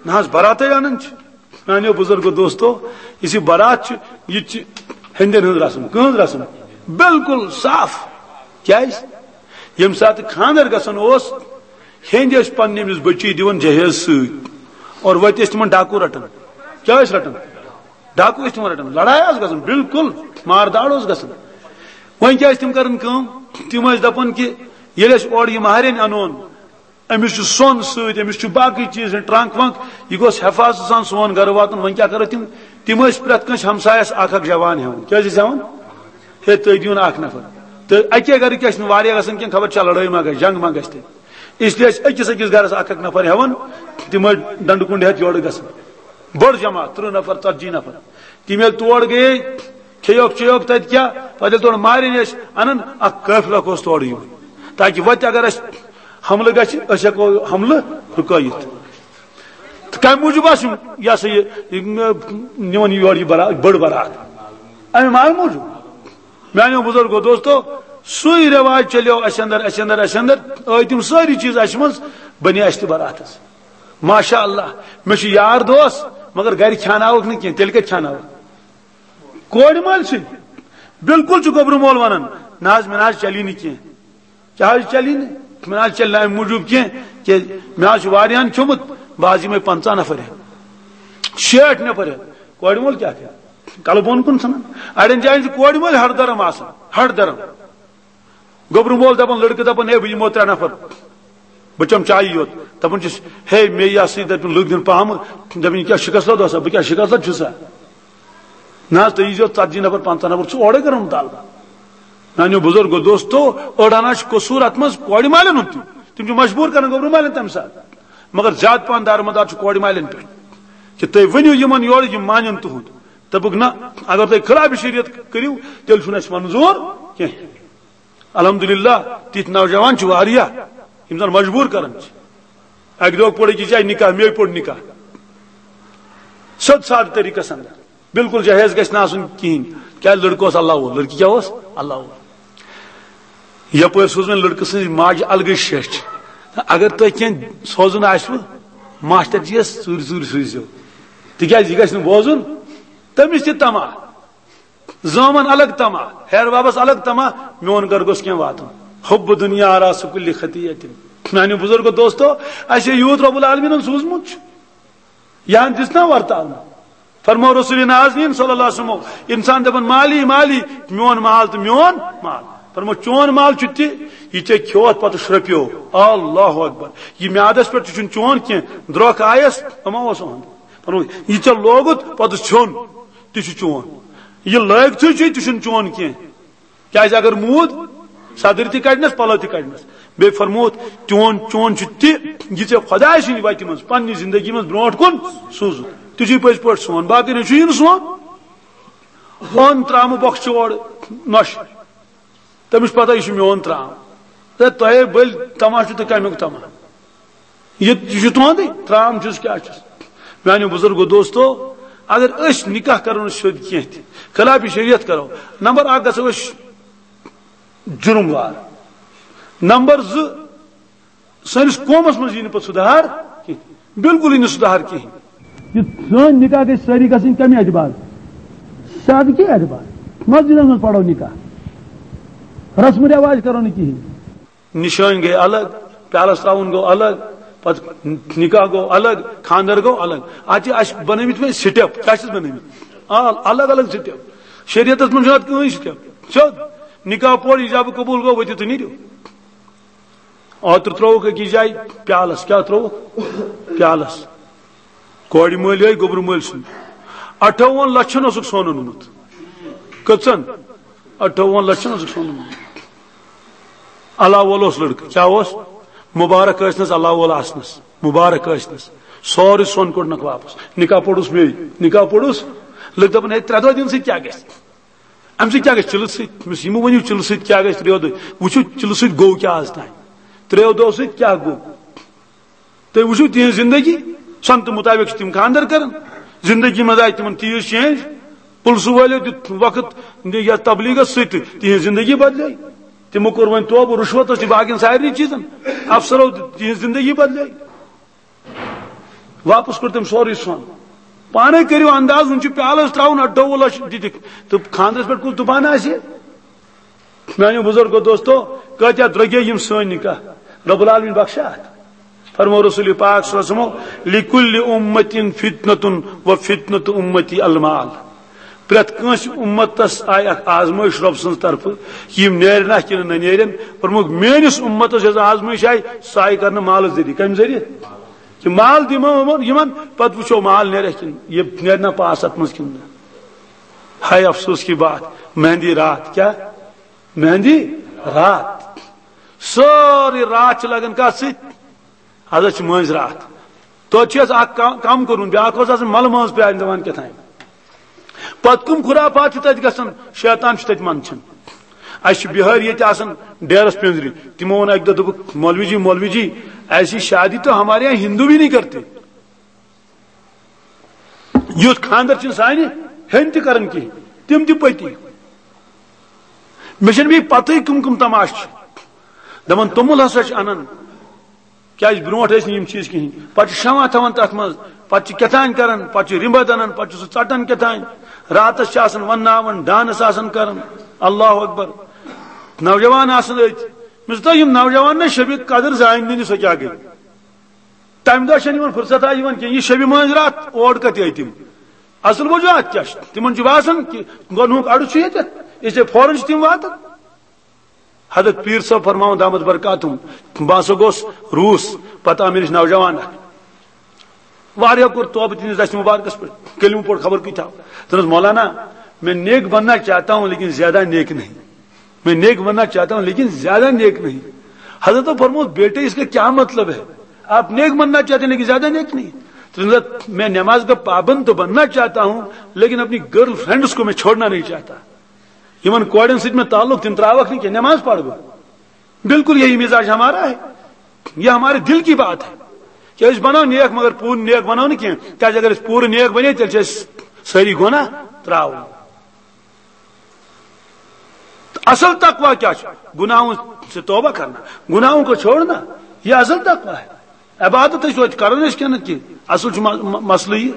نہ حظ، براتے انان چھِ۔ میانیو بزرگو دوستو، یُس یہِ برات چھُ، یہِ تہِ چھِ ہیٚندٮ۪ن ہٕنٛز رسم۔ کٕہٕنٛز رسم؟ بالکل صاف۔ کیازِ؟ ییٚمہِ ساتہٕ خانٛدر گژھان اوس، ہیٚندۍ ٲسۍ پننہِ أمِس بٔچی دِوان جہیز سۭتۍ، اور وتہِ ٲسۍ تِمن ڈاکو رٹان۔ کیٛاہ ٲسۍ رٹان؟ ڈاکو ٲسۍ تِمن رٹان، لڑایہِ ٲس گژھان، بالکل مار داڑ اوس گژھان۔ وۄنۍ کیٛاہ ٲسۍ تِم کران کٲم؟ تِم ٲسۍ دپان کہِ ییٚلہِ أسۍ اورٕ یہِ مہرِنۍ انون، أمِس چھُ سۄن سۭتۍ، أمِس چھُ باقٕے چیٖز، ٹرنک ونک، یہِ گوٚژھ حفاظت سان سون گرٕ واتُن۔ وۄنۍ کیٛاہ کرو تِم؟ تِم ٲسۍ پرٛٮ۪تھ کٲنٛسہِ ہمسایس اکھ اکھ جوان ہٮ۪وان۔ کیٛاہ ٲسۍ أسۍ ہٮ۪وان؟ ہے، تُہۍ دِیِو نہٕ اکھ نفر۔ تہٕ اَکے گرٕ کیٛاہ چھِنہٕ واریاہ گژھان کینٛہہ، خبر چھا لڑٲے ما گژھِ، جنگ ما گژھِ تیٚلہِ۔ اس لیے ٲسۍ أکِس أکِس گرس اکھ اکھ نفر ہٮ۪وان، تِم ٲسۍ ڈنڈٕ کُنڈِ ہٮ۪تھ یورٕ گژھان۔ بٔڑ جماعت، تٕرٛہ نفر، ژتجی نفر۔ تِم ییٚلہِ تور گٔیے، کھیٚیوکھ چیٚیوکھ تَتہِ کیٛاہ، پَتہٕ ییٚلہِ تورٕ مارِنۍ ٲسۍ اَنان، اَکھ قٲفلہٕ اَکھ اوس تورٕ یِوان، تاکہِ وَتہِ اگر اَسہِ حملہٕ گژھِ، أسۍ ہٮ۪کو حملہٕ رُکٲیِتھ۔ تہٕ کَمہِ موٗجوٗب آسہٕ یِم، یہِ ہسا یہِ، یِم، نِوان یور یہِ برا-، بٔڑ برات؟ اَمہِ مارٕ موٗجوٗب۔ میانیو بزرگو دوستو، سُے رواج چلیو اسہِ اندر، اسہِ اندر، اسہِ اندر۔ ٲے تِم سٲری چیٖز اسہِ منٛز، بنے اسہِ تہِ براتس۔ ماشاء اللہ، مےٚ چھُ یار دوس، مگر گرِ کھیاناوکھ نہٕ کینٛہہ، تیٚلہِ کتہِ کھیاناوکھ؟ کورِ مٲلۍ سٕنٛدۍ۔ بالکل چھُ گوٚبرٕ مول ونان، نہ حظ، مےٚ نہ حظ چلی نہٕ کینٛہہ۔ کیٛاہ حظ چلی نہٕ؟ مےٚ نہ حظ چلہِ نہٕ امہِ موٗجوٗب کینٛہہ، کیٛازِ مےٚ حظ چھُ واریاہن کھیوٚمُت، بہٕ حظ یِمے پنٛژاہ نفر ہٮ۪تھ، شیٹھ نفر ہٮ۪تھ۔ کورِ مول کیٛاہ کرِ؟ کلہٕ بۄن کُن ژھٕنان۔ اڑٮ۪ن جاین چھِ کورِ مٲلۍ ہڑ درم آسان، ہڑ درم۔ گوٚبرٕ مول دپان، لڑکہٕ دپان، ہے، بہٕ یِمو ترٛےٚ نفر، بہٕ چمہٕ چایی یوت۔ دپان چھُس، ہے، مے یہِ ہسا یہِ دپان لُکھ دِن پہمہٕ، دپان، یہِ کیٛاہ شکست لد اوسا؟ بہٕ کیٛاہ شکست لد چھُسا؟ نہ حظ، تُہۍ ییٖزیو ژتجی نفر، پنٛژاہ نفر، ژٕ چھُ اورے کران مطالبہٕ۔ میانیو بزرگو دوستو، أڑ ہنا چھُ قصوٗر اتھ منٛز کورِ مالٮ۪ن ہُنٛد تہِ، تِم چھِ مجبوٗر کران گوٚبرٕ مالٮ۪ن تمہِ ساتہٕ۔ مگر زیادٕ پہن دارمدار چھُ کورِ مالٮ۪ن پٮ۪ٹھ، کہِ تُہۍ ؤنِو یِمن یورٕ، یِم مانن تُہُنٛد۔ دوٚپُکھ، نہ، اگر تُہۍ خلاف شریعت کٔرِو، تیٚلہِ چھُنہٕ اَسہِ منظوٗر کینٛہہ۔ الحمدللہ، تِتھۍ نوجوان چھِ واریاہ، یِم زَن مجبوٗر کران چھِ۔ اَکہِ دۄہ پوٚر أکِس جایہِ نکاح، مے پوٚر نکاح۔ سیوٚد سادٕ طریٖقس اندر، بالکل جہیز گژھِ نہٕ آسُن کِہیٖنۍ۔ کیٛازِ؟ لڑکہٕ اوس اللہ وول، لڑکی کیٛاہ اوس؟ اللہ وول۔ یپٲرۍ سوٗز وۄنۍ لڑکہٕ سٕنٛز ماجہِ الگٕے شیٚچھ۔ اگر تۄہہِ کینٛہہ سوزُن آسِوٕ، ماسٹر جی یَس ژوٗرِ ژوٗرِ سوٗزِو، تِکیٛازِ یہِ گژھِ نہٕ بوزُن تٔمِس تہِ طمع۔ زامن الگ طمع، ہیر بابس الگ طمع، میون گرٕ گوٚژھ کینٛہہ واتُن۔ حب دنیا راس کل خطیت۔ میانیو بزرگو دوستو، اسہِ یوٗت رب العالمینن سوٗزمُت چھُ، یہِ ہن دِژ نا ورتاونہٕ۔ فرمو رسول نازنین صلی اللہ علیہ وسلم، انسان دپان، مالی مالی، میون مال تہٕ میون مال۔ فرمو، چون مال چھُ تہِ، یہِ ژےٚ کھیوتھ پتہٕ شرپیو۔ اللہ اکبر۔ یہِ میادس پٮ۪ٹھ تہِ چھُنہٕ چون کینٛہہ، درٛۄکھ آیس، تہٕ ما اوس اُہُنٛد۔ فرمو، یہِ ژےٚ لوگُت پتہٕ ژھیوٚن، تہِ چھُ چون۔ یہِ لٲگتھٕے چھُے، تہِ چھُنہٕ چون کینٛہہ۔ کیازِ اگر موٗد، صدٕرۍ تہِ کڑنس، پلو تہِ کڑنس۔ بیٚیہِ فرمووُتھ، چون، چون چھُ تہِ، یہِ ژےٚ خۄداے سٕنٛدِ وتہِ منٛز پننہِ زندگی منٛز برونٛٹھ کُن سوٗزُتھ۔ تہِ چھُے پٔزۍ پٲٹھۍ سون، باقٕے نہ چھُ یہِ نہٕ سون۔ ہون ترامہٕ بۄکھ چھِ اورٕ نۄشہِ۔ تٔمِس چھِ پتہ، یہِ چھُ میون ترام۔ تہٕ تۄہے بٔلۍ تماشہٕ تہٕ کمیُک تماشہٕ۔ یہِ، یہِ چھُ تُہُنٛدُے، ترام چھُس کیٛاہ چھُس۔ میانیو بزرگو دوستو، اگر أسۍ نکاح کرو نہٕ سیوٚد کینٛہہ تہِ، خلاف شریعت کرو، نمبر اکھ گژھو أسۍ جُرم وار، نمبر زٕ، سٲنِس قومس منٛز یی نہٕ پتہٕ سُدھار کینٛہہ، بالکل یی نہٕ سُدھار کِہیٖنۍ۔ یہِ سٲنۍ نکاح گژھِ سٲری گژھٕنۍ کمہِ اعتبار؟ سادگی اعتبار۔ مسجدن منٛز پرو نکاح، رسم و رواج کرو نہٕ کِہیٖنۍ۔ نشٲنۍ گٔے الگ، پیالس تراوُن گوٚو الگ، پتہٕ نکاح گوٚو الگ، خاندر گوٚو الگ۔ اتھ چھِ اسہِ بنٲومٕتۍ وۄنۍ سٹیپ، کیٛاہ چھِس بنٲومٕتۍ؟ آ، الگ الگ سٹیپ۔ شریعتس منٛز چھُنہٕ اتھ کٕہٕنۍ سٹیپ۔ سیوٚد نکاح پوٚر، ایجاب قبول گوٚو، ؤتھِو تہٕ نیٖرِو۔ اوترٕ ترٛووُکھ أکِس جایہِ پیالس، کیٛاہ ترٛووُکھ؟ پیالس۔ کورِ مٲلۍ ٲے گوٚبرٕ مٲلۍ سُنٛد، اَٹھووُہن لچھن اوسُکھ سۄن اوٚنمُت۔ کٔژن؟ اَٹھووُہن لچھن اوسُکھ سۄن اوٚنمُت۔ اللہ وول اوس لڑکہٕ، کیٛاہ اوس؟ مبارک ٲسنس اللہ وول آسنس، مبارک ٲسنس۔ سورُے سۄن کوٚڑنکھ واپس۔ نکاح پوٚرُس مے، نکاح پوٚرُس۔ لٔگۍ دپان، ہے، ترٛےٚ دۄہ دِنہٕ سۭتۍ کیٛاہ گژھِ؟ امہِ سۭتۍ کیٛاہ گژھِ؟ چِلہٕ سۭتۍ، تٔمِس یِمہٕ ؤنِو، چِلہٕ سۭتۍ کیٛاہ گژھِ ترٛیٚیو دۄہ؟ وٕچھِو، چِلہٕ سۭتۍ گوٚو کیٛاہ آز تام؟ ترٛیٚیو دۄہو سۭتۍ کیٛاہ گوٚو؟ تُہۍ وٕچھِو، تِہنٛز زندگی، سۄنتہٕ مُطابق چھِ تِم خانٛدر کران۔ زندگی منٛز آیہِ تِمن تیٖژ چینج۔ پُلسہٕ وٲلِو دیُت وقت یتھ تبلیغس سۭتۍ، تِہنٛز زندگی بدلے۔ تِمو کوٚر وۄنۍ توبہٕ، رُشوتس تہِ، باقین سارنٕے چیٖزن۔ افسرو دیُت، تِہنٛز زندگی بدلے۔ واپس کوٚر تٔمۍ سورُے سۄن۔ پانے کٔرِو انداز، وُنہِ چھُ پیالس تراوُن اَٹھووُہ لچھ دِتِکھ، تہٕ خانٛدرس پٮ۪ٹھ کُس دُبان آسہِ؟ میانیو بزرگو دوستو، کٲتیاہ درٛوگے یِم سٲنۍ نکاح۔ رب العالمین بخشا اتھ۔ فرمو رسول پاک صلی اللہ علیہ وسلم، لکل امت فتنۃ و فتنۃ امتی المال۔ پرٛٮ۪تھ کٲنٛسہِ امتس آیہِ اکھ آزمٲیش رۄب سٕنٛز طرفہٕ، یِم نیرِ نا کِنہٕ نہ نیرن۔ فرمووُکھ، میٲنِس امتس یۄس آزمٲیش آیہِ، سۄ آیہِ کرنہٕ مالہٕ ذٔریعہٕ۔ کمہِ ذٔریعہٕ؟ کہِ مال دِمو یِمن، یِمن، پتہٕ وٕچھو مال نیرِ کِنہٕ، یہِ نیرِ نا پاس اتھ منٛز کِنہٕ نہ۔ ہاے افسوس کی بات، مہندی رات، کیٛاہ؟ مہندی رات۔ سٲرٕے راتھ چھِ لگان کتھ سۭتۍ؟ حضرت چھِ مٲنٛزِ راتھ۔ توتہِ چھِ اَسہِ اکھ کم، کم کوٚرمُت، بیٛاکھ اوس آسان ملہٕ مٲنٛز پیارنہِ دِوان کیٛاہ تام۔ پتہٕ کٕم خرافات چھِ تتہِ گژھان، شیطان چھُ تتہِ منٛدچھان۔ اَسہِ چھِ بِہٲرۍ ییٚتہِ آسان ڈیرس پِنٛزرِ، تِمو ووٚن اکہِ دۄہ، دوٚپُکھ، "مولوی جی، مولوی جی، ایسی شادی تو ہمارے یہاں ہندو بھی نہیں کرتے۔" یُتھ خانٛدر چھِنہٕ سانہِ ہیٚنٛدۍ تہِ کران کِہیٖنۍ، تِم تہِ پٔتی۔ مےٚ چھنہٕ بیٚیہِ پتہٕے کٕم کٕم تماشہٕ چھِ۔ دپان توٚمُل ہسا چھِ انان، کیازِ برونٹھ ٲسۍ نہٕ یِم چیٖز کِہیٖنۍ۔ پتہٕ چھِ شمع تھاوان تتھ منٛز، پتہٕ چھِ کیٛاہ تام کران، پتہٕ چھِ رِمبد انان، پتہٕ چھُ سُہ ژٹان کیٛاہ تام۔ راتس چھِ آسان ونناوان، ڈانس آسان کران۔ اللہ اکبر۔ نوجوان آسان أتھۍ۔ مےٚ دوٚپ، یِم نوجوان نہ شبِ قدر زانہِ نہٕ، سۄ کیٛاہ گٔے۔ تمہِ دۄہ چھنہٕ یِمن فرصت آ یِوان کینٛہہ۔ یہِ شبِ مٲنٛزِ راتھ اور کتہِ آیہِ تِم؟ اصل وجوہات کیٛاہ چھِ؟ تِمن چھُ باسان کہِ گۄنہُک اڑٕ چھُ ییٚتٮ۪تھ، اس لیے فوراً چھِ تِم واتان۔ حضرت پیٖر صٲب فرماوان دامت برکاتہم، بہٕ ہسا گوس روٗس، پتہٕ آو مےٚ نِش نوجوان اکھ۔ واریاہ کوٚر توبہٕ تِہنٛدِس دستِ مُبارکس پٮ۪ٹھ، کلمہٕ پوٚر خبر کۭتیٛاہ۔ دوٚپنس، مولانا، میں نیک بننا چاہتا ہوں لیکن زیادہ نیک نہیں۔ میں نیک بننا چاہتا ہوں لیکن زیادہ نیک نہیں۔ حضرت فرمود، بیٹے، اس کا کیا مطلب ہے؟ آپ نیک بننا چاہتے ہیں لیکن زیادہ نیک نہیں۔ تو میں نماز کا پابند تو بننا چاہتا ہوں لیکن اپنی گرل فرینڈز کو میں چھوڑنا نہیں چاہتا۔ یِمن کورٮ۪ن سۭتۍ مےٚ تعلق، تِم ترٛاوَکھ نہٕ کینٛہہ، نماز پرٕ بہٕ۔ بالکل یہی مزاج ہمارا ہے، یہ ہمارے دل کی بات ہے کہ أسۍ بنو نیک مگر پوٗرٕ نیک بنو نہٕ کینٛہہ، کیازِ اگر أسۍ پوٗرٕ نیک بنے، تیٚلہِ چھِ أسۍ سٲری گۄناہ ترٛاوٕنۍ۔ تہٕ اصل تقوی کیٛاہ چھُ؟ گناہوں سے توبہ کرنا، گناہوں کو چھوڑنا، یہ اصل تقوی ہے۔ عبادت ٲسۍ توتہِ کران أسۍ کِنہٕ کینٛہہ؟ اصل چھُ م-، م-، مسلہٕ یہِ۔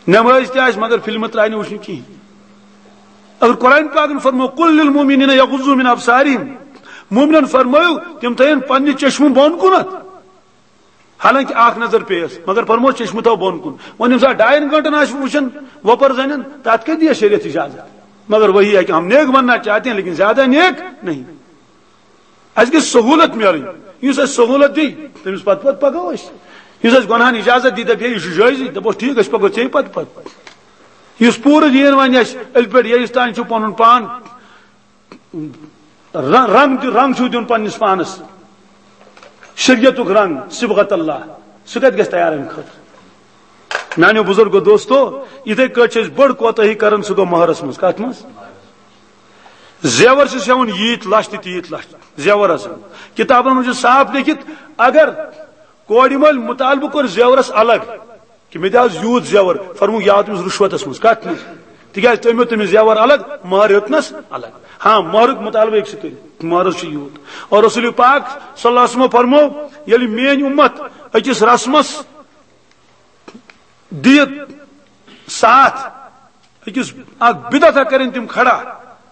نمٲز تہِ آسہِ مگر فلمہٕ ترٛایہِ نہٕ وٕچھنہِ کِہیٖنۍ۔ اگر قرآن پاکن فرمو، "قل للمؤمنین یغضوا من ابصارہم"، مومنن فرمٲیِو تِم تھٲیِن پننہِ چشمہٕ بۄن کُنتھ۔ حالانکہ اکھ نظر پیٚیس، مگر فرموس چشمہٕ تھاو بۄن کُن۔ وۄنۍ ییٚمہِ ساتہٕ ڈاین گٲنٹن آسہِ وٕچھان وۄپر زنٮ۪ن، تتھ کتہِ دِیس شریعت اجازت؟ مگر وہی ہے کہ ہم نیک بننا چاہتے ہیں لیکن زیادہ نیک نہیں۔ اسہِ گژھِ سہوٗلت میلٕنۍ۔ یُس اسہِ سہوٗلت دی، تٔمِس پتہٕ پتہٕ پکو أسۍ۔ یُس اسہِ گۄنہن اجازت دی، دپہِ، "ہے، یہِ چھُ جٲیزٕے"، دپوس، "ٹھیٖک، أسۍ پکو ژےٚ پتہٕ پتہٕ۔" یُس پوٗرٕ دیٖن ونہِ اسہِ، ألۍ پٮ۪ٹھ ییٚلہِ تام چھُ پنُن پان ر-، رنگ تہِ، رنگ چھُو دیُن پننِس پانس، شریعتُک رنگ، صبغت اللہ، سُہ کتہِ گژھِ تیار امہِ خٲطرٕ؟ میانیو بزرگو دوستو، یِتھے کٲٹھۍ چھِ أسۍ بٔڑ کوتاہی کران، سُہ گوٚو مہرس منٛز۔ کتھ منٛز؟ زیور چھِ سیوُن ییٖتۍ لچھ تہٕ تیٖتۍ لچھ زیور آسان۔ کتابن منٛز چھُ صاف لیکھِتھ، اگر کورِ مٲلۍ مطالبہٕ کوٚر زیورس الگ، کہ مےٚ دِ حظ یوٗت زیور، فرموو، یہِ آو تٔمِس رُشوتس منٛز۔ کتھ منٛز؟ تِکیازِ تٔمۍ ہیوٚت تٔمِس زیور الگ، مہر ہیوٚتنس الگ۔ ہاں، مہرُک مطالبہٕ ہیٚکہِ سُہ کٔرِتھ، مہرس چھُ یوٗت۔ اور رسول پاک صلی اللہ علیہ وسلم فرموو، ییٚلہِ میٲنۍ اُمت أکِس رسمس دِیہِ ساتھ، أکِس اکھ بدعت کرن تِم کھڑا،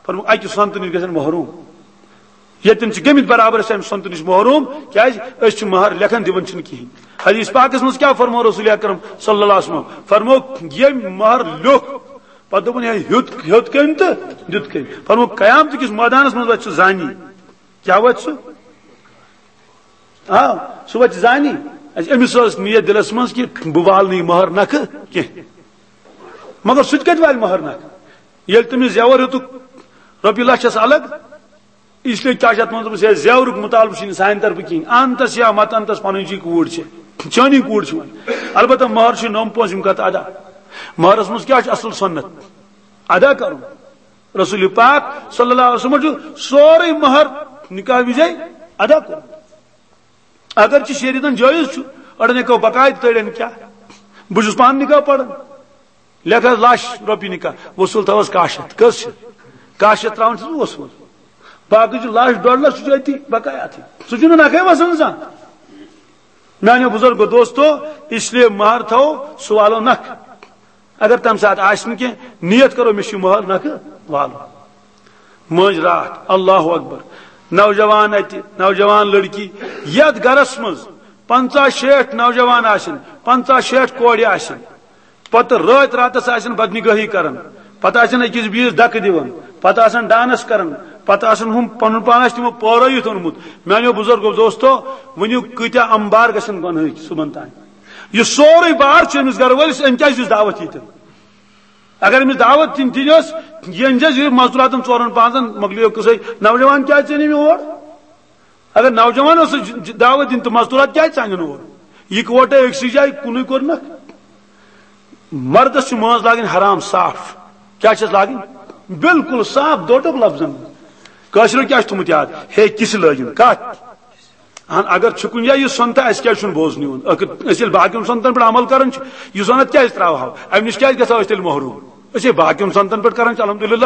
فرموو، اکہِ سنتہٕ نِش گژھن محروم۔ ییٚتٮ۪ن چھِ گٔمٕتۍ برابر أسۍ امہِ سنتہٕ نِش محروم، کیازِ أسۍ چھِ مہر لیکھان، دِوان چھِنہٕ کِہیٖنۍ۔ حدیث پاکس منٛز کیٛاہ فرموو رسول اکرم صلی اللہ علیہ وسلم؟ فرموو، ییٚمۍ مہر لیوٚکھ، پتہٕ دوٚپُن، ہے، ہیوٚت، ہیوٚت کٔمۍ تہٕ دیُت کٔمۍ؟ فرموو، قیامتہٕ کِس مٲدانس منٛز وۄتھِ سُہ زانی۔ کیٛاہ وۄتھِ سُہ؟ آ، سُہ وۄتھِ زانی۔ اَسہِ، أمِس ٲس نیت دِلس منٛز کہِ بہٕ والہٕ نہٕ یہِ مہر نکھٕ کینٛہہ۔ مگر سُہ تہِ کتہِ والہِ مہر نکھٕ؟ ییٚلہِ تٔمِس زیور ہیوٚتُکھ رۄپیہِ لچھس الگ، اس لیے کیٛاہ چھِ اتھ منٛز دوٚپمُت، ہے، زیورُک مطالبہٕ چھُنہٕ سانہِ طرفہٕ کِہیٖنۍ، انتس یا مت انتس، پنٕنۍ چھِ کوٗر چھِ، چٲنی کوٗر چھِ وۄنۍ۔ البتہ مہر چھُ نوٚم پونٛسہٕ، یِم کتھ ادا۔ مہرس منٛز کیٛاہ چھُ اصل سنت؟ ادا کرُن۔ رسول پاک صلی اللہ علیہ وسلم چھُ سورُے مہر نکاح وِزے ادا کوٚرمُت۔ اگرچہ شریعتن جٲیز چھُ، اڑن ہیٚکو بقایا تہِ تٔڑِتھ، کیٛاہ؟ بہٕ چھُس پانہٕ نکاح پران، لیکھ حظ لچھ رۄپیہِ نکاح، وصوٗل تھاوس کاہ شیٚتھ۔ کٔژ چھِ؟ کاہ شیٚتھ ترٛاوان چھُس بہٕ وصوٗل۔ باقٕے چھُ لچھ ڈۄڈ لچھ، سُہ چھُ أتی بقایا تھٕے، سُہ چھُنہٕ نکھے وسان زانٛہہ۔ میانیو بزرگو دوستو، اس لیے مہر تھاوو، سُہ والو نکھٕ۔ اگر تمہِ ساتہٕ آسہِ نہٕ کینٛہہ، نیت کرو، مےٚ چھُ مہر نکھٕ والُن۔ مٲنٛزِ راتھ، اللہ اکبر، نوجوان اتہِ، نوجوان لڑکی، یتھ گرس منٛز پنژاہ شیٹھ نوجوان آسن، پنژاہ شیٹھ کورِ آسن، پتہٕ رٲتۍ راتس آسن بدنگٲہی کران، پتہٕ آسن أکِس بیٚیِس دکہٕ دِوان، پتہٕ آسن ڈانس کران، پتہٕ آسن ہُم پنُن پان آسہِ تِمو پٲرٲوِتھ اوٚنمُت۔ میانیو بزرگو دوستو، ؤنِو کۭتیاہ امبار گژھن گۄنہٕکۍ صُبحن تام۔ یہِ سورُے بار چھُ أمِس گرٕ وٲلِس، أمۍ کیازِ دِژ دعوت ییٚتٮ۪ن؟ اگر أمِس دعوت دِنۍ تہِ ٲس، یہِ أنۍ زِ یہِ مزدوٗراتن ژورن پانٛژن، مۄکلیو قصے۔ نوجوان کیازِ ژےٚ نِمہِ اور؟ اگر نوجوان اوس دعوت دِنۍ تہٕ مزدوٗرات کیازِ ژانن اور؟ یِکوٹے أکسٕے جایہِ کُنُے کوٚرنکھ۔ مردس چھِ مٲنٛز لاگٕنۍ حرام صاف۔ کیٛاہ چھَس لاگٕنۍ؟ بالکل صاف دوٹُک لفظن منٛز۔ کٲشرٮ۪و کیٛاہ چھُ تھوٚمُت یاد؟ ہے کِس لٲگِن کتھ؟ اہن، اگر چھُ کُنہِ جایہِ یہِ سۄنتہٕ، اَسہِ کیٛازِ چھُنہٕ بوزنہٕ یِوان؟ ٲخٕر أسۍ ییٚلہِ باقین سۄنتن پٮ۪ٹھ عمل کران چھِ، یہِ سۄنت کیٛازِ ترٛاوہاو؟ اَمہِ نِش کیٛازِ گژھو أسۍ تیٚلہِ محروٗم؟ أسۍ ہے باقین سۄنتن پٮ۪ٹھ کران چھِ، الحمدللہ۔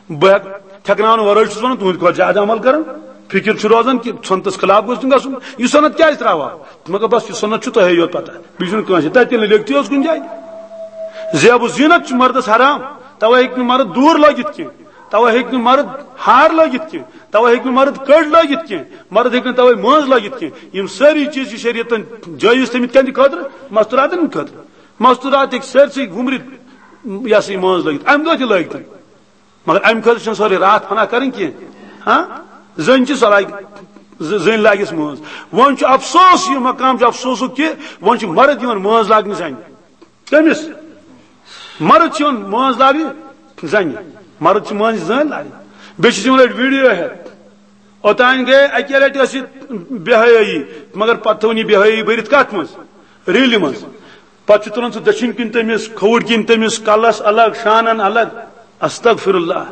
بہٕ ہٮ۪کہٕ، تھٮ۪کناونہٕ ورٲے چھُس ونان، تُہٕنٛدِ کھۄتہٕ زیادٕ عمل کران۔ فکر چھُ روزان کہِ سنتس خلاف گوٚژھ نہٕ گژھُن۔ یہِ سنت کیازِ ترٛاوہا؟ مگر بس، یہِ سنت چھُ تۄہے یوت پتہ، بیٚیہِ چھُنہٕ کٲنٛسہِ۔ تتہِ تہِ نہٕ لیکھتھٕے اوس کُنہِ جایہِ۔ زیب و زینت چھُ مردس حرام، توے ہیٚکہِ نہٕ مرد دوٗر لٲگِتھ کینٛہہ، توے ہیٚکہِ نہٕ مرد ہار لٲگِتھ کینٛہہ، توے ہیٚکہِ نہٕ مرد کٔڑۍ لٲگِتھ کینٛہہ، مرد ہیٚکہِ نہٕ توے مٲنٛز لٲگِتھ کینٛہہ۔ یِم سٲری چیٖز چھِ شریعتن جٲیز تھٲمٕتۍ کَمہِ خٲطرٕ؟ مستوراتن خٲطرٕ۔ مستورات ہیٚکہِ سٲرسٕے وُمرِ، یہِ ہسا یہِ مٲنٛز لٲگِتھ، امہِ دۄہ تہِ لٲگتن۔ مگر امہِ خٲطرٕ چھنہٕ سٲرٕے راتھ فنا کرٕنۍ کینٛہہ۔ ہاں، زٔنۍ چھِ سۄ لاگہِ، ز-، زٔنۍ لاگٮ۪س مٲنٛز۔ وۄنۍ چھُ افسوس، یہِ مقام چھُ افسوسُک کہِ وۄنۍ چھُ مرد یِوان مٲنٛز لاگنہِ زنہِ۔ کٔمِس؟ مرد چھِ یِوان مٲنٛز لاگنہِ زنہِ۔ مرد چھِ مٲنٛز زٔنۍ لاگنہِ۔ بیٚیہِ چھِ یِوان أڑۍ ویڈیو ہٮ۪تھ۔ اوٚتانۍ گٔے اَکہِ لَٹہِ ٲس یہِ بے حیٲیی، مگر پتہٕ تھٲوٕن یہِ بے حیٲیی بٔرِتھ کتھ منٛز؟ ریلہِ منٛز۔ پتہٕ چھُ تُلان سُہ دٔچھِنۍ کِنۍ تٔمِس، کھووُر کِنۍ تٔمِس، کلس الگ، شانن الگ۔ استغفر اللہ،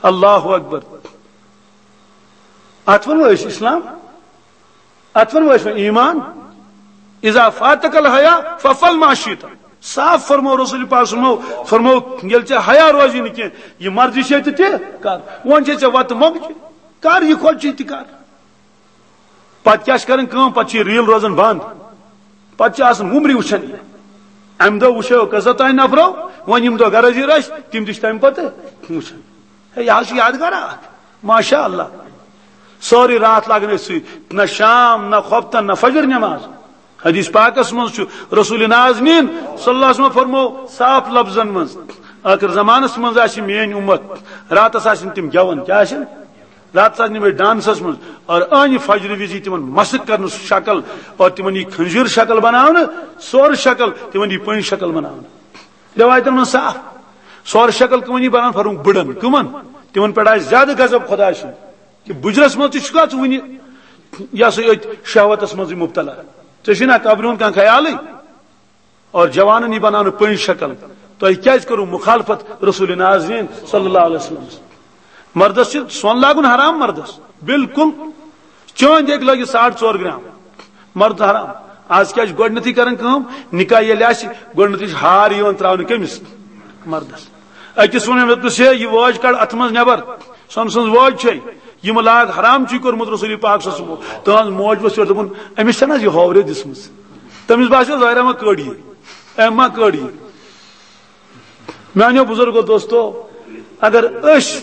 اللہ اکبر۔ اتھ ونو أسۍ اسلام؟ اتھ ونو أسۍ وۄنۍ ایمان؟ اذا فاتک الحیا فافعل ما شئت۔ صاف فرمو رسول پاک، فرمو، فرمو، ییٚلہِ ژےٚ حیا روزی نہٕ کینٛہہ، یہِ مرضی چھے تہٕ تہِ کر۔ وۄنۍ چھے ژےٚ وتہٕ مۄکجہِ، کر یہِ خۄد چھے تہِ کر۔ پتہٕ کیٛاہ چھِ کرٕنۍ کٲم؟ پتہٕ چھِ یہِ ریٖل روزان بنٛد۔ پتہٕ چھِ آسان وُمرِ وٕچھان یہِ۔ امہِ دۄہ وٕچھو کٔژو تام نفرو، وۄنۍ یِم دۄہ غرض یہِ رچھ، تِم تہِ چھِ تمہِ پتہٕ وٕچھان۔ ہے، یہِ حظ چھُ یادگار اکھ۔ ماشاء اللہ۔ سٲرٕے راتھ لاگان أتھۍ سۭتۍ، نہ شام، نہ خۄفتن، نہ فجر نماز۔ حدیث پاکس منٛز چھُ رسول نازنین صلی اللہ علیہ وسلم فرمو صاف لفظن منٛز، ٲخر زمانس منٛز آسہِ میٲنۍ امت، راتس آسن تِم گٮ۪وان، کیٛاہ آسن؟ راتس آسن یِمے ڈانسس منٛز، اور أہنہِ فجرِ وِزِ تِمن مسخ کرنہٕ سُہ شکل، اور تِمن یی خنزیر شکل بناونہٕ، سورٕ شکل، تِمن یی پٔنۍ شکل بناونہٕ۔ رٮ۪وایتن منٛز صاف، سورٕ شکل کٕمن یی بناونہٕ؟ فرمووُکھ بٕڑن۔ کٕمن؟ تِمن پٮ۪ٹھ آسہِ زیادٕ غضب خۄداے سُنٛد۔ کہِ بُجرس منٛز تہِ چھُکھا ژٕ وُنہِ، یہِ ہسا یہِ أتھۍ شہوتس منٛزٕے مبتلا؟ ژےٚ چھُے نا قبرِ ہُنٛد کانٛہہ خیالٕے؟ اور جوانن یی بناونہٕ پٔنۍ شکل۔ تۄہہِ کیازِ کٔرٕو مخالفت رسول نازنین صلی اللہ علیہ وسلم؟ مردس چھُ سۄن لاگُن حرام مردس، بالکل۔ چٲنٛدۍ ہیٚکہِ لٲگِتھ ساڑ ژور گرام، مرد حرام۔ آز کیٛاہ چھِ گۄڈٕنیتھٕے کران کٲم؟ نکاح ییٚلہِ آسہِ، گۄڈٕنیتھٕے چھِ ہار یِوان تراونہٕ کٔمِس؟ مردس۔ أکِس ووٚن مےٚ، دوٚپُس، ہے، یہِ وٲج کڑ اتھٕ منٛز نٮ۪بر۔ سۄنہٕ سٕنٛز وٲج چھے، یِم لاگ حرام چھُے کوٚرمُت رسول پاک صلی اللہ علیہ وسلم۔ تہنٛز موج ؤژھ یورٕ، دوٚپُن، أمِس چھَنہٕ حظ یہِ ہاورے دِژمٕژ؟ تٔمِس باسیو ظٲہرا ما کٔڑ یہِ، أمۍ ما کٔڑ یہِ۔ میانیو بزرگو دوستو، اگر أسۍ،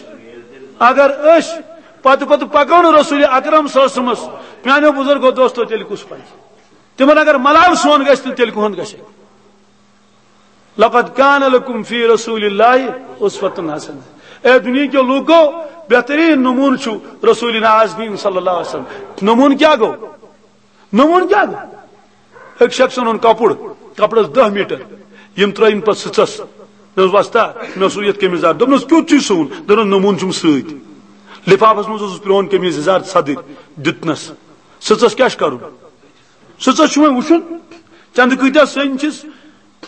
اگر أسۍ پتہٕ پتہٕ پکو نہٕ رسول اکرم صلی اللہ علیہ وسلمس، میانیو بزرگو دوستو، تیٚلہِ کُس پکہِ؟ تِمن اگر ملال سون گژھِ، تہٕ تیٚلہِ کُہُنٛد گژھِ؟ لقد کان لکم فی رسول اللہ اسوۃ حسنہ۔ اے دنیا کیو لوکو، بہترین نمون چھُ رسول نازنین صلی اللہ علیہ وسلم۔ نمون کیا گو؟ نمون کیا گو؟ ایک شخص اوٚن کپُر، کپرس دہ میٹر، یِم ترٲوِن پتہٕ سٕژس۔ مےٚ اوس وۄستا، مےٚ اوس یتھ قمیٖض یزار۔ دوٚپنس، کیُتھ چھُے سُوُن؟ دوٚپنس، نمون چھُم سۭتۍ۔ لفافس منٛز اوسُس پرٛون قمیٖض یزار ژھدٕرۍ دیُتنس۔ سٕژس کیٛاہ چھُ کرُن؟ سٕژس چھُ وۄنۍ وٕچھُن، چندٕ کۭتیاہ سٔنۍ چھِس،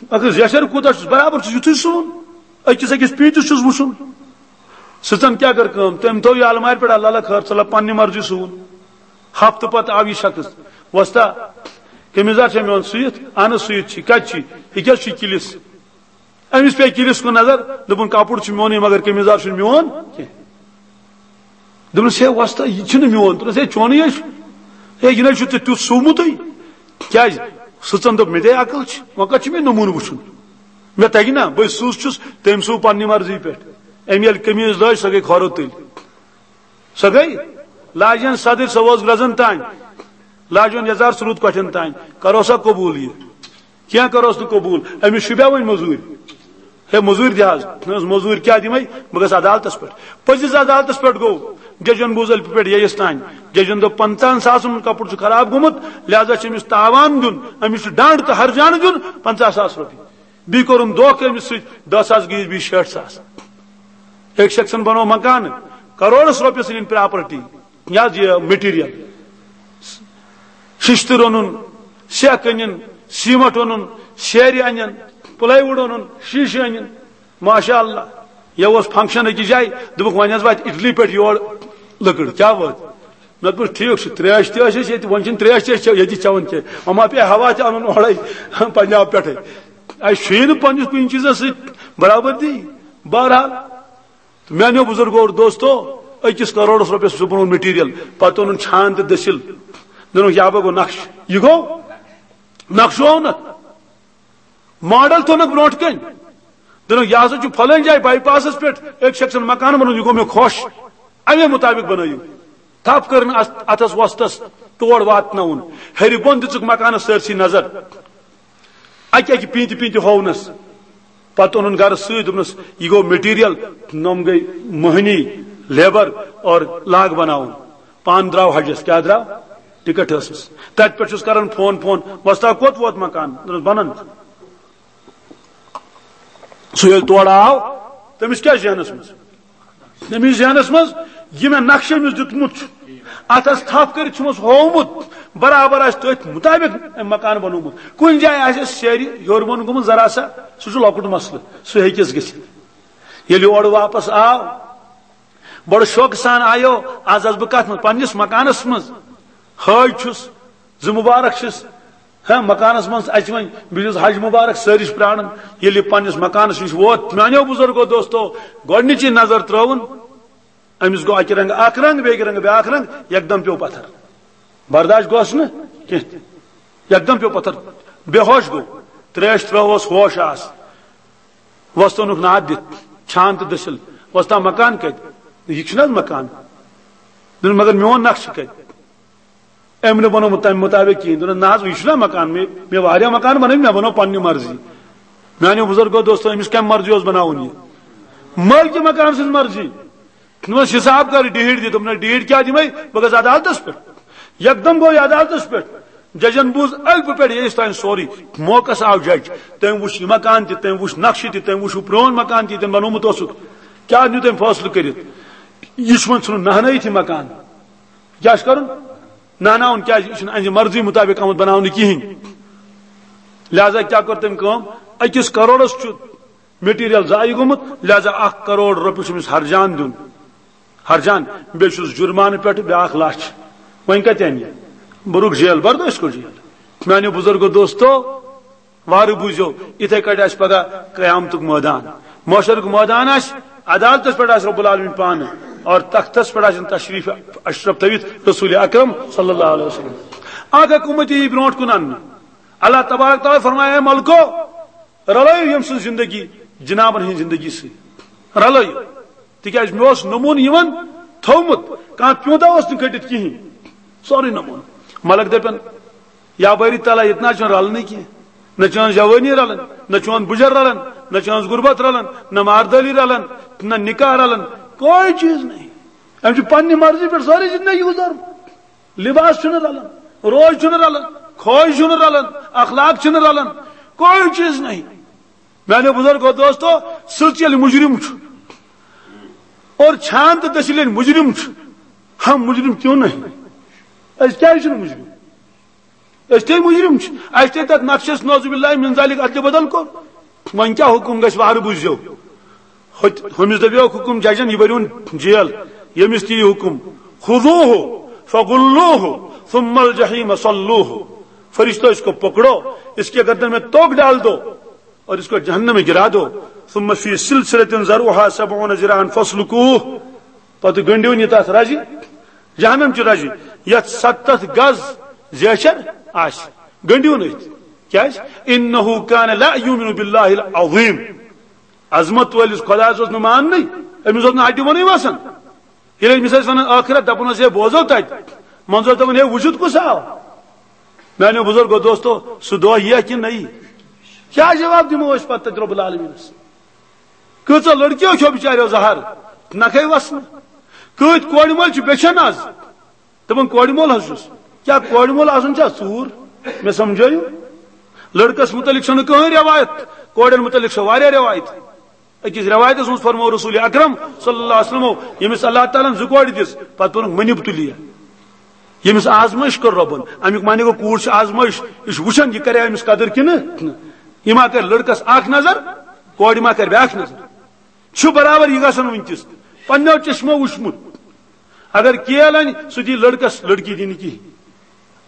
اگر زیچھر کوٗتاہ چھُس، برابر چھُس یُتھُے سُوُن۔ أکِس أکِس پیٖنتِس چھُس وٕچھُن۔ سٕژن کیٛاہ کٔر کٲم؟ تٔمۍ تھوٚو یہِ المارِ پٮ۪ٹھ، اللہ اللہ خٲر، ژٕ لَب پننہِ مرضی سُوُن۔ ہفتہٕ پتہٕ آو یہِ شخص، وۄستا، قمیٖض یزار چھا میون سُوِتھ؟ اہن حظ سُوِتھ چھُ۔ کتہِ چھُ؟ یہِ کیٛاہ چھُ کِلِس؟ أمِس پیٚیہِ کِلِس کُن نظر، دوٚپُن، کپُر چھُ میونُے، مگر قمیٖض یزار چھُنہٕ میون کینٛہہ۔ دوٚپنَس، ہے وۄستا، یہِ چھُنہٕ میون۔ دوٚپنَس، ہے، چونُے ہے چھُ۔ ہے، یہِ نَے چھُ ژےٚ تیُتھ سُومُتٕے۔ کیٛازِ؟ سٕژن دوٚپ، مےٚ تے عقل چھِ، وۄنۍ کَتھ چھُ مےٚ نموٗنہٕ وٕچھُن؟ مےٚ تَگہِ نا، بہٕ سٕژ چھُس، تٔمۍ سُو پننہِ مرضی پٮ۪ٹھ۔ أمۍ ییٚلہِ قمیٖض لٲج، سۄ گٔے کھۄرو تٔلۍ۔ سۄ گٔے لاجن صدٕرۍ، سۄ وٲژ گرٛزن تانۍ۔ لاجن یزار، سُہ روٗد کۄٹھٮ۪ن تانۍ۔ کرو سا قبوٗل یہِ؟ کینٛہہ کروس نہٕ قبوٗل۔ أمِس شوٗبیا وۄنۍ مٔزوٗرۍ؟ ہے، مٔزوٗرۍ دِ حظ۔ نہ حظ، مٔزوٗرۍ کیٛاہ دِمَے؟ بہٕ گژھٕ عدالتَس پٮ۪ٹھ۔ پٔزِس عدالتَس پٮ۪ٹھ گوٚو۔ ججن بوٗز ألفہِ پٮ۪ٹھ یَیَس تام۔ ججن دوٚپ، پنٛژاہَن ساسَن ہُنٛد کپُر چھُ خراب گوٚمُت، لہذا چھُ أمِس تاوان دیُن، أمِس چھُ ڈنٛڈ تہٕ ہرجانہٕ دیُن پنٛژاہ ساس رۄپیہِ۔ بیٚیہِ کوٚرُن دھوکہٕ أمِس سۭتۍ، دَہ ساس گٔیِس بیٚیہِ شیٹھ ساس۔ أکۍ شخصن بنوو مکانہٕ، کروڑس رۄپیَس أنِن پراپرٹی۔ یہِ حظ یہِ مٹیریل، ششتٕر اوٚنُن، سیٚکھ أنِن، سیمٹ اوٚنُن، سیرِ اَنَن، پلائی وُڈ اوٚنُن، شیشہٕ أنِن۔ ماشاء اللہ، یہِ اوس فنکشن أکِس جایہِ، دوٚپُکھ، وۄنۍ حظ واتہِ اٹلی پٮ۪ٹھ یور لٔکٕر۔ کیٛاہ وٲژ؟ مےٚ دوٚپُس، ٹھیٖک چھُ، تریش تہِ ٲس اَسہِ ییٚتہِ، وۄنۍ چھِنہٕ تریش تہِ أسۍ چےٚ-، ییٚتہِ چٮ۪وان کینٛہہ، وۄنۍ ما پیٚیہِ ہوا تہِ اَنُن اورَے پنجاب پٮ۪ٹھَے۔ اَسہِ چھُیی نہٕ پنٛنِس کُنہِ چیٖزَس سۭتۍ برابردی۔ بہرحال، تہٕ میانیو بزرگو اور دوستو، أکِس کروڑس رۄپیس چھُ بنوومُت مٹیریل، پتہٕ اوٚنُن چھان تہٕ دٔسِل، دوٚپُن، "یابا گوٚو نقشہٕ، یہِ گوٚو نقشہٕ آو نہ، ماڈل تھوٚونکھ برونٛٹھ کَنۍ، دوٚپُن، یہِ ہسا چھُ فلٲنۍ جایہِ بائی پاسس پٮ۪ٹھ أکۍ شخصن مکان بنوومُت، یہِ گوٚو مےٚ خۄش، اَمے مُطابق بنٲیِو۔" تھپھ کٔرٕن اَتھ، اَتھس وۄستس، تور واتناوُن، ہیٚرِ بۄن دِژٕکھ مکانس سٲرسٕے نظر۔ اکہِ اکہِ پیٖنتہِ پیٖنتہِ ہوونس۔ پتہٕ اوٚنُن گرٕ سۭتۍ، دوٚپنس، "یہِ گوٚو مٹیریل، نۄم گٔے مٔہنی، لیبر اور لاگ بناوُن۔" پانہٕ درٛاو حجس، کیٛاہ درٛاو؟ ٹکٹ ٲسٕس۔ تتہِ پٮ۪ٹھ چھُس کران فون، فون، "وۄستا، کوٚت ووت مکان؟" دوٚپنس، "بنان۔" سُہ ییٚلہِ تورٕ آو، تٔمِس کیٛاہ ذہنس منٛز؟ تٔمِس ذہنس منٛز، یہِ مےٚ نقشہٕ أمِس دیُتمُت چھُ، اتھس تھپھ کٔرِتھ چھُمس ہوومُت، برابر آسہِ تٔتھۍ مُطابق أمۍ مکان بنوومُت۔ کُنہِ جایہِ آسٮ۪س سیرِ ہیوٚر بۄن گوٚمُت ذرا سا، سُہ چھُ لۄکُٹ مسلہٕ، سُہ ہیٚکٮ۪س گٔژھِتھ۔ ییٚلہِ یہِ اورٕ واپس آو، بڑٕ شوقہٕ سان آیو، از آس بہٕ کتھ منٛز؟ پننِس مکانس منٛز۔ حٲج چھُس، زٕ مبارک چھِس، ہاں، مکانس منٛز اَژِ وۄنۍ، بہٕ چھُس حج مبارک سٲری چھِ پرٛاران۔ ییٚلہِ یہِ پننِس مکانس نِش ووت، میانیو بزرگو دوستو، گۄڈنِچی نظر ترٲوٕن، أمِس گوٚو اَکہِ رنٛگہٕ اکھ رنٛگ، بیٚکہِ رنٛگہٕ بیٛاکھ رنٛگ، یکدم پیوٚو پتھر۔ برداش گوٚس نہٕ کینٛہہ۔ یکدم پیوٚو پتھر، بے ہوش گوٚو۔ تریش ترٲوہوس، ہوش آس۔ وۄستہٕ اوٚنُکھ ناد دِتھ، چھان تہٕ دٔسِل۔ "وۄستا، مکان کتہِ؟" "یہِ چھُنہٕ حظ مکان؟" دوٚپُن، "مگر میون نقشہٕ کتہِ؟" أمۍ نہٕ بنوومُت تَمہِ مُطابق کِہیٖنۍ۔ دوٚپُن، "نہ حظ، یہِ چھُنہ مکان، مےٚ، مےٚ واریاہ مکان بنٲوۍ، مےٚ بنوو پننہِ مرضی۔" میانیو بزرگو دوستو، أمِس کَمہِ مرضی اوس بناوُن یہِ؟ مٲلکہِ مکان سٕنٛز مرضی۔ دوٚپمَس، "حساب کر، ڈیٖڈ دِ۔" دوٚپُن، "نہ، ڈیٖڈ کیٛاہ دِمے؟ بہٕ گژھٕ عدالتس پٮ۪ٹھ۔" یکدم گوٚو یہِ عدالتس پٮ۪ٹھ۔ ججن بوٗز الفہٕ پٮ۪ٹھ ییٚیِس تام سورُے۔ موقعس آو جج۔ تٔمۍ وُچھ یہِ مکان تہِ، تٔمۍ وُچھ نقشہٕ تہِ، تٔمۍ وُچھ ہُہ پرٛون مکان تہِ، ییٚتٮ۪ن بنوومُت اوسُکھ۔ کیٛاہ نیوٗ تٔمۍ فٲصلہٕ کٔرِتھ؟ یہِ چھُ وۄنۍ ژھٕنُن نہنٲیِتھ یہِ مکان۔ کیٛاہ چھُ کرُن؟ نہناوُن۔ کیٛازِ؟ یہِ چھُنہٕ أہنٛزِ مرضی مُطابق آمُت بناونہٕ کِہیٖنۍ۔ لہذا کیٛاہ کٔر تٔمۍ کٲم؟ أکِس کروڑس چھُ مٹیریل ضایع گوٚمُت، لہذا اکھ کروڑ رۄپیہِ چھُ أمِس ہرجان دیُن۔ ہرجان، بیٚیہِ چھُس جُرمانہٕ پٮ۪ٹھ بیٛاکھ لچھ۔ وۄنۍ کتہِ انہِ؟ بہٕ رُک جیل، بردٲش کوٚر جیل۔ میانیو بزرگو دوستو، وارٕ بوٗزِو، یِتھے کٲٹھۍ آسہِ پگاہ قیامتُک مٲدان، محشرُک مٲدان آسہِ، عدالتس پٮ۪ٹھ آسہِ رب العالمین پانہٕ، اور تختس پٮ۪ٹھ آسن تشریف اشرف تھٲوِتھ رسول اکرم صلی اللہ علیہ وسلم۔ اکھ اکھ اُمتی یی برونٛٹھ کُن اننہٕ۔ اللہ تبارک تعالیٰ فرمایہِ، "اے ملکو، رلٲیِو ییٚمۍ سٕنٛز زندگی جنابن ہٕنٛز زندگی سۭتۍ۔ رلٲیِو۔" تِکیٛازِ مےٚ اوس نموٗنہٕ یِمن تھوٚومُت، کانٛہہ پیوٗنتہ اوس نہٕ کٔڑِتھ کِہیٖنۍ۔ سورُے نموٗنہٕ۔ ملک دَپن، "یا باری تعالیٰ، ییٚتہِ نہ حظ چھُنہٕ رلنٕے کینٛہہ۔ نہ چٲنۍ جوٲنی رلان، نہ چون بُجر رلان، نہ چٲنۍ غربت رلان، نہ ماردٲلی رلان، نہ نکاح رلان، کوئی چیز نہیں۔ أمۍ چھُ پننہِ مرضی پٮ۪ٹھ سٲرٕے زندگی گُزارمٕژ۔ لباس چھُنہٕ رلان، روز چھُنہٕ رلان، خوش چھُنہٕ رلان، اخلاق چھِنہٕ رلان، کوئی چیز نہیں۔" میانیو بزرگو دوستو، سٕژ ییٚلہِ مجرم چھُ اور چھان تہٕ دٔسِل ییٚلہِ مجرم چھُ، ہم مجرم کیوں نہیں؟ أسۍ کیٛازِ چھِنہٕ مجرم؟ أسۍ تہِ مجرم چھِ، اَسہِ تہِ تَتھ نقشَس نعوذ باللہ من ذالک ادلہِ بدل کوٚر۔ وۄنۍ کیٛاہ حُکُم گژھِ وارٕ بوٗزِو؟ ہُتہِ، ہُمِس دَپیو حُکُم ججن، "یہِ بٔرِوُن جیل، ییٚمِس تہِ یہِ حُکُم، خذوہ فغلوہ ثم الجحیم صلوہ۔" فرشتوں، اس کو پکڑو، اس کے گردن میں توق ڈال دو اور اس کو جہنم میں گرا دو۔ ثم فی سلسلۃ ذرعها سبعون ذراعا فاسلکوہ۔ پتہٕ گٔنڈِو یہِ تَتھ رَزِ، جہنم چہِ رَزِ، یَتھ ستتھ گز زیچھر آسہِ۔ گٔنڈِو نہٕ أتھۍ۔ کیٛازِ؟ انہ کان لا یؤمن باللہ العظیم۔ عظمت وٲلِس خۄدایَس اوس نہٕ ماننٕے، أمِس اوس نہٕ ہَٹہِ وَنٕے وَسان۔ ییٚلہِ أمِس ٲسۍ وَنان ٲخرت، دَپان اوس، "ہے، بوزو تَتہِ۔" منظور دَپان، "ہے، وُچھُتھ کُس آو؟" میٛانیو بُزرگو دوستو، سُہ دۄہ یِیہ کِنہٕ نہ یِیہِ؟ کیٛاہ جواب دِمو أسۍ پَتہٕ تَتہِ رۄب العالمیٖنَس؟ کۭژاہ لٔڑکِیو کھیوٚو بِچاریو زَہر، نَکھَے وَسنہٕ۔ کۭتۍ کورِ مٲلۍ چھِ بیٚچھان آز۔ دَپان، "کورِ مول حظ چھُس۔" کیٛاہ کورِ مول آسُن چھا ژوٗر؟ مےٚ سمجھٲیِو۔ لٔڑکَس مُتعلِق چھَنہٕ کٕہٕنۍ رٮ۪وایت، کورٮ۪ن مُتعلِق چھےٚ واریاہ رٮ۪وایت۔ أکِس رٮ۪وایتَس منٛز فرموو رسول اکرم صلی اللہ علیہ وسلمو، ییٚمِس اللہ تعالیٰ ہَن زٕ کورِ دِژ، پَتہٕ ووٚنُکھ، "من ابتلی"۔ ییٚمِس آزمٲیِش کٔر رۄبَن، اَمیُک معنی گوٚو، کوٗر چھِ آزمٲیِش، یہِ چھُ وٕچھان، یہِ کَرِ أمِس قدٕر کِنہٕ نہ۔ یہِ ما کَرِ لٔڑکَس اَکھ نظر، کورِ ما کَرِ بیٛاکھ نظر؟ چھُ برابر یہِ گژھان وٕنکیٚس، پننیو چشمو وٕچھمُت۔ اگر کیل اَنہِ، سُہ دی لٔڑکَس، لٔڑکی دی نہٕ کِہیٖنۍ۔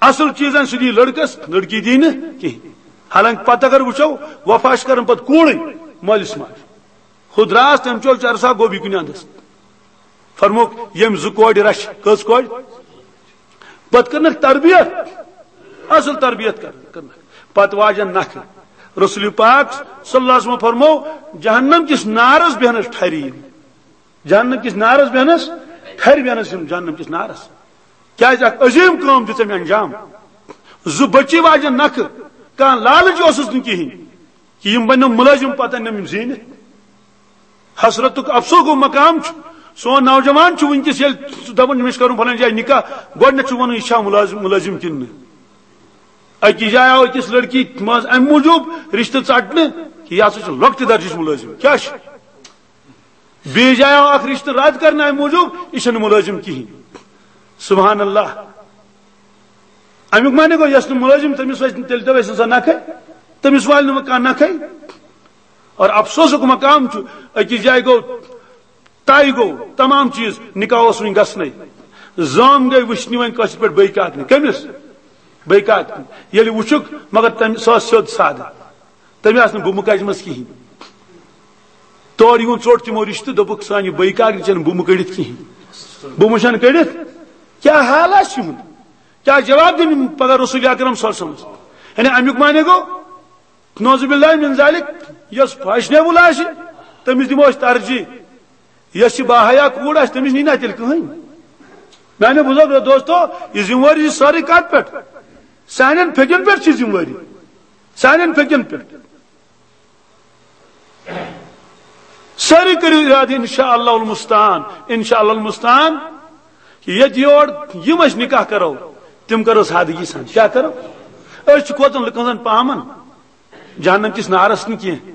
اَصٕل چیٖز اَنہِ، سُہ دی لٔڑکَس، لٔڑکی دی نہٕ کِہیٖنۍ۔ حالانکہ پتہٕ اگر وٕچھو، وفا چھِ کران پتہٕ کوٗرٕے مٲلِس ماجہِ۔ ہُہ درٛاس، تٔمۍ چول چرسا، گوٚو بیٚیہِ کُنہِ اَندَس۔ فرموک، ییٚمۍ زٕ کورِ رچھِ۔ کٔژ کورِ؟ پتہٕ کٔرنکھ تربیت، اصل تربیت کٔر-، کٔرنکھ۔ پتہٕ واجن نکھٕ۔ رسول پاک صلی اللہ علیہ وسلم فرمو، جہنم کِس نارس بیہنس ٹھری۔ جہنم کِس نارس بیہنس، ٹھرِ بیہنس یِم جہنم کِس نارس۔ کیازِ اکھ عظیم کٲم دِژ أمۍ انجام۔ زٕ بچی واجن نکھٕ، کانٛہہ لالچ اوسُس نہٕ کِہیٖنۍ۔ کہ یِم بنن ملٲزم، پتہٕ انن یِم زیٖنِتھ۔ حسرتُک افسوسُک مقام چھُ، سون نوجوان چھُ وٕنکیٚس ییٚلہِ سُہ دپان، أمِس کرُن فلٲنۍ جایہِ نکاح، گۄڈٕنیتھ چھُ ونان، یہِ چھا ملٲزم، ملٲزم کِنہٕ نہٕ؟ أکِس جایہِ آو أکِس لڑکی منٛز امہِ موٗجوٗب رشتہٕ ژٹنہٕ کہ یہِ ہسا چھُ لۄکٹہِ درجٕچ ملٲزم۔ کیٛاہ چھُ؟ بیٚیِس جایہِ آو اکھ رشتہٕ رد کرنہٕ امہِ موٗجوٗب، یہِ چھَنہٕ ملٲزم کِہیٖنۍ۔ سبحان اللہ۔ امیُک معنی گوٚو، یۄس نہٕ مُلٲزِم، تٔمِس وَسہِ نہٕ، تیٚلہِ تہِ وَسہِ نہٕ سۄ نَکھَے، تٔمِس والہِ نہٕ وۄنۍ کانٛہہ نَکھَے۔ اور افسوسُک مقام چھُ، أکِس جایہِ گوٚو، طے گوٚو، تمام چیٖز، نِکاح اوس وٕنہِ گژھنَے۔ زٲم گٔے وٕچھنہِ وۄنۍ کٲشِر پٲٹھۍ بیٚیہِ کاکنہِ۔ کٔمِس؟ بیٚیہِ کاکنہِ۔ ییٚلہِ وٕچھُکھ، مگر تٔمۍ، سۄ ٲس سیوٚد سادٕ۔ تٔمۍ آسہٕ نہٕ بہٕ مُکجمَس کِہیٖنۍ۔ تورٕ یِوان ژوٚٹ تِمو رِشتہٕ، دوٚپُکھ، سانہِ بٲے کاکنہِ چھَنہٕ بُمہٕ کٔڑِتھ کِہیٖنۍ۔ بُمہٕ چھَنہٕ کٔڑِتھ۔ کیٛاہ حال آسہِ یِہُنٛد؟ کیٛاہ جواب دِنۍ یِم پگاہ رسول اکرم صلی اللہ علیہ وسلمس؟ یعنی اَمیُک معنی گوٚو، نعوذ باللہ من ذالک، یۄس فیشنیبل آسہِ، تٔمِس دِمو أسۍ ترجیح۔ یۄس یہِ باحیا کوٗر آسہِ، تٔمِس نی نہ تیٚلہِ کٕہٕنۍ۔ میانیو بزرگو دوستو، یہِ ذمہٕ وٲری چھِ سٲرٕے کتھ پٮ۪ٹھ؟ سانٮ۪ن پھیٚکٮ۪ن پٮ۪ٹھ چھِ ذمہٕ وٲری، سانٮ۪ن پھیٚکٮ۪ن پٮ۪ٹھ۔ سٲری کٔرِو ارادٕ، انشاءاللہ المستعان، انشاءاللہ المستعان، کہ ییٚتہِ یور یِم أسۍ نکاح کرو، تِم کرو سادگی سان۔ کیٛاہ کرو؟ أسۍ چھِ کھوژان لُکن زن پامن، جہنم کِس نارس نہٕ کینٛہہ۔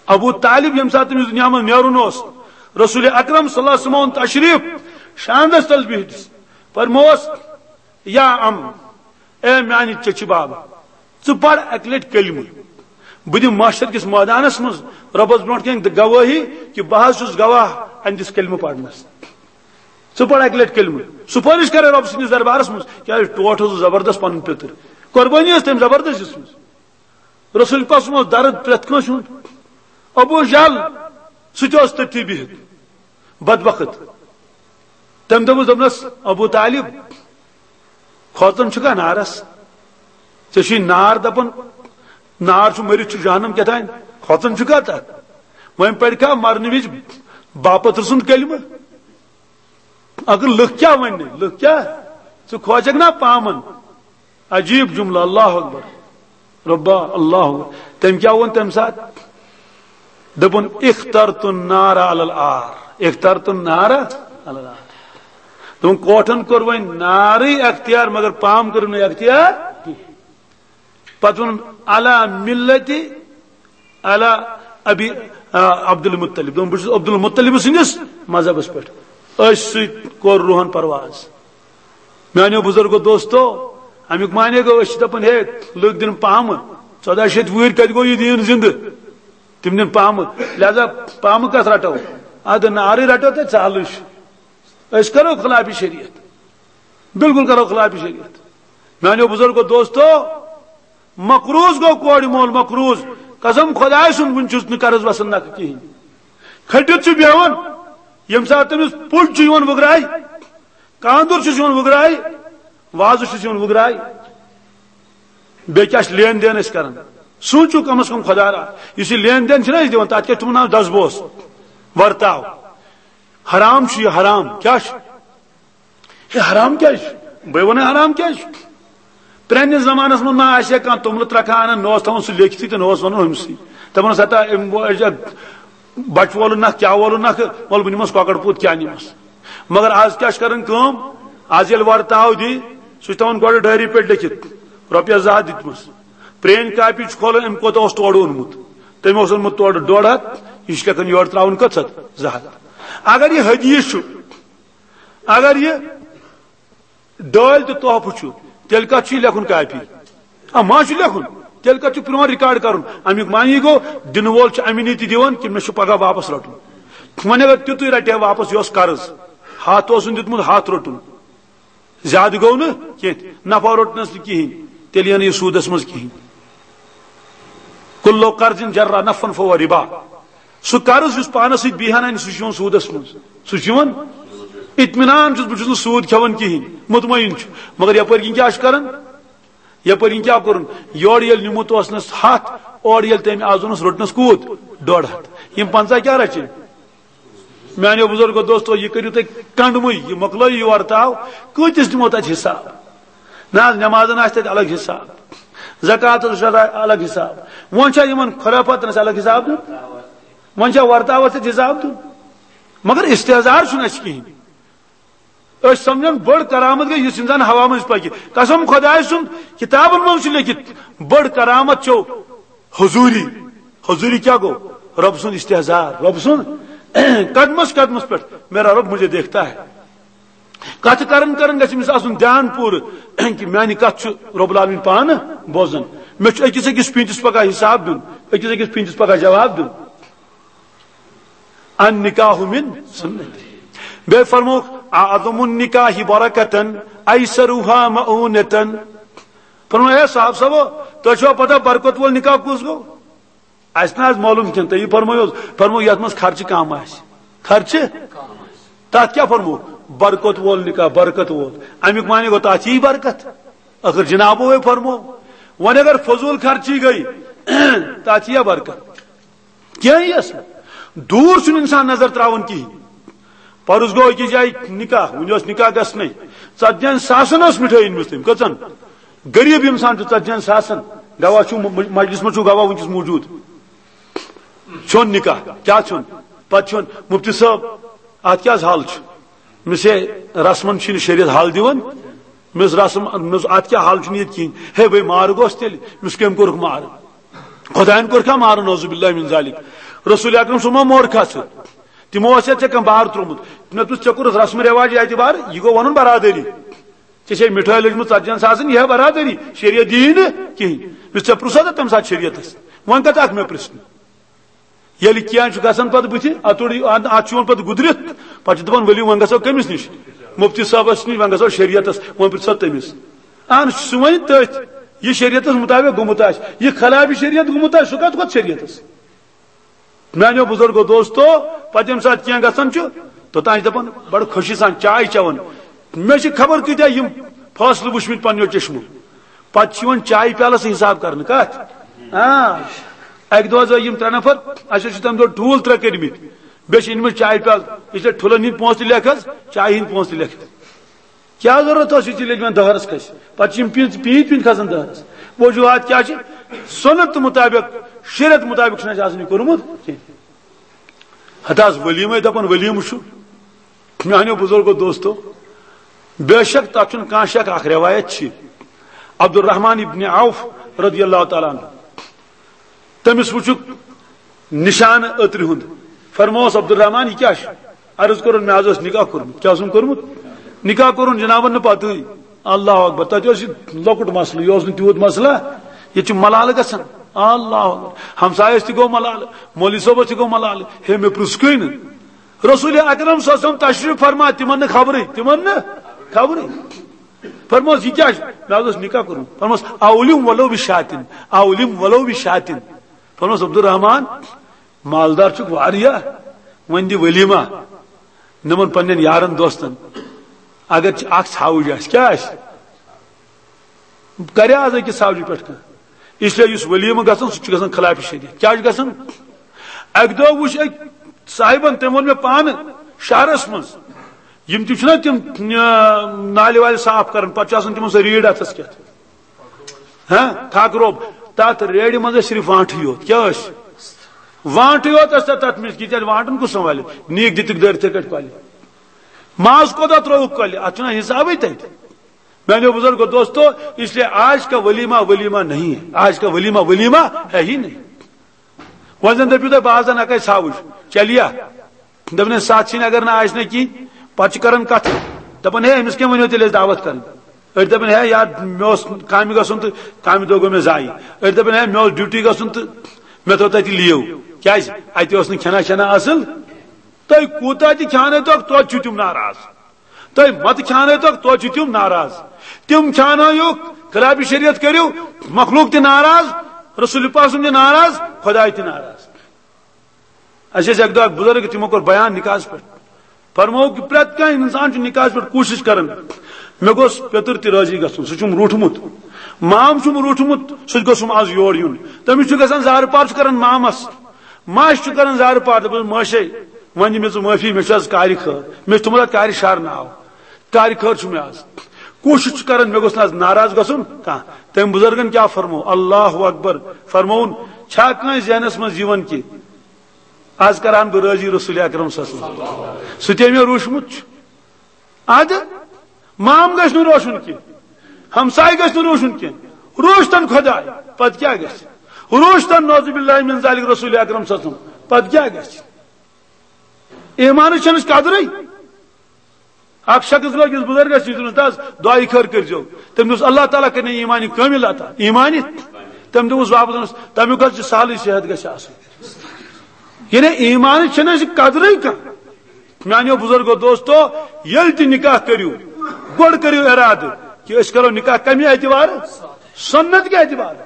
ابو طالب ییٚمہِ ساتہٕ تٔمِس دُنیا منٛز نیرُن اوس، رسول اکرم صلی اللہ علیہ وسلم اوٚن تشریف، شاندس تل بِہِتھ فرموس، یا ام، اے میانہِ چچہِ بابا، ژٕ پَر اَکہِ لَٹہِ کلمہٕ۔ بہٕ دِمہٕ محشر کِس مٲدانَس منٛز رۄبَس برونٛٹھ کَنہِ گوٲہی کہِ بہٕ حظ چھُس گواہ اَمہِ دِس کلمہٕ پَرنَس۔ ژٕ پَر اَکہِ لَٹہِ کلمہٕ۔ سُفٲرِش کَرے رۄبہٕ سٕنٛدِس دربارَس منٛز، کیٛازِ ٹوٹھ اوسُس زبردست پَنُن پیٚتٕر۔ قۄربٲنی ٲس تٔمۍ زبردست دِژمٕژ۔ رسول پاک سُنٛد اوس درد پرٛٮ۪تھ کٲنٛسہِ ہُنٛد۔ ابو جہل، سُہ تہِ اوس تٔتھی بِہِتھ۔ بدبخت۔ تٔمۍ دوٚپُس، دوٚپنَس، ابو طالب، کھوژان چھُکھا نارس؟ ژےٚ چھُے نار دپان، نار چھُ مٔرِتھ چھُ جہنم کیٛاہ تام، کھوژان چھُکھا تتھ؟ وۄنۍ پرِ کھا مرنہٕ وِزِ باپتھ سُنٛد کلمہٕ؟ اگر لُکھ کیٛاہ وننہِ، لُکھ کیٛاہ؟ ژٕ کھوژکھ نا پامن؟ عجیب جملہ، اللہ اکبر۔ ربا، اللہ اکبر۔ تٔمۍ کیٛاہ ووٚن تَمہِ ساتہٕ؟ دوٚپُن، "اخترت النار علی العار، اخترت النار علی العار۔" دوٚپُن، کوٹھن کوٚر وۄنۍ نارٕے اختیار، مگر پام کٔرٕن نہٕ اختیار۔ پتہٕ ووٚنُن، "علی ملتی علی ابی، آ، عبد المطلب۔" دوٚپُن، "بہٕ چھُس عبد المطلب سٕنٛدِس مذہبس پٮ۪ٹھ۔" أتھۍ سۭتۍ کوٚر روحن پرواز۔ میانیو بزرگو دوستو، امیُک معنی گوٚو، أسۍ چھِ دپان، ہے، لُکھ دِن پامہٕ، ژۄداہ شیٚتھ وُہٕرۍ کتہِ گوٚو یہِ دیٖن زِندٕ؟ تِم دِن پامہٕ، لہذا پامہٕ کتھ رٹو؟ ادٕ نارٕے رٹو تہٕ ژالٕے چھُ۔ أسۍ کرو خلاف شریعت، بالکل کرو خلاف شریعت۔ میانیو بزرگو دوستو، مقروض گوٚو کورِ مول مقروض۔ قسم خداے سُنٛد، وُنہِ چھُس نہٕ قرض وسان نکھٕ کِہیٖنۍ۔ کھٔٹِتھ چھُ بیٚہوان، ییٚمہِ ساتہٕ تٔمِس پُج چھُ یِوان وُگراے، کاندُر چھُس یِوان وُگراے، وازٕ چھُس یِوان وُگراے۔ بیٚیہِ کیٛاہ چھِ لین دین أسۍ کران؟ سوٗنٛچِو کم از کم خدا را، یُس یہِ لین دین چھِنہ أسۍ دِوان، تَتھ کیٛاہ چھِ تِمن ناو؟ دسبوس، ورتاو۔ حرام چھُ یہِ، حرام۔ کیٛاہ چھُ؟ ہے، حرام کیٛازِ چھُ؟ بہٕ وَنہٕ حرام کیٛازِ چھُ؟ پرٛانِس زمانَس منٛز ما آسہِ ہا کانٛہہ توٚملہٕ ترٛکھا اَنان، نہ اوس تھاوان سُہ لیکھِتھٕے تہٕ نہ اوس وَنان أمۍسٕے۔ دَپان اوس، "ہتا، أمۍ وو-، أسۍ چھِ بَچہٕ وولُن نَکھ، کیٛاہ وولُن نَکھ، وَلہٕ بہٕ نِمَس کۄکَر پوٗت، کیٛاہ نِمَس؟" مگر آز کیٛاہ چھِ کَران کٲم؟ آز ییٚلہِ وَرتاو دی، سُہ چھُ تھاوان گۄڈٕ ڈایری پٮ۪ٹھ لیکھِتھ، رۄپیَس زٕ ہَتھ دِتمٕژ۔ پرٛٲنۍ کاپی چھُ کھولان، أمۍ کوٗتاہ اوس تورٕ اوٚنمُت۔ تٔمۍ اوس اوٚنمُت تورٕ ڈۄڈ ہَتھ، یہِ چھُ لیکھان یورٕ ترٛاوُن کٔژ ہَتھ؟ زٕ ہَتھ۔ اگر یہِ حدیث چھُ، اگر یہِ ڈٲلۍ تہٕ تحفہٕ چھُ، تیٚلہِ کتھ چھُ یہِ لیکھُن کاپی؟ آ، ما چھُ لیکھُن؟ تیٚلہِ کتھ چھُ پرٛون ریکارڈ کرُن؟ امیُک معنی گوٚو، دِنہٕ وول چھُ امہِ نِتہِ دِوان کہِ مےٚ چھُ پگاہ واپس رٹُن۔ وۄنۍ اگر تیُتُے رٹہِ ہا واپس، یہِ اوس قرض، ہتھ اوسُن دیُتمُت، ہتھ روٚٹُن، زیادٕ گوٚو نہٕ کینٛہہ، نفع روٚٹنس نہٕ کِہیٖنۍ، تیٚلہِ یِیہِ نہٕ یہِ سوٗدس منٛز کِہیٖنۍ۔ کُلُّ قرضٍ جرّ نفعاً فهو ربا۔ سُہ قرض یُس پانس سۭتۍ بیہان انہِ، سُہ چھُ یِوان سوٗدس منٛز۔ سُہ چھُ یِوان اطمینان چھُس، بہٕ چھُس نہٕ سوٗد کھٮ۪وان کِہیٖنۍ، مطمئن چھُ۔ مگر یپٲرۍ کِنۍ کیٛاہ چھُ کران؟ یپٲرۍ کِنۍ کیٛاہ کوٚرُن؟ یورٕ ییٚلہِ نیوٗمُت اوسنس ہتھ، اورٕ ییٚلہِ تٔمۍ آز اوٚنُس، روٚٹنس کوٗت؟ ڈۄڈ ہتھ۔ یِم پنٛژاہ کیٛاہ رچھِنۍ؟ میانیو بزرگو دوستو، یہِ کٔرِو تُہۍ کنڈمٕے، یہِ مۄکلٲیِو یہِ ورتاو، کۭتِس دِمو تتہِ حساب؟ نہ حظ، نمازن آسہِ تتہِ الگ حساب، زکاتس آسہِ الگ حساب۔ وۄنۍ چھا یِمن خرافاتن آسہِ الگ حساب دیُن؟ وۄنۍ چھا ورتاوس تتہِ حساب دیُن؟ مگر استحضار چھُنہٕ اَسہِ کِہیٖنۍ۔ أسۍ سمجھن بٔڑ کرامت گٔے، یُس انسان ہوا منٛز پکہِ۔ قسم خداے سُنٛد، کتابن منٛز چھُ لیکھِتھ، بٔڑ کرامت چھو حضوری۔ حضوری کیٛاہ گوٚو؟ رۄب سُنٛد استحضار، رۄب سُنٛد قدمس قدمس پٮ۪ٹھ، میرا رب مجھے دیکھتا ہے۔ کتھ کران کران گژھِ أمِس آسُن دیان پوٗرٕ کہِ میانہِ کتھ چھُ رب العالمین پانہٕ بوزان۔ مےٚ چھُ أکِس أکِس پیٖنتِس پگاہ حساب دیُن، أکِس أکِس پیٖنتِس پگاہ جواب دیُن۔ النکاح من سنتی۔ بیٚیہِ فرمووُکھ، اعظم النکاح برکتن، ایسرها مؤونتن۔ فرموو، ہے صاحب صٲبو، تۄہہِ چھوا پتہ برکت وول نکاح کُس گوٚو؟ اَسہِ نہ حظ معلوم کینٛہہ، تُہۍ فرمٲیِو حظ۔ فرموو، یتھ منٛز خرچہٕ کم آسہِ۔ خرچہٕ؟ تتھ کیٛاہ فرموو؟ برکت وول نکاح، برکت وول۔ امیُک معنی گوٚو، تتھ یی برکت۔ ٲخر جنابو ہے فرموو۔ وۄنۍ اگر فضول خرچی گٔے، تتھ ییٖیا برکت؟ کینٛہہ یِیَس نہٕ۔ دوٗر چھُنہٕ انسان نظر تراوان کِہیٖنۍ۔ پرُس گوٚو أکِس جایہِ نکاح، وُنہِ اوس نکاح گژھنٕے۔ ژتجی ہن ساسن ٲس مِٹھٲے أنمٕژ تٔمۍ۔ کٔژن؟ غریب انسان چھُ ژتجی ہن ساسن۔ گواہ چھُ م-، مجلس منٛز چھُ گواہ وٕنکیٚس موجود۔ چھُن نکاح، کیٛاہ چھُن؟ پتہٕ چھُن مفتی صٲب، اتھ کیٛاہ حظ حل چھُ؟ مےٚ چھے رسمن چھُنہٕ شریعت حل دِوان۔ مےٚ اوس رسم، مےٚ اوس اتھ کیٛاہ حل چھُنہٕ ییٚتہِ کِہیٖنۍ۔ ہے بھائی، مار گوس تیٚلہِ، مےٚ اوس کٔمۍ کوٚرُکھ مار؟ خدایَن کوٚر کھا مارُن؟ نعوذ باللہ من ذالک۔ رسول اکرم صلی اللہ علیہ وسلم مور کھا ژٕ؟ تِمو آسہِ ژےٚ کانٛہہ بار تروومُت۔ مےٚ دوٚپُس، ژےٚ کوٚرُتھ رسم رواج اعتبار، یہِ گوٚو ونُن برادری۔ ژےٚ چھے مِٹھٲے لٔجمٕژ ژتجی ہن ساسن، یہِ ہے برادری، شریعت دِیی نہٕ کِہیٖنۍ۔ مےٚ ژےٚ پرُژھا تہٕ تمہِ ساتہٕ شریعتس؟ وۄنۍ کتھ اکھ مےٚ پرژھنہٕ؟ ییٚلہِ کینٛہہ چھُ گژھان پتہٕ بٕتھِ، اتھ چھُ یِوان پتہٕ گُدرِتھ، پتہٕ چھِ دپان، ؤلِو وۄنۍ گژھو کٔمِس نِش؟ مفتی صٲبس نِش، وۄنۍ گژھو شریعتس، وۄنۍ پرژھو تٔمِس۔ اہن، سُہ وۄنۍ تٔتھۍ، یہِ شریعتس مطابق گوٚمُت آسہِ، یہِ خلاف شریعت گوٚمُت آسہِ، سُہ کتھ کھوٚت شریعتس؟ میانیو بزرگو دوستو، پتہٕ ییٚمہِ ساتہٕ کینٛہہ گژھان چھُ، توٚتام چھِ دپان، بڑٕ خوشی سان چاے چٮ۪وان۔ مےٚ چھِ خبر کۭتیاہ یِم فٲصلہٕ وٕچھمٕتۍ پننیو چشمو۔ پتہٕ چھِ یِوان چایہِ پیالس حساب کرنہٕ۔ کتھ؟ آ، اکہِ دۄہ حظ آے یِم ترٛےٚ نفر، اسہِ حظ چھِ تمہِ دۄہ ٹھوٗل ترٛےٚ کٔرمٕتۍ، بیٚیہِ چھِ أنمٕتۍ چایہِ پیالہٕ، اس لیے ٹھوٗلن ہٕنٛدۍ پونٛسہٕ تہِ لیکھ حظ، چایہِ ہٕنٛدۍ پونٛسہٕ تہِ لیکھ۔ کیٛاہ ضروٗرت ٲس یہِ ژےٚ لیٚجمٮ۪ن دہرس کھسہِ؟ پتہٕ چھِ یِم پیٖنتۍ، پیٖنتۍ، پیٖنتۍ کھسان دہرس۔ وجوہات کیٛاہ چھِ؟ سُنت مطابق، شریعت مطابق چھُنہٕ اَسہِ آسان یہِ کوٚرمُت کینٛہہ۔ ہتہٕ حظ ولیمے دپان ولیمہٕ چھُ۔ میانیو بزرگو دوستو، بے شک تتھ چھُنہٕ کانٛہہ شک، اکھ روایت چھِ عبدالرحمان ابن عوف رضی اللہ تعالیٰ عنہ، تٔمِس وٕچھُکھ نشانہٕ أترِ ہُنٛد۔ فرمووُس، عبدالرحمان، یہِ کیٛاہ چھُ؟ عرض کوٚرُن، مےٚ حظ اوس نکاح کوٚرمُت۔ کیٛاہ اوسُم کوٚرمُت؟ نکاح کوٚرُن جنابن نہٕ پتہٕے۔ اللہ اکبر۔ تتہِ اوس یہِ لۄکُٹ مسلہٕ، یہِ اوس نہٕ تیوٗت مسلہٕ۔ ییٚتہِ چھُ ملالہٕ گژھان۔ اللہ اکبر۔ ہمسایس تہِ گوٚو ملالہٕ، مولوی صٲبس تہِ گوٚو ملالہٕ۔ ہے، مےٚ پرُژھ کُے نہٕ۔ رسول اکرم صلی اللہ علیہ وسلم تشریف فرما، تِمن نہٕ خبرٕے، تِمن نہٕ خبرٕے۔ فرموس، یہِ کیٛاہ چھُ؟ مےٚ حظ اوس نکاح کوٚرمُت۔ فرموس، اولم ولو بشاتن، اولم ولو بشاتن۔ فرموس، عبدالرحمان، مالدار چھُکھ واریاہ، وۄنۍ دِ ولیمہ نِمن پننٮ۪ن یارن دوستن۔ اگر چھِ اکھ ژھاوٕج آسہِ، کیٛاہ آسہِ؟ کرِ آز أکِس ژھاوجہِ پٮ۪ٹھ کانٛہہ؟ اس لیے یُس ولیمہٕ گژھان، سُہ چھُ گژھان خلاف شریعت۔ کیٛاہ چھُ گژھان؟ اکہِ دۄہ وُچھ أکۍ صاحبن، تٔمۍ ووٚن مےٚ پانہٕ شہرس منٛز، یِم تہِ چھِنہ تِم، آ، نالہِ والہِ صاف کران، پتہٕ چھُ آسان تِمن سۄ ریٖڈ اتھس کٮ۪تھ۔ ہاں، تھک روب۔ تتھ ریڈِ منٛز ٲسۍ صرف وانٹھٕے یوت۔ کیٛاہ ٲسۍ؟ وانٹھٕے یوت ٲسۍ تتھ، تتھ منٛز۔ یہِ تیٚلہِ وانٹن کُس سنبھالہِ؟ نیٖک دِتِکھ دٲرِتھٕے کٔٹھۍ کۄلہِ۔ ماز کوتاہ ترٛووُکھ کۄلہِ؟ اتھ چھُنہ حسابٕے تتہِ۔ میانیو بزرگو دوستو، اس لیے آج کا ولیمہ ولیمہ نہیں ہے۔ آج کا ولیمہ ولیمہ ہے ہی نہیں۔ وۄنۍ زن دٔپِو تُہۍ، بہٕ آسہٕ ہا نقے ژھاوٕج، چلیا؟ دپان ہے، ساتھ چھِنہٕ اگر نہٕ آسہِ نہٕ کِہیٖنۍ، پتہٕ چھِ کران کتھٕ۔ دپان ہے، أمِس کیٛاہ ؤنِو تیٚلہِ أسۍ دعوت کرٕنۍ؟ أڑۍ دپان ہے یار، مےٚ اوس کامہِ گژھُن تہٕ کامہِ دۄہ گوٚو مےٚ ضایع۔ أڑۍ دپان ہے، مےٚ اوس ڈیوٹی گژھُن تہٕ مےٚ تھٲو تتہِ لیو۔ کیٛازِ؟ اتہِ اوس نہٕ کھٮ۪نا چٮ۪نا اصٕل۔ تُہۍ کوٗتاہ تہِ کھیانٲیتوکھ، توتہِ چھِو تِم ناراض۔ تُہۍ متہٕ کھیانٲیتوکھ، توتہِ چھِ تِم ناراض۔ تِم کھیانٲیِو، خلاف شریعت کٔرِو، مخلوق تہِ ناراض، رسول پاک صلی اللہ علیہ وسلم تہِ ناراض، خداے تہِ ناراض۔ اَسہِ ٲسۍ اَکہِ دۄہ اَکھ بُزرگ، تِمو کوٚر بیان نِکاحَس پٮ۪ٹھ۔ فرمووُکھ کہِ پرٛٮ۪تھ کانٛہہ اِنسان چھُ نِکاحَس پٮ۪ٹھ کوٗشِش کران، مےٚ گوٚژھ پیٚتٕر تہِ رٲضی گژھُن، سُہ چھُم روٗٹھمُت، مام چھُم روٗٹھمُت، سُہ تہِ گوٚژھُم آز یور یُن۔ تٔمِس چھُ گژھان زارٕ پار، چھُ کران مامَس، ماجہِ چھُ کران زارٕ پار، دَپان، "ماجے، وۄنۍ دِ مےٚ ژٕ معٲفی، مےٚ چھُ آز کارِ خٲر، مےٚ چھُ تھوٚمُت اَتھ کارِ شَر ناو، کارِ خٲر چھُ مےٚ آز۔" کوٗشِش چھُ کران، مےٚ گوٚژھ نہٕ آز ناراض گژھُن کانٛہہ۔ تٔمۍ بُزرگن کیٛاہ فرموو؟ اللہ اکبر۔ فرمووُن، چھا کٲنٛسہِ ذہنَس منٛز یِوان کہِ آز کران بہٕ رٲضی رسول اکرم صلی اللہ علیہ وسلم۔ سُہ تہِ مےٚ روٗشمُت چھُ۔ ادٕ مام گژھِ نہٕ روشُن کینٛہہ، ہمسایہِ گژھِ نہٕ روشُن کینٛہہ، روشتن خۄداے، پتہٕ کیٛاہ گژھِ؟ روشتن نعوذ باللہ من ذالک رسول اکرم صلی اللہ علیہ وسلم، پتہٕ کیٛاہ گژھِ؟ ایمانٕچ چھَنہٕ قدرٕے۔ اکھ شخص گوٚو أکِس بُزرگس نِش، دوٚپنَس، "دَس دعایہِ خٲر کٔرۍزیو۔" تٔمۍ دوٚپُس، "اللہ تعالیٰ کَرِ نہٕ ایٖمانی کٲمِل عطا۔" ایٖمانی؟ تٔمۍ دوٚپُس واپس، دوٚپنَس، "تَمیُک حظ چھُ سہلٕے صحت گژھِ آسُن۔" یعنی ایٖمانٕچ چھَنہٕ اَسہِ قدرٕے کانٛہہ۔ میٛانیو بُزرگو دوستو، ییٚلہِ تہِ نِکاح کٔرِو، گۄڈٕ کٔرِو اِرادٕ کہِ أسۍ کَرو نِکاح کَمہِ اعتبارٕ؟ سُنت کہِ اعتبارٕ۔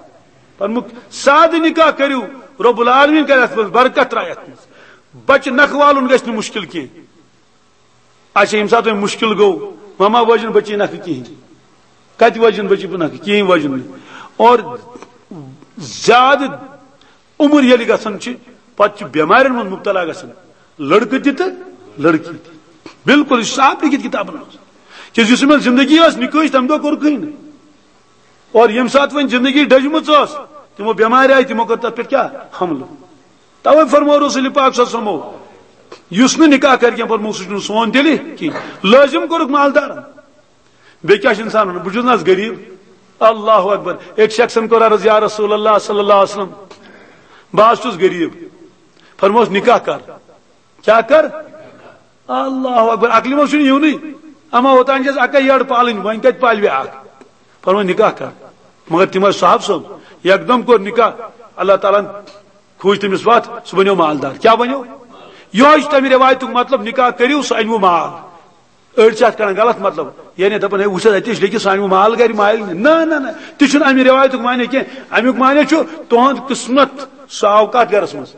فرمووُکھ، سادٕ نِکاح کٔرِو، رب العالمین کَرِ اَتھ منٛز برکت، ترٛایہِ اَتھ منٛز۔ بَچہٕ نَکھٕ والُن گژھِ نہٕ مُشکِل کینٛہہ۔ اچھا، ییٚمہِ ساتہٕ وۄنۍ مُشکِل گوٚو، ماما وٲجِن بٔچی نَکھٕ کِہیٖنۍ۔ کَتہِ وٲجِن بٔچی بہٕ نَکھٕ؟ کِہیٖنۍ وٲجِن نہٕ۔ اور زیادٕ عمر ییٚلہِ گژھان چھِ، پَتہٕ چھِ بٮ۪مارٮ۪ن منٛز مُبتلا گژھان، لٔڑکہٕ تہِ تہٕ لٔڑکی تہِ۔ بالکل، یہِ چھُ صاف لیکھِتھ کِتابَن منٛز۔ کیٛازِ یُس یِمَن زِندگی ٲس نِکٲح، تَمہِ دۄہ کوٚرُکھٕے نہٕ۔ اور ییٚمہِ ساتہٕ وۄنۍ زندگی ڈٔجمٕژ ٲس، تِمو بٮ۪مارِ آیہِ، تِمو کٔر تَتھ پٮ۪ٹھ کیٛاہ؟ حملہٕ۔ توے فرموو رسول پاک صلی اللہ علیہ وسلمو، یُس نہٕ نِکاح کرِ کینٛہہ، فرموو، سُہ چھُنہٕ سون تیٚلہِ کینٛہہ۔ لٲزِم کوٚرُکھ مالدارن۔ بیٚیہِ کیٛاہ چھُ اِنسان وَنان؟ بہٕ چھُس نہ حظ غریٖب۔ اللہ اکبر۔ أکۍ شخصن کوٚر عرض، "یا رسول اللہ صلی اللہ علیہ وسلم، بہٕ حظ چھُس غریٖب۔" فرموس، "نِکاح کر۔" کیٛاہ کر؟ اللہ اکبر۔ عقلہِ منٛز چھُنہٕ یِونٕے۔ اما اوٚتام چھِ اَسہِ اَکٕے یٔڈ پالٕنۍ، وۄنۍ کَتہِ پالہِ بیٛاکھ؟ فرموو، "نِکاح کر۔" مگر تِم ٲسۍ صحابہٕ صٲب، یکدم کوٚر نِکاح۔ اللہ تعالیٰ ہن کھوٗج تٔمِس وَتھ، سُہ بنیو مالدار۔ کیٛاہ بنیو؟ یِہوٚے چھُ تَمہِ رٮ۪وایتُک مطلب، نِکاح کٔرِو، سُہ اَنِوٕ مال۔ أڑۍ چھِ اَتھ کَڑان غلط مطلب، یعنی دَپان، "ہے، وٕچھ حظ، اَتہِ چھِ لیکِتھ، سُہ اَنِوٕ مال گَرِ، مال نہٕ۔" نہ، نہ، نہ، تہِ چھُنہٕ اَمہِ رٮ۪وایتُک معنی کینٛہہ۔ اَمیُک معنی چھُ، تُہُنٛد قٕسمت، سُہ آو کَتھ گَرَس منٛز؟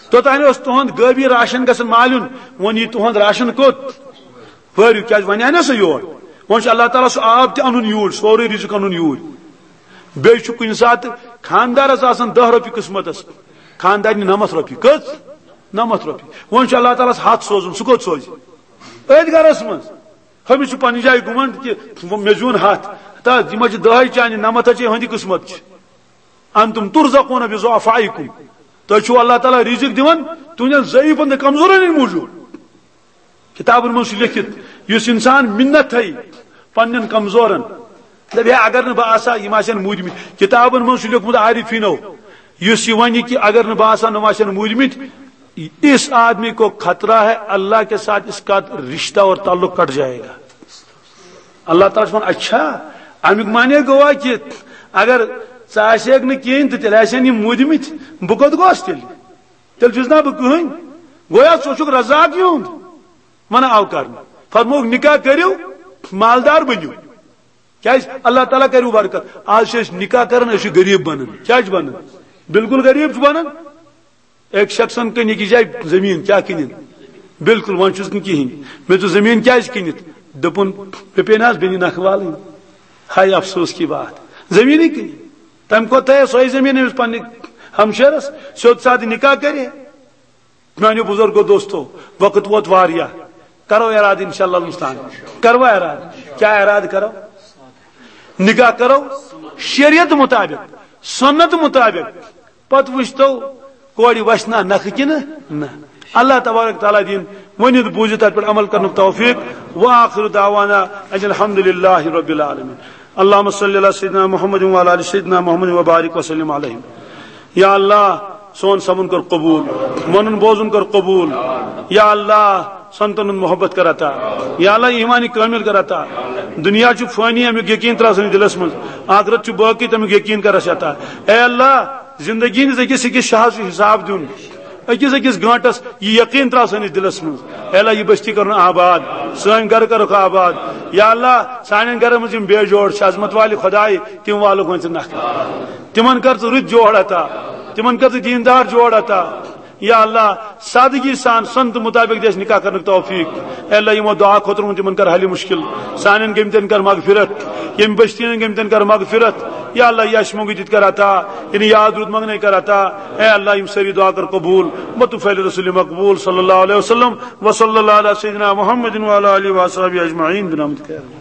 توٚتام اوس تُہُنٛد غٲبی راشن گژھان مالیُن، وۄنۍ یی تُہُنٛد راشن کوٚت؟ پٲرِو، کیٛازِ وۄنۍ آے نہ سُہ یور؟ وۄنۍ چھُ اللہ تعالیٰ سُہ آب تہِ اَنُن یوٗرۍ، سورُے رِزق اَنُن یوٗرۍ۔ بیٚیہِ چھُ کُنہِ ساتہٕ خانٛدارَس آسان دَہ رۄپیہِ قٕسمَتَس، خانٛدارنہِ نَمَتھ رۄپیہِ۔ کٔژ؟ نَمَتھ رۄپیہِ۔ وۄنۍ چھُ اللہ تعالیٰ ہَس ہَتھ سوزُن، سُہ کوٚت سوزِ؟ أتھۍ گَرَس منٛز۔ ہُمِس چھُ پننہِ جایہِ گُمنڈ کہِ مےٚ زیوٗن ہَتھ۔ ہتا، یِم حظ چھِ دَہَے چانہِ، نَمَتھ حظ چھِ یِہُنٛدِ قٕسمت چھِ۔ انتم ترزقون بضعفائکم۔ تۄہہِ چھُو اللہ تعالیٰ رِزق دِوان تُہنٛدٮ۪ن ضعیٖفن تہٕ کمزورن ہٕنٛدِ موٗجوٗب۔ کِتابن منٛز چھُ لیکھِتھ، یُس اِنسان مِنت تھایہِ پننٮ۪ن کمزورن، دَپہِ، "ہے، اگر نہٕ بہٕ آسہٕ ہا، یِم آسن موٗدمٕتۍ۔" کِتابن منٛز چھُ لیوٚکھمُت عارفینو، یُس یہِ وَنہِ کہِ اگر نہٕ بہٕ آسہٕ ہا، نۄم آسن موٗدمٕتۍ، اس آدمی کو خطرہ ہے اللہ کے ساتھ اس کا رشتہ اور تعلق کٹ جائے گا۔ اللہ تعالیٰ چھُ وَنان، اچھا، اَمیُک معنی گوٚوا کہِ اگر ژٕ آسہِ ہَکھ نہٕ کِہیٖنۍ تہٕ تیٚلہِ آسن یِم موٗدمٕتۍ، بہٕ کوٚت گوس تیٚلہِ؟ تیٚلہِ چھُس نا بہٕ کٕہٕنۍ؟ گویا ژٕ چھُکھ رزاق یِہُنٛد۔ منع آو کرنہٕ۔ فرمووُکھ، نکاح کٔرِو، مالدار بٔنِو۔ کیٛازِ؟ اللہ تعالیٰ کَرِوٕ برکت۔ آز چھِ أسۍ نکاح کران، أسۍ چھِ غریٖب بنان۔ کیٛازِ بنان؟ بالکل غریٖب چھِ بنان۔ أکۍ شخصن کٕنۍ أکِس جایہِ زٔمیٖن، کیٛاہ کٕنِن؟ بالکل، وۄنۍ چھُس نہٕ کِہیٖنۍ۔ مےٚ دوٚپ، "زٔمیٖن کیٛازِ کٕنِتھ؟" دوٚپُن، "مےٚ پیٚیہِ نہٕ حظ بیٚنہِ نکھٕ والٕنۍ؟" ہاے افسوس کی بات، زٔمیٖنٕے کٕنِتھ۔ تَمہِ کھۄتہٕ تھایہِ سۄے زٔمیٖن أمِس پننہِ ہمشیرس، سیوٚد سادٕ نکاح کرِ۔ میانیو بزرگو دوستو، وقت ووت واریاہ، کرو ارادٕ انشاءاللہ المستعان۔ کروا ارادٕ؟ کیٛاہ ارادٕ کرو؟ نکاح کرو شریعت مطابق، سنت مطابق، پتہٕ وٕچھتو کورِ وَسہِ نا نکھٕ کِنہٕ نہ۔ اللہ تبارک تعالیٰ دِیِن ؤنِتھ بوٗزِتھ تَتھ پٮ۪ٹھ عمل کرنُک توفیق۔ وآخر دعوانا ان الحمد للہ رب العالمین۔ اللہم صلی علی سیدنا محمد وعلی آل سیدنا محمد وبارک وسلم علیہ۔ یا اللہ، سون سمُن کر قبول، ونُن بوزُن کر قبول۔ یا اللہ، سنتن ہُنٛد محبت کر عطا۔ یا اللہ، ایمان کامل کر عطا۔ دنیا چھُ فانی، امیُک یقین ترٛاو سٲنِس دلس منٛز۔ آخرت چھُ باقی، تمیُک یقین کر اَسہِ عطا۔ اے اللہ، زندگی ہٕنٛدِس أکِس أکِس شاہس چھُ حساب دیُن، أکِس أکِس گٲنٹس یہِ یقین ترٛاو سٲنِس دلس منٛز۔ اے اللہ، یہِ بستی کرُن آباد، سٲنۍ گرٕ کرُکھ آباد۔ یا اللہ، سانٮ۪ن گرن منٛز یِم بے جوڑ چھِ، عظمت والہِ خدایہِ، تِم والُکھ وۄنۍ ژٕ نکھٕ۔ تِمن کر ژٕ رٕتۍ جوڑ عطا، تِمن کر ژٕ دیٖندار جوڑ عطا۔ یا اللہ، سادگی سان سنت مطابق دِ اسہِ نکاح کرنُک توفیق۔ اے اللہ، یِمو دعا خٲطرٕ ووٚن تِمن کر حل مشکل، سانٮ۪ن گٔمتٮ۪ن کر مغفرت، ییٚمہِ بستی ہٕنٛدٮ۪ن گٔمتٮ۪ن کر مغفرت۔ یا اللہ، یہِ اَسہِ مۄنٛگُے تہِ تہِ کر عطا، یعنی یاد روٗد منٛگنے کر عطا۔ اے اللہ، یِم سٲری دعا کر قبول۔ بطفیل رسول مقبول صلی اللہ علیہ وسلم۔ وصلی اللہ علی سیدنا محمد وعلی آلہ وصحبہ اجمعین برحمتک یا اللہ۔